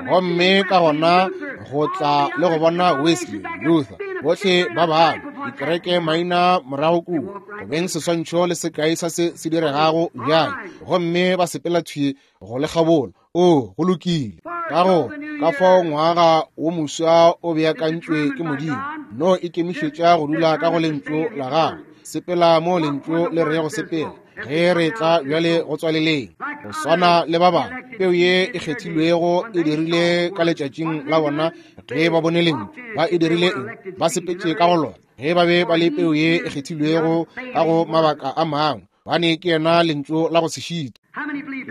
Gomme ka gona go tla le go bona Wesley, Luther, bohle ba bangwe dikereke maina morago kua go beng seswantšho le sekae sa se se diregago bjale, gomme ba sepela thwi go le kgabola. O go lokile. Ka go ka fao ngwaga wo moswa o beakantšwe ke Modimo, no ikemišetša go dula ka go lentšu la gagwe, sepela mo lentšu le rego sepela. Ge re tla bjale go tswaleleng, go swana le ba bangwe, peu ye e kgethilwego e dirile ka letšatšing la bona ge ba bone lentšu. Ba e dirile eng? Ba sepetše ka go lona. Ge ba be ba le peu ye e kgethilwego ka go mabaka a mangwe, bane ke yena lentšu la go se šita.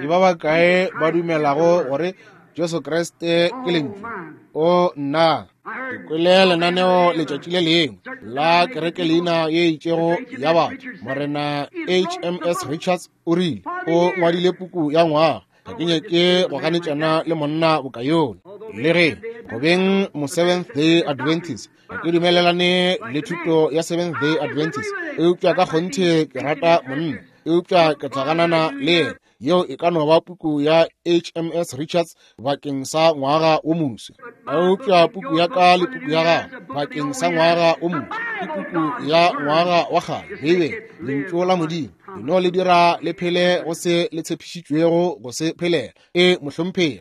Ke ba bakae ba dumelago gore Jesu Kriste ke lentšu? O nna, ke kwele lenaneo letšatši le lengwe la kereke leina ye itšego ya batho. Morena H M S Richards o rile o ngwadile puku ya ngwaga. Ga ke nyake go ganetšana le monna boka yola, le ge go beng mo Seventh Day Adventist ga ke dumelelane le thuto ya Seventh Day Adventist, eupša ka kgonthe ke rata monna, eupša ke tla ganana le yena. Yeo e ka no ba puku ya H M S Richards bakeng sa ngwaga wo moswa, eupša puku ya ka le puku ya gagwe bakeng sa ngwaga wo moswa ke puku ya ngwaga wa kgale, Beibele, lentšu la Modimo. Leno le dira le phele go se le tshepišitšwego go se phelela. E mohlomphegi.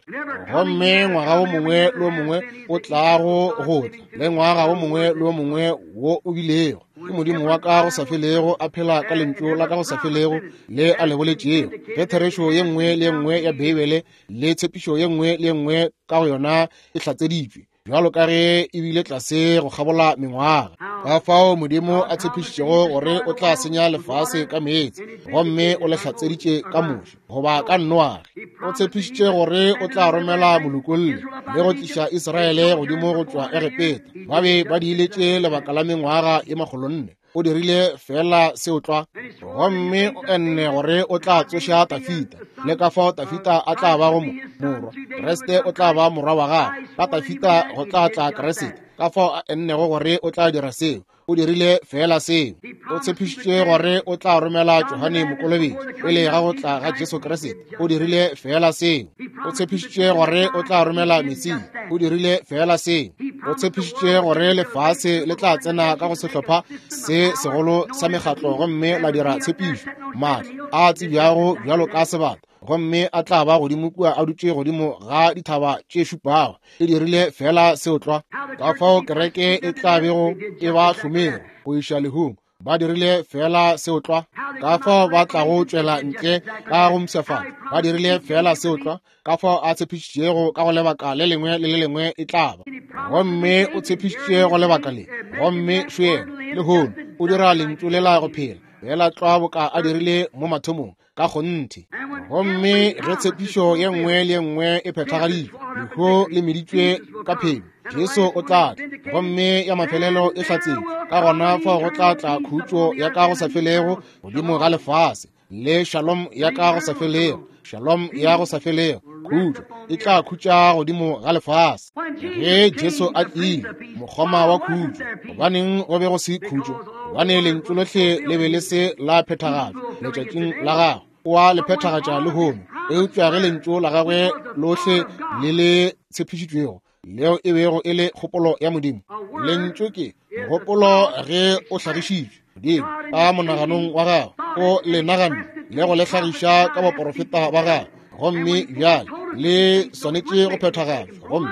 Gomme ngwaga wo mongwe le wo mongwe o tlago go tla, le ngwaga wo mongwe le wo mongwe wo o bilego, ke Modimo wa ka go sa felego a phela ka lentšu la ka go sa felego le a le boletšego. Ge therešo ye nngwe le ye nngwe ya Beibele le tshepišo ye nngwe le ye nngwe ka go yona e hlatseditšwe, bjalo ka ge e bile tlase go kgabola mengwaga, ka fao Modimo a tshepišitšego gore o tla senya lefase ka meetse, gomme o le hlatseditše ka Moshe goba ka Noage. O tshepišitše gore o tla romela molokolli le go tliša Israele godimo go tšwa Egepeta. Ba be ba diiletše lebaka la mengwaga ye makgolonne. O dirile fela seo tlwa, gomme o enne gore o tla tsoša Tafita, le ka fao Tafita a tla bago morwa. Kriste o tla ba morwa wa gagwe, ka Tafita go tla tla Kriste. Ka fao a ennego gore o tla dira seo, o dirile fela seo. O tshepišitše gore o tla romela Johane Mokolobetši pele ga go tla ga Jesu Kriste. O dirile fela seo. O tshepišitše gore o tla romela Mesia. O dirile fela seo. O tshepišitše gore lefase le tla tsena ka go sehlopha se segolo sa mekgatlo gomme la dira tshepišo, maatla a tsebjago bjalo ka sebata, gomme a tla ba godimo kua a dutše godimo ga dithaba tše šupago. E dirile fela seo tlwa. Ka fao kereke e tla bego e ba hlomego go iša lehung, ba dirile fela seo tlwa. Ka fao ba tlago tšwela ntle ka go mpshafatša, ba dirile fela seo tlwa. Ka fao a tshepišitšego ka go lebaka le lengwe le le lengwe e tla ba, gomme o tshepišitše go lebaka le, gomme šoena lehono o dira lentšu lela go phela fela tlwa boka a dirile mo mathomong ka kgonthe. Gomme ge tshepišo ye nngwe le ye nngwe e phethagaditšwe, lehu le meditšwe ka phelo, Jesu o tla tla, gomme ya mafelelo e hlatsetšwe. Ka gona fao go tla tla khutšo ya ka go sa felego godimo ga lefase, le shalom ya ka go sa felego, shalom ya go sa felego, khutšo e tla khutša godimo ga lefase. Ge Jesu a tlile, mokgoma wa khutšo, gobaneng go be go se khutšo? Gobane lentšu lohle le be le se la phethagatšwa letšatšing la gagwe. O a le phethagatša lehono, eupša ge lentšu la gagwe lohle le le tshepišitšwego, leo e bego e le kgopolo ya Modimo. Lentšu ke mogopolo ge o hlagišitšwe Modimo ka monaganong wa gagwe, o le naganne le go le hlagiša ka baporofeta ba gagwe, gomme bjale le swanetše go phethagatšwa. Gomme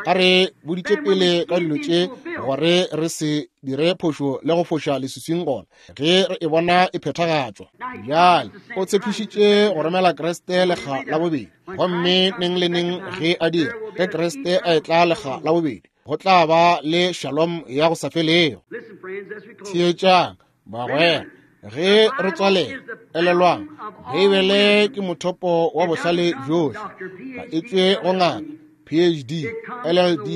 a re boditše pele ka dilo tše gore re se dire phošo le go foša leswiswing gona ge re e bona e phethagatšwa. Bjale o tshepišitše go romela Kriste lekga la bobedi, gomme neng le neng ge a dira, ge Kriste a etla lekga la bobedi, go tla ba le shalom ya go sa felego. Theetšang bagwera, ge re tswalela, elelwang, Beibele ke mothopo wa bohlale bjohle. Ga e tšwe go ngaka P P H D, L L D,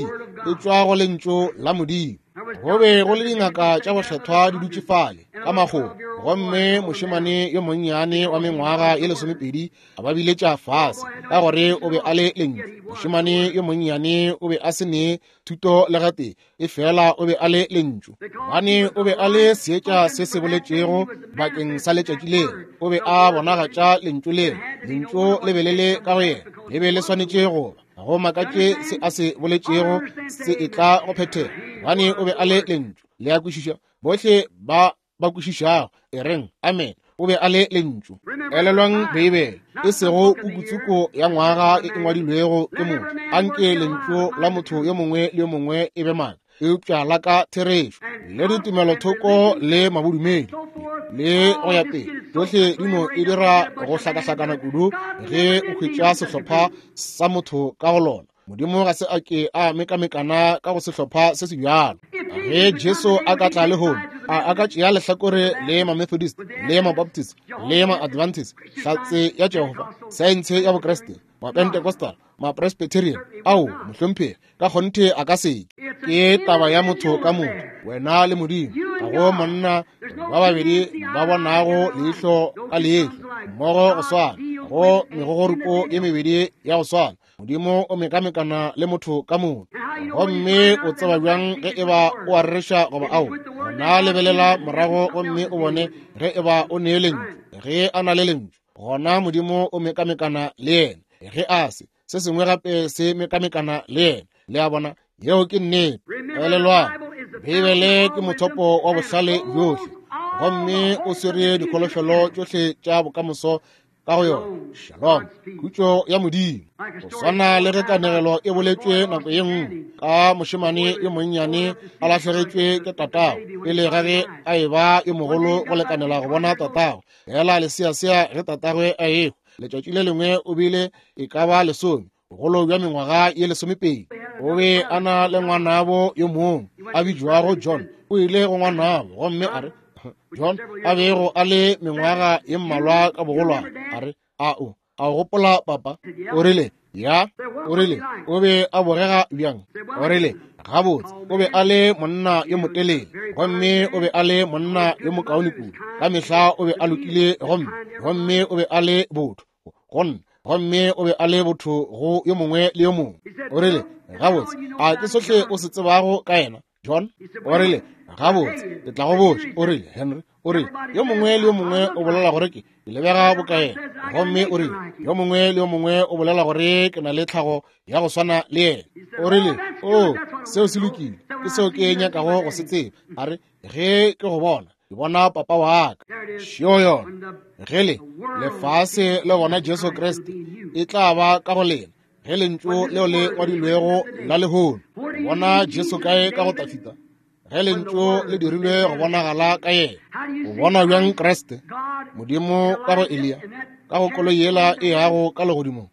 e tšwa go lentšu la Modimo. Go be go le dingaka tša bohlethwa di dutše fale ka magomo, gomme mošemane yo monnyane wa mengwaga ye lesomepedi a ba biletša fase ka gore o be a le lentšu. Mošemane yo monnyane o be a se ne thuto le gatee, efela o be a le lentšu, gobane o be a le seetša se se boletšego bakeng sa letšatši leo. O be a bonagatša lentšu leo, lentšu le be le le ka go yena, le be le swanetše go ba. Go makatše se a se boletšego se etla go phethega, gobane o be a le lentšu. Le a kwešiša? Bohle ba ba kwešišago e reng amen. O be a le lentšu. Elelwang Beibele, e sego pukutsuko ya ngwaga e ngwadilwego ke motho. Anke lentšu la motho yo mongwe le yo mongwe e be maaka, eupša la ka therešo, le ditumelothoko le mabodumedi le go ya pele, tšohle di no e dira go hlakahlakana kudu ge o hwetša sehlopha sa motho ka go lona. Modimo ga se a ke a mekamekana ka go sehlopha se se bjalo. Ge Jesu a ka tla lehono, a a ka tšea lehlakore le ma-Methodist le ma-Baptist le ma-Adventist, Hlatse ya Jehofa, saense ya Bokriste, ma-Pentecostal, ma-Presbyterian, ao mohlomphegi, ka kgonthe a ka se ke. Ke taba ya motho ka motho, wena le Modimo. Ga go monna ba babedi ba bonago leihlo ka leihlo mmogo go swana, go megogoripo ye mebedi ya go swana. Modimo o mekamekana le motho ka motho. Gomme o tseba bjang ge eba o a rereša goba ao? Gona lebelela morago gomme o bone ge eba o ne lentšu. Ge a na le lentšu, gona Modimo o mekamekana le yena. Ge a se, se sengwe gape se mekamekana le yena. Le a bona? Yeo ke nnete. Elelwang, Beibele ke mothopo wa bohlale bjohle, gomme o swere dikholofelo tšohle tša bokamoso ka go yona. Shalom, khutšo ya Modimo. Go swana le ge kanegelo e boletšwe nako ye nngwe ka mošemane yo monnyane a lahlegetšwe ke tatago pele ga ge a eba yo mogolo go lekanela go bona tatago. Fela leseasea ge tatagwe a ehwa, letšatši le lengwe o bile e ka ba lesome, bogolo bja mengwaga ye lesomepedi. O be a na le ngwanabo yo mongwe a bitšwago John. O ile go ngwanabo gomme a re, John a bego a le mengwaga ye mmalwa ka bogolwane, a re, a o a o gopola papa? O rile, ya. O rile, o be a bogega bjang? O rile, gabotse, o be a le monna yo motelele, gomme o be a le monna yo mokaone kudu. Ka mehla o be a lokile gomme gomme o be a le botho go nna, gomme o be a le botho go yo mongwe le yo mongwe. O rile, gabotse, a ke sohle o se tsebago ka yena, John? O rile, gabotse, ke tla go botša. O rile, Henry, o rile, yo mongwe le yo mongwe o bolela gore ke ke lebega boka yena, gomme o rile, yo mongwe le yo mongwe o bolela gore ke na le tlhago ya go swana le yena. O rile, o, seo se lokile, ke seo ke nyakago go se tseba. A re, ge ke go bona, ke bona papa wa ka. Šeo yona. Ge le lefase le bona Jesu Kriste, e tla ba ka go lena ge lentšu leo le ngwadilwego la lehono. Bona Jesu kae ka go Tafita? Ge lentšu le dirilwe go bonagala ka yena. O bona bjang Kriste? Modimo ka go Eliya, ka go koloi yela e yago ka legodimong.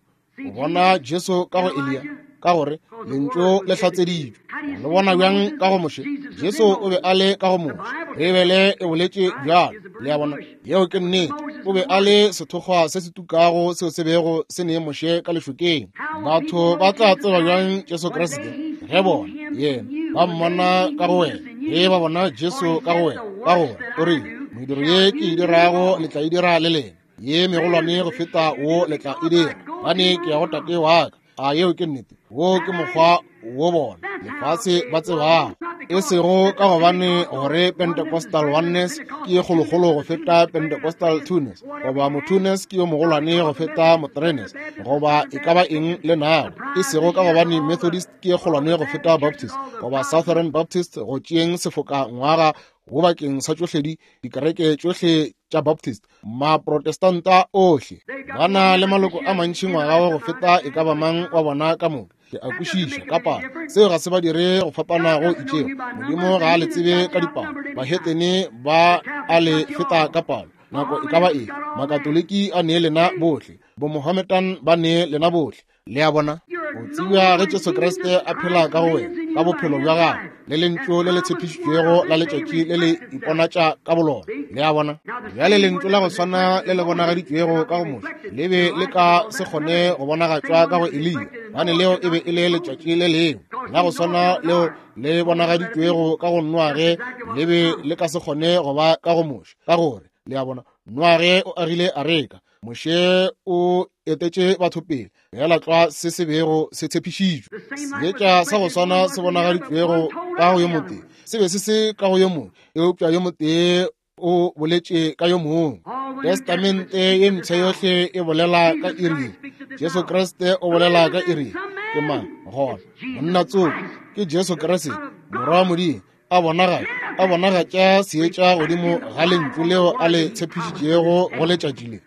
O bona Jesu ka go Eliya, ka gore lentšu le hlatseditšwe. Le bona bjang ka go Moshe? Jesu o be a le ka go Moshe. Beibele e boletše bjalo. Le a bona? Yeo ke nnete. O be a le sethokgwa se se tukago seo se bego se ne Moshe ka lešokeng. Batho ba tla tseba bjang Jesu Kriste ge bona yena ba mmona ka go wena, ge ba bona Jesu ka go wena, ka gore o rile, mediro ye ke e dirago le tla e dira le lena, ye megolwane go feta wo le tla e dira, gobane ke ya go Tate wa ka. A yeo ke nnete? Wo ke mokgwa wo bona lefase ba tsebago, e sego ka gobane gore Pentecostal oneness ke ye kgolokgolo go feta Pentecostal twoness, goba motwoness ke yo mogolwane go feta mothreeness, goba e ka ba eng le nago, e sego ka gobane Methodist ke ye kgolwane go feta Baptist, goba Southern Baptist go tšeeng sefoka ngwaga go bakeng sa tšohle di dikereke tšohle tša Baptist, Maprotestanta ohle ba na le maloko a mantši ngwaga wa go feta e ka ba mang wa bona ka moka. Ke a kwešiša ka palo, seo ga se ba dire go fapana go itšego. Modimo ga a le tsebe ka dipalo, bahetene ba a le feta ka palo nako e ka ba efe. Makatoliki a nee lena bohle, bomohammedan ba nee lena bohle. Le a bona? O tsebja ge Jesu Kriste a phela ka go wena, ka bophelo bja gagwe le lentšu le le tshepišitšwego la letšatši le le iponatša ka bolona. Le a bona? Bjale lentšu la go swana le le bonagaditšwego ka go Moshe le be le ka se kgone go bonagatšwa ka go Eliya. Bane leo e be e le letšatši le lengwe la go swana leo le bonagaditšwego ka go Noage, le be le ka se kgone go ba ka go Moshe, ka gore le a bona Noage o agile areka, Moshe o etetše batho pele fela tlwa se se bego se tshepišitšwe. Seetša sa go swana se bonagaditšwego ka go yo motee se be se se ka go yo mongwe, eupša yo motee o boletše ka yo mongwe. Testamente ye mpsha yohle e bolela ka iri. Jesu Kriste o bolela ka iri. Ke mang gona? Monna tsoko ke Jesu Kriste, Morwa wa Modimo, a bonagatša a bonagatša seetša godimo ga lentšu leo a le tshepišitšego go letšatši le.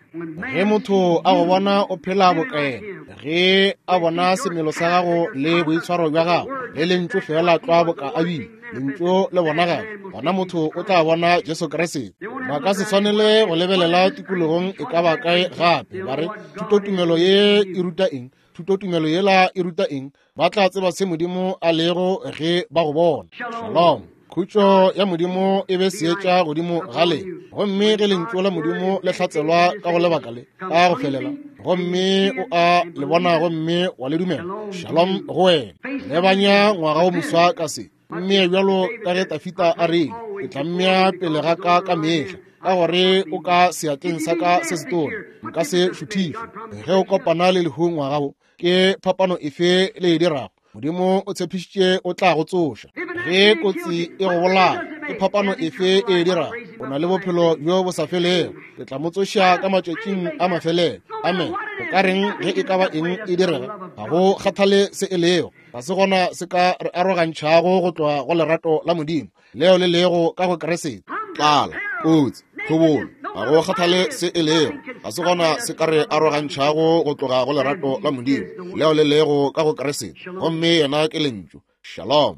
Ge motho a go bona o phela bokaena, ge a bona semelo sa gago le boitshwaro bja gago le lentšu fela tlwa boka a bile lentšu le bonagala, gona motho o tla bona Jesu Kriste. Ba ka se tshwanele go lebelela tikologong e ka ba kae gape ba re thutotumelo ye e ruta eng, thutotumelo yela e ruta eng. Ba tla tseba se Modimo a lego ge ba go bona. Shalom. Khutšo ya Modimo e be seetša godimo ga le, gomme ge lentšu la Modimo le hlatselwa ka go lebaka le ka go felela, gomme o a le bona gomme wa le dumela, shalom go wena. Lebanya ngwaga o moswa ka se, mme bjalo ka ge Tafita a rile, ke tla mmea pele ga ka ka mehla, ka gore o ka seatleng sa ka se setona, nka se šuthišwe. Ge o kopana le lehu ngwaga wo, ke phapano efe le e dirago? Modimo o tshepišitše o tla go tsoša. Ge kotsi e go bolaya, ke phapano efe e dirago? O na le bophelo bjo bo sa felego. Ke tla mo tsoša ka matšatšing a mafelelo. Amen. O ka reng ge e ka ba eng e direga? Ga go kgathale se e lego. Ga se gona se ka re arogantšhago go tloga go lerato la Modimo leo le lego ka go Kriste. Tlala, kotsi, tlhobolo, ga go kgathale se e lego. Ga se gona se ka re arogantšhago go tloga go lerato la Modimo leo le lego ka go Kriste. Gomme yena ke lentšu. Shalom.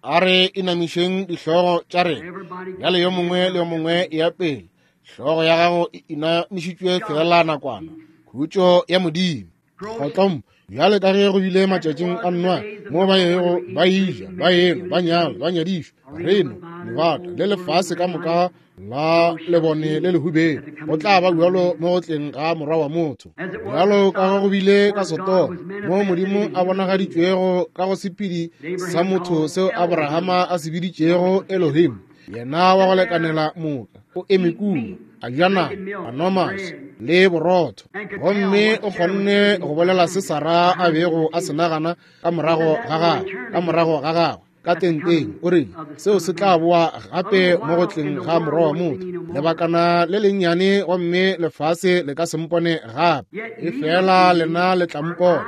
A re inamišeng dihlogo tša rena. Bjale yo mongwe le yo mongwe ya pele, hlogo ya gago e inamišitšwe fela nakwana. Khutšo ya Modimo. Kgotlom, bjale ka ge go bile matšatšing a Noa, mo ba yego ba ija, ba enwa, ba nyala, ba nyadišwa, reno, lebata le lefase ka moka la lebone le lehubelo, go tla ba bjalo mo go tleng ga Morwa wa motho. Bjalo ka ge go bile ka Sodoma, mo Modimo a bonagaditšwego ka go sephedi sa motho seo Abrahama a se biditšego Elohim, yena wa go lekanela moka, o eme kua, a ja nama, a nwa maswi le borotho, gomme o kgonne go bolela se Sara a bego a se nagana ka morago ga gagwe, ka morago ga gagwe ka tenteng. O rile seo se tla boa gape mo go tleng ga Morwa wa motho, lebakana le lennyane, gomme lefase le ka se mpone gape, efela lena le tla mpona,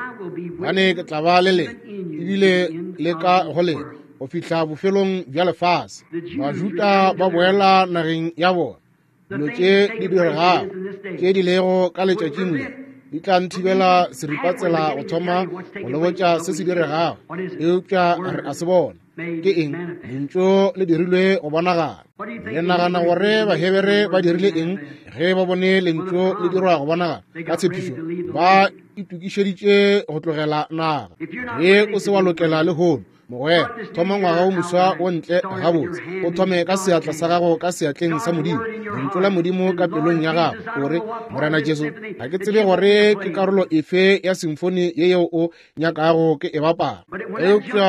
gobane ke tla ba le lena ebile le ka go lena go fihla bofelong bja lefase. Bajuda ba boela nageng ya bona. Dilo tše di diregago tše di lego ka letšatšing le di tla nthibela seripatsela go thoma go le botša se se diregago, eupša re a se bona. Ke eng? Lentšu le dirilwe go bonagala. Le nagana gore Bahebere ba dirile eng ge ba bone lentšu le dirwa go bonagala ka tshepišo? Ba itokišeditše go tlogela naga. Ge o se wa lokela lehono, mogwera, thoma ngwaga o moswa o ntle gabotse, o thome ka seatla sa gago ka seatleng sa Modimo, lentšu la Modimo ka pelong ya gago. O re, Morena Jesu, ga ke tsebe gore ke karolo efe ya simfoni ye yeo o nyakago ke e bapala, eupša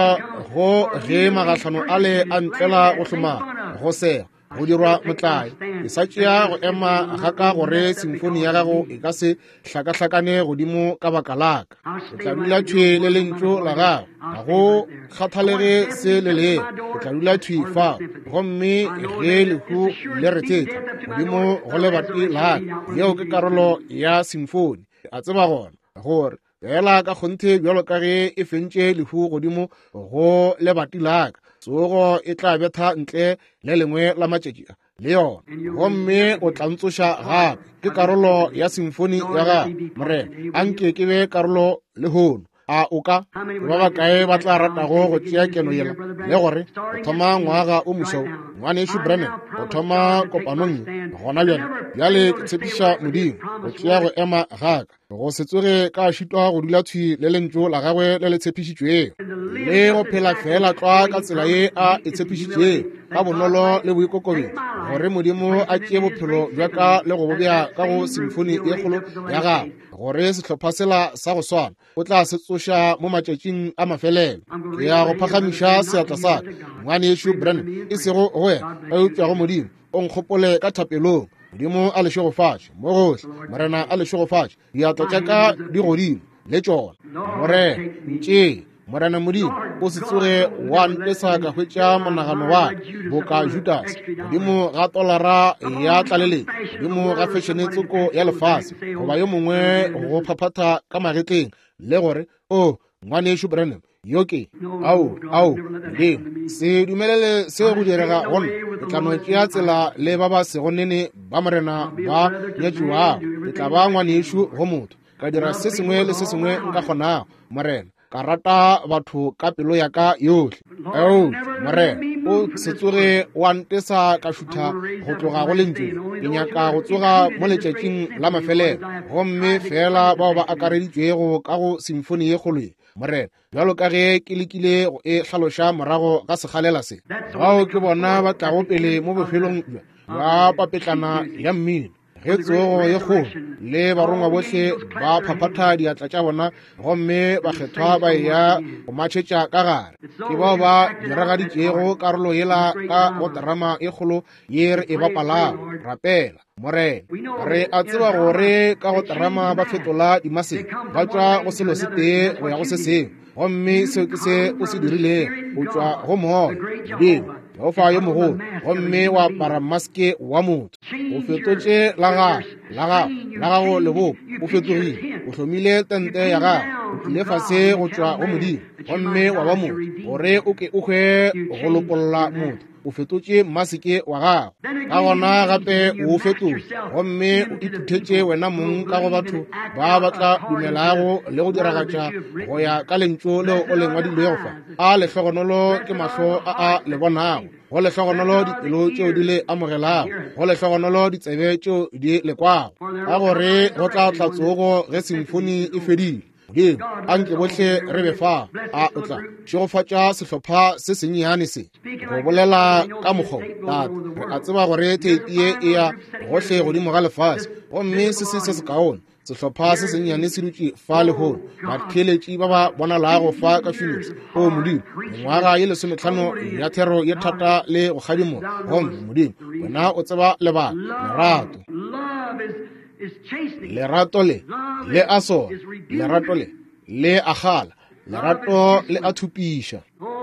go ge magahlano ale a ntlela go hlomana, go sega, go dirwa motlae, ke sa tšea go ema ga ka gore simfoni ya gago e ka se hlakahlakane godimo ka baka la ka. Ke tla dula thwi le lentšu la gago, ga go kgathalege se le lego, ke tla dula thwi fao. Gomme ge lehu le re thetha godimo go lebati la ka, yeo ke karolo ya simfoni. A tseba gona gore fela ka kgonthe bjalo ka ge e fentše lehu godimo go lebati la ka, tsogo e tla betha ntle le lengwe la matšatši a le yona, gomme o tla ntsoša gape. Ke karolo ya simfoni ya gago, Morena. Anke ke be karolo lehono. A o ka ba bakae ba tla ratago go tšea keno yela le gore go thoma ngwaga o moswa, Ngwanešu Branham o thoma kopanong gona bjale. Bjale ke tshepiša Modimo go tšea go ema ga ka, go se tsoge ka šitwa go dula thwi le lentšu la gagwe le le tshepišitšwego, le go phela fela tlwa ka tsela ye a e tshepišitšwego, ka bonolo le boikokobetšo, gore Modimo a tšee bophelo bja ka le go bo bea ka go simfoni ye kgolo ya gagwe, gore sehlopha sela sa go swana o tla se tsoša mo matšatšing a mafelelo. Ke ya go phagamiša seatla sa ka, Ngwanešu Branham, e sego go wena, eupša go Modimo. O nkgopole ka thapelong. Modimo a le šegofatše mo gohle. Morena a le šegofatše. Diatla tša ka di godimo le tšona. Morena, ntšee. Morena Modimo, o se tsoge wa ntesa ka hwetša monagano wa ka boka Judas, godimo ga tolara ya tlaleletšo, godimo ga fešene tsoko ya lefase, goba yo mongwe go phaphatha ka magetleng le gore, o Ngwanešu Branham, yo ke ao ao Modimo, se dumelele se go direga go nna. Ke tla no tšea tsela le ba ba sego nene ba Morena ba nyatšiwago. Ke tla ba ngwanešu go motho, ka dira se sengwe le se sengwe nka kgonago, Morena, ka rata batho ka pelo ya ka yohle. Ao Morena, o se tsoge wa ntesa ka šutha go tloga go lentšu. Ke nyaka go tsoga mo letšatšing la mafelelo, gomme fela bao ba akareditšwego ka go simfoni ye kgolo ye, Morena, bjalo ka ge ke lekile go e hlaloša morago ga sekgalela se, bao ke bona ba tlago pele mo bofelong bja papetlana ya mmino, ge tsogo ye kgolo le barongwa bohle ba phaphatha diatla tša bona, gomme bakgethwa ba eya go matšhetša ka gare. Ke bao ba diragaditšego karolo yela ka go terama e kgolo ye re e bapalago. Rapela, Morena. Re a tseba gore ka go terama ba fetola dimaseke, ba tšwa go selo se tee go ya go se sengwe, gomme seo ke se o se dirilego. O tšwa go moya Modimo, Jehofa yo mogolo, gomme wa apara maske wa motho. O fetotše la gago, la gago, la gago lebopo. O fetogile, o hlomile tente ya gago, o tlile fase go tšwa go Modimo, gomme wa ba motho, gore o ke o hwe go lopolla motho. O fetotše maseke wa gago. Ka gona gape o fetotše, gomme o ithuthetše wena mong ka go batho ba ba tla dumelago le go diragatša go ya ka lentšu leo o le ngwadilwego fa. A lehlogonolo ke mahlo a a le bonago, go lehlogonolo dipelo tšeo di le amogelago, go lehlogonolo ditsebe tšeo di le kwago, ka gore go tla tla tsogo ge simfoni e fedile. Modimo, anke bohle re be fa. A o tla šegofatša sehlopha se sennyane se go bolela ka mokgwa, Tate. Re a tseba gore theipi ye e ya gohle godimo ga lefase, gomme se se se sekaone sehlopha se sennyane se dutše fa lehono, batheeletši ba ba bonalago fa ka Phoenix. O Modimo, mengwaga ye lesometlhano ya thero ye thata le go kgadimola, gomme Modimo, wena o tseba lebaka. Lerato, lerato le le a sona, lerato le le a kgala, lerato le a thupiša.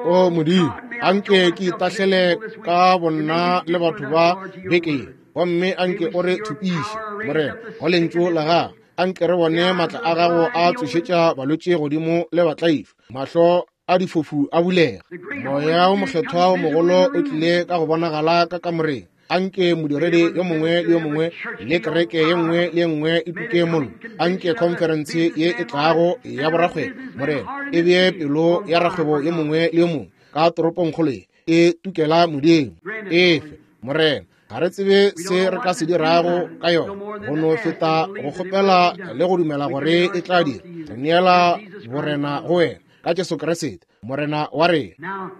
O Modimo, anke ke itahlele ka bonna le batho ba beke, gomme anke o re thupiše, Morena, go lentšu la gago. Anke re bone maatla a gago a tsošetša balwetši godimo le batlaišwa, mahlo a difofu a bulega. Moya o mokgethwa o mogolo o tlile ka go bonagala ka kamoreng. Anke modiredi yo mongwe le yo mongwe le kereke ye nngwe le ye nngwe e tuke mollo. Anke khonferense ye e tlago ya borakgwebo, Morena, e bee pelo ya rakgwebo yo mongwe le yo mongwe ka toropongkgolo ye e tukela Modimo. Efe, Morena, ga re tsebe se re ka se dirago ka yona, go no feta go kgopela le go dumela gore e tla dira. Re neela borena go wena ka Jesu Kriste, Morena wa rena.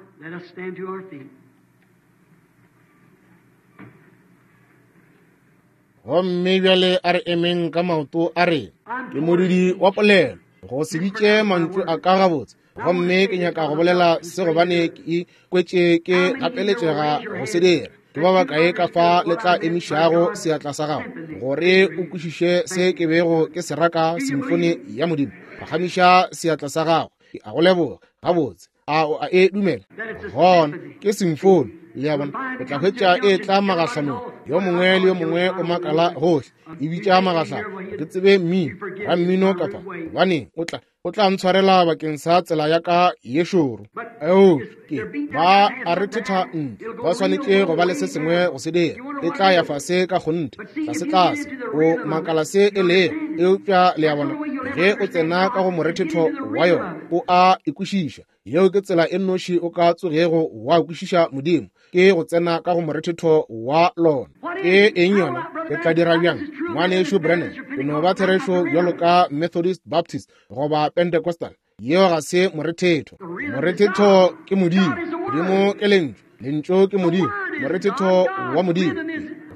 Gomme bjale a re emeng ka maoto a rena. Ke modudi wa polelo, go se bitše mantšu a ka gabotse, gomme ke nyaka go bolela se gobane ke ikwetše ke gapeletšega go se dira. Ke ba bakae ka fa le tla emišago seatla sa gago gore o kwešiše se ke bego ke se raka simfoni ya Modimo? Phagamiša seatla sa gago. Ke a go leboga. Gabotse, a o a e dumela? Gona ke simfoni. Le a bona, o tla hwetša e tla magahlanong. Yo mongwe le yo mongwe o makala gohle, e bitša magahlano. Ke tsebe mmino, rammino kapa gobane o tla o tla ntshwarela bakeng sa tsela ya ka ye šoro. Eo ke ba a re thetha ntle, ba swanetše go ba le se sengwe go se dira. E tla ya fase ka kgonthe, tlase tlase. O makala se e lego, eupša le a bona, ge o tsena ka go morethetho wa yona, o a e kwešiša. Yeo ke tsela e nnoši o ka tsogego wa kwešiša Modimo, ke go tsena ka go morethetho wa lona. Ke eng yona? Ke tla dira bjang? Ngwanešu Branham, ke no ba therešo bjalo ka Methodist, Baptist goba Pentecostal. Yeo ga se morethetho. Morethetho ke Modimo. Modimo ke lentšu. Lentšu ke Modimo. Morethetho wa Modimo.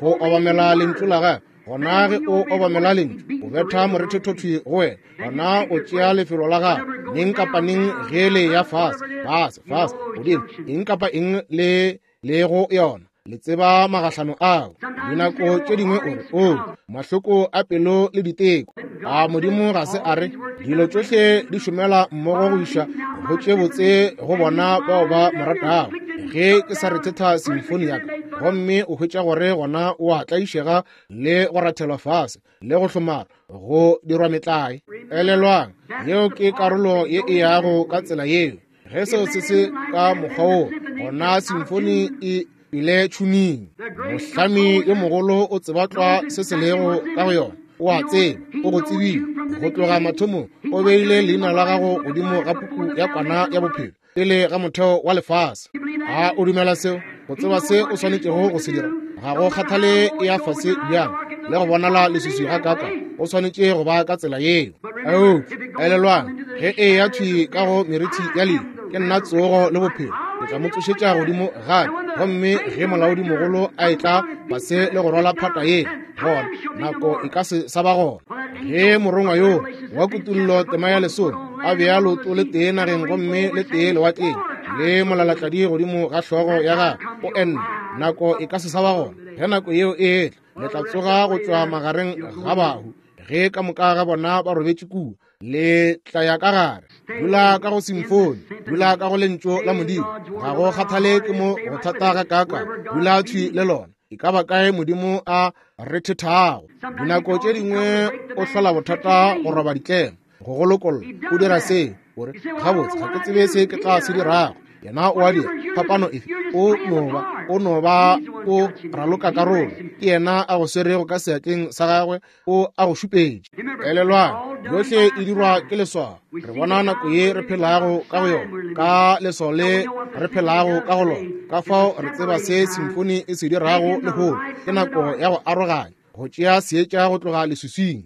Go obamela lentšu la gagwe. Gona ge o obamela lentšu, o betha morethetho thwi go wena. Gona o tšea lefelo la gago. Neng kapa neng ge le ya fase, fase, fase, godimo, eng kapa eng le le go yona. Le tseba magahlano ao. Dinako tše dingwe o re, o, mahloko a pelo le diteko. A Modimo ga se a re, dilo tšohle di šomela mmogo go iša go tše botse go bona bao ba mo ratago. Ge ke sa rethetha simfoni ya ka, gomme o hwetša gore gona o a tlaišega le go rathelwa fase le go hlomara go dirwa metlae. Elelwang, yeo ke karolo ye e yago ka tsela yeo. Ge seo se se ka mokgwa woo, gona simfoni e ile tšhuning. Mohlami yo mogolo o tseba tlwa se se lego ka go yona. O a tseba, o go tsebile go tloga mathomong. O beile leina la gago godimo ga puku ya kwana ya bophelo pele ga motheo wa lefase. A o dumela seo? Go tseba se o swanetšego go se dira. Ga go kgathale e ya fase bjang le go bonala leswiswi ga kaka, o swanetše go ba ka tsela yeo. Eupša elelwang, ge e ya thwi ka go merithi ya lehu, ke nna tsogo le bophelo. Ke tla mo tsošetša godimo gape. Gomme ge molaodimogolo a etla fase le go rwala phata ye, gona nako e ka se sa ba gona. Ge morongwa yo wa kutullo tema ya lesome a bea leoto le tee nageng gomme le tee lewatleng, le molalatladi godimo ga hlogo ya gagwe, o enne, nako e ka se sa ba gona. Ge nako yeo e etla, le tla tsoga go tšwa magareng ga bahu. Ge ka moka ga bona ba robetše kua, le tla ya ka gare. Dula ka go simfoni, dula ka go lentšu la Modimo. Ga go kgathale ke mo go thata ga kaka, dula thwi le lona. E ka ba kae Modimo a rethethago. Dinako tše dingwe o hlola bothata go roba ditlemo, go go lokolla. O dira se, o re, gabotse ga ke tsebe se ke tla se dirago. Yena o a dira. Phapano efe? O no ba, o no ba o raloka karolo. Ke yena a go swerego ka seatleng sa gagwe, o a go šupetše. Elelwang, yohle e dirwa ke leswao. Re bona nako ye re phelago ka go yona, ka leswao le re phelago ka go lona. Ka fao re tseba se simfoni e se dirago lehono. Ke nako ya go aroganya, go tšea seetša go tloga leswiswing.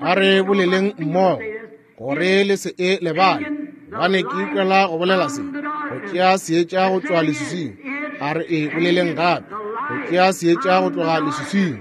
A re boleleng mmogo gore le se e lebale, gobane ke ikwela go bolela se. Go tšea seetša go tšwa leswiswing. A re e boleleng gape, go tšea seetša go tloga leswiswing.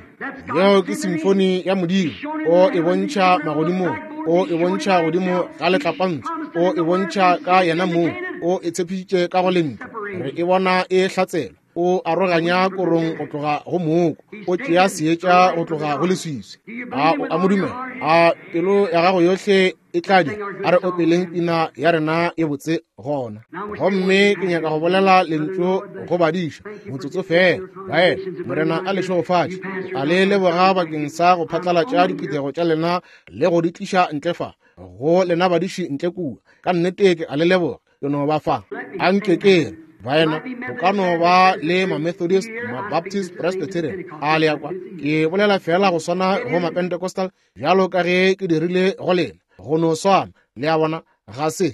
Yeo ke simfoni ya Modimo. O e bontšha magodimong, o e bontšha godimo ga letlapantsho, o e bontšha ka yena mong, o e tshepišitše ka go lentšu. Re e bona e hlatselwa. O aroganya korong go tloga go mooko, o tšea seetša go tloga go leswiswi. A o a mo dumela? A pelo ya gago yohle e tla dira? A re opeleng pina ya rena ye botse gona. Gomme ke nyaka go bolela lentšu go badiša motsotso fela. Baena, Morena a le šegofatše. A le leboga bakeng sa go phatlalatša diphuthego tša lena le go di tliša ntle fa. Go lena badiši ntle kua, ka nnete ke a le leboga. Ke no ba fa. A nke ke re, baena, go ka no ba le ma-Methodist, ma-Baptist, Presbyterian. A le ya kwa? Ke bolela fela go swana go ma-Pentecostal bjalo ka ge ke dirile go lena. Go no swana. Le a bona? Ga se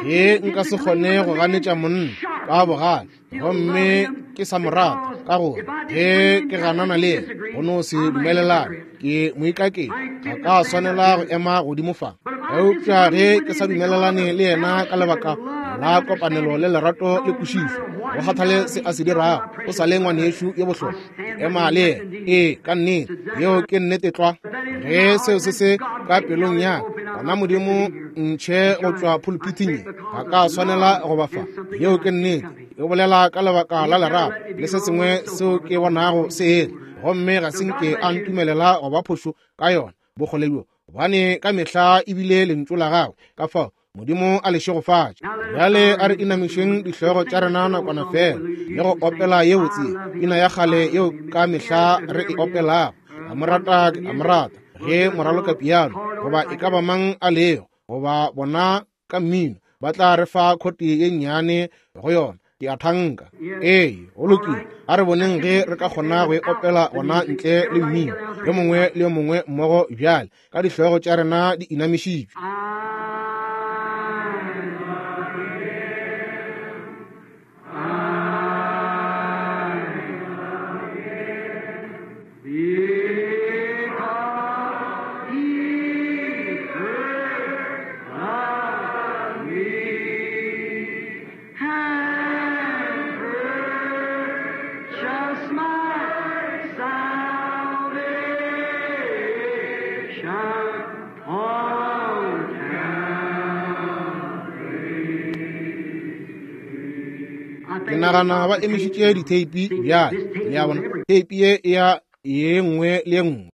ge nka se kgone go ganetša monna ka bogale gomme ke sa mo rata, ka gore ge ke ganana le yena go no se dumelelane, ke moikakeng, ga ka swanela go ema godimo fa. Eupša ge ke sa dumelelane le yena ka lebaka la kopanelo le lerato le kwešišo, go kgathale se a se dirago, o sa le ngwanešu yo bohlokwa, ke ema le yena. Ee, ka nnete, yeo ke nnete tlwa. Ge seo se se ka pelong ya ka, gona Modimo ntšhe go tšwa pulpithing ye, ga ka swanela go ba fa. Yeo ke nnete. E bolela ka lebaka la lerato le se sengwe seo ke bonago se etla, gomme ga se nke a ntumelela go ba phošo ka yona bokgole bjo, gobane ka mehla ebile lentšu la gagwe. Ka fao Modimo a le šegofatše. Bjale a re inamišeng dihlogo tša rena nakwana fela le go opela ye botse, pina ya kgale yeo ka mehla re e opelago. A mo rata, ke a mo rata, ge moraloka piano goba e ka ba mang a lego, goba bona ka mmino ba tla re fa khoti ye nnyane go yona. Ke a thanka. Ee, go lokile. A re boneng ge re ka kgona go e opela gona ntle le mmino, yo mongwe le yo mongwe mmogo bjale, ka dihlogo tša rena di inamišitšwe. I Ke nagana ba emišitše ditheipi bjale, le a bona. Theipi ye e ya ye nngwe le ye nngwe.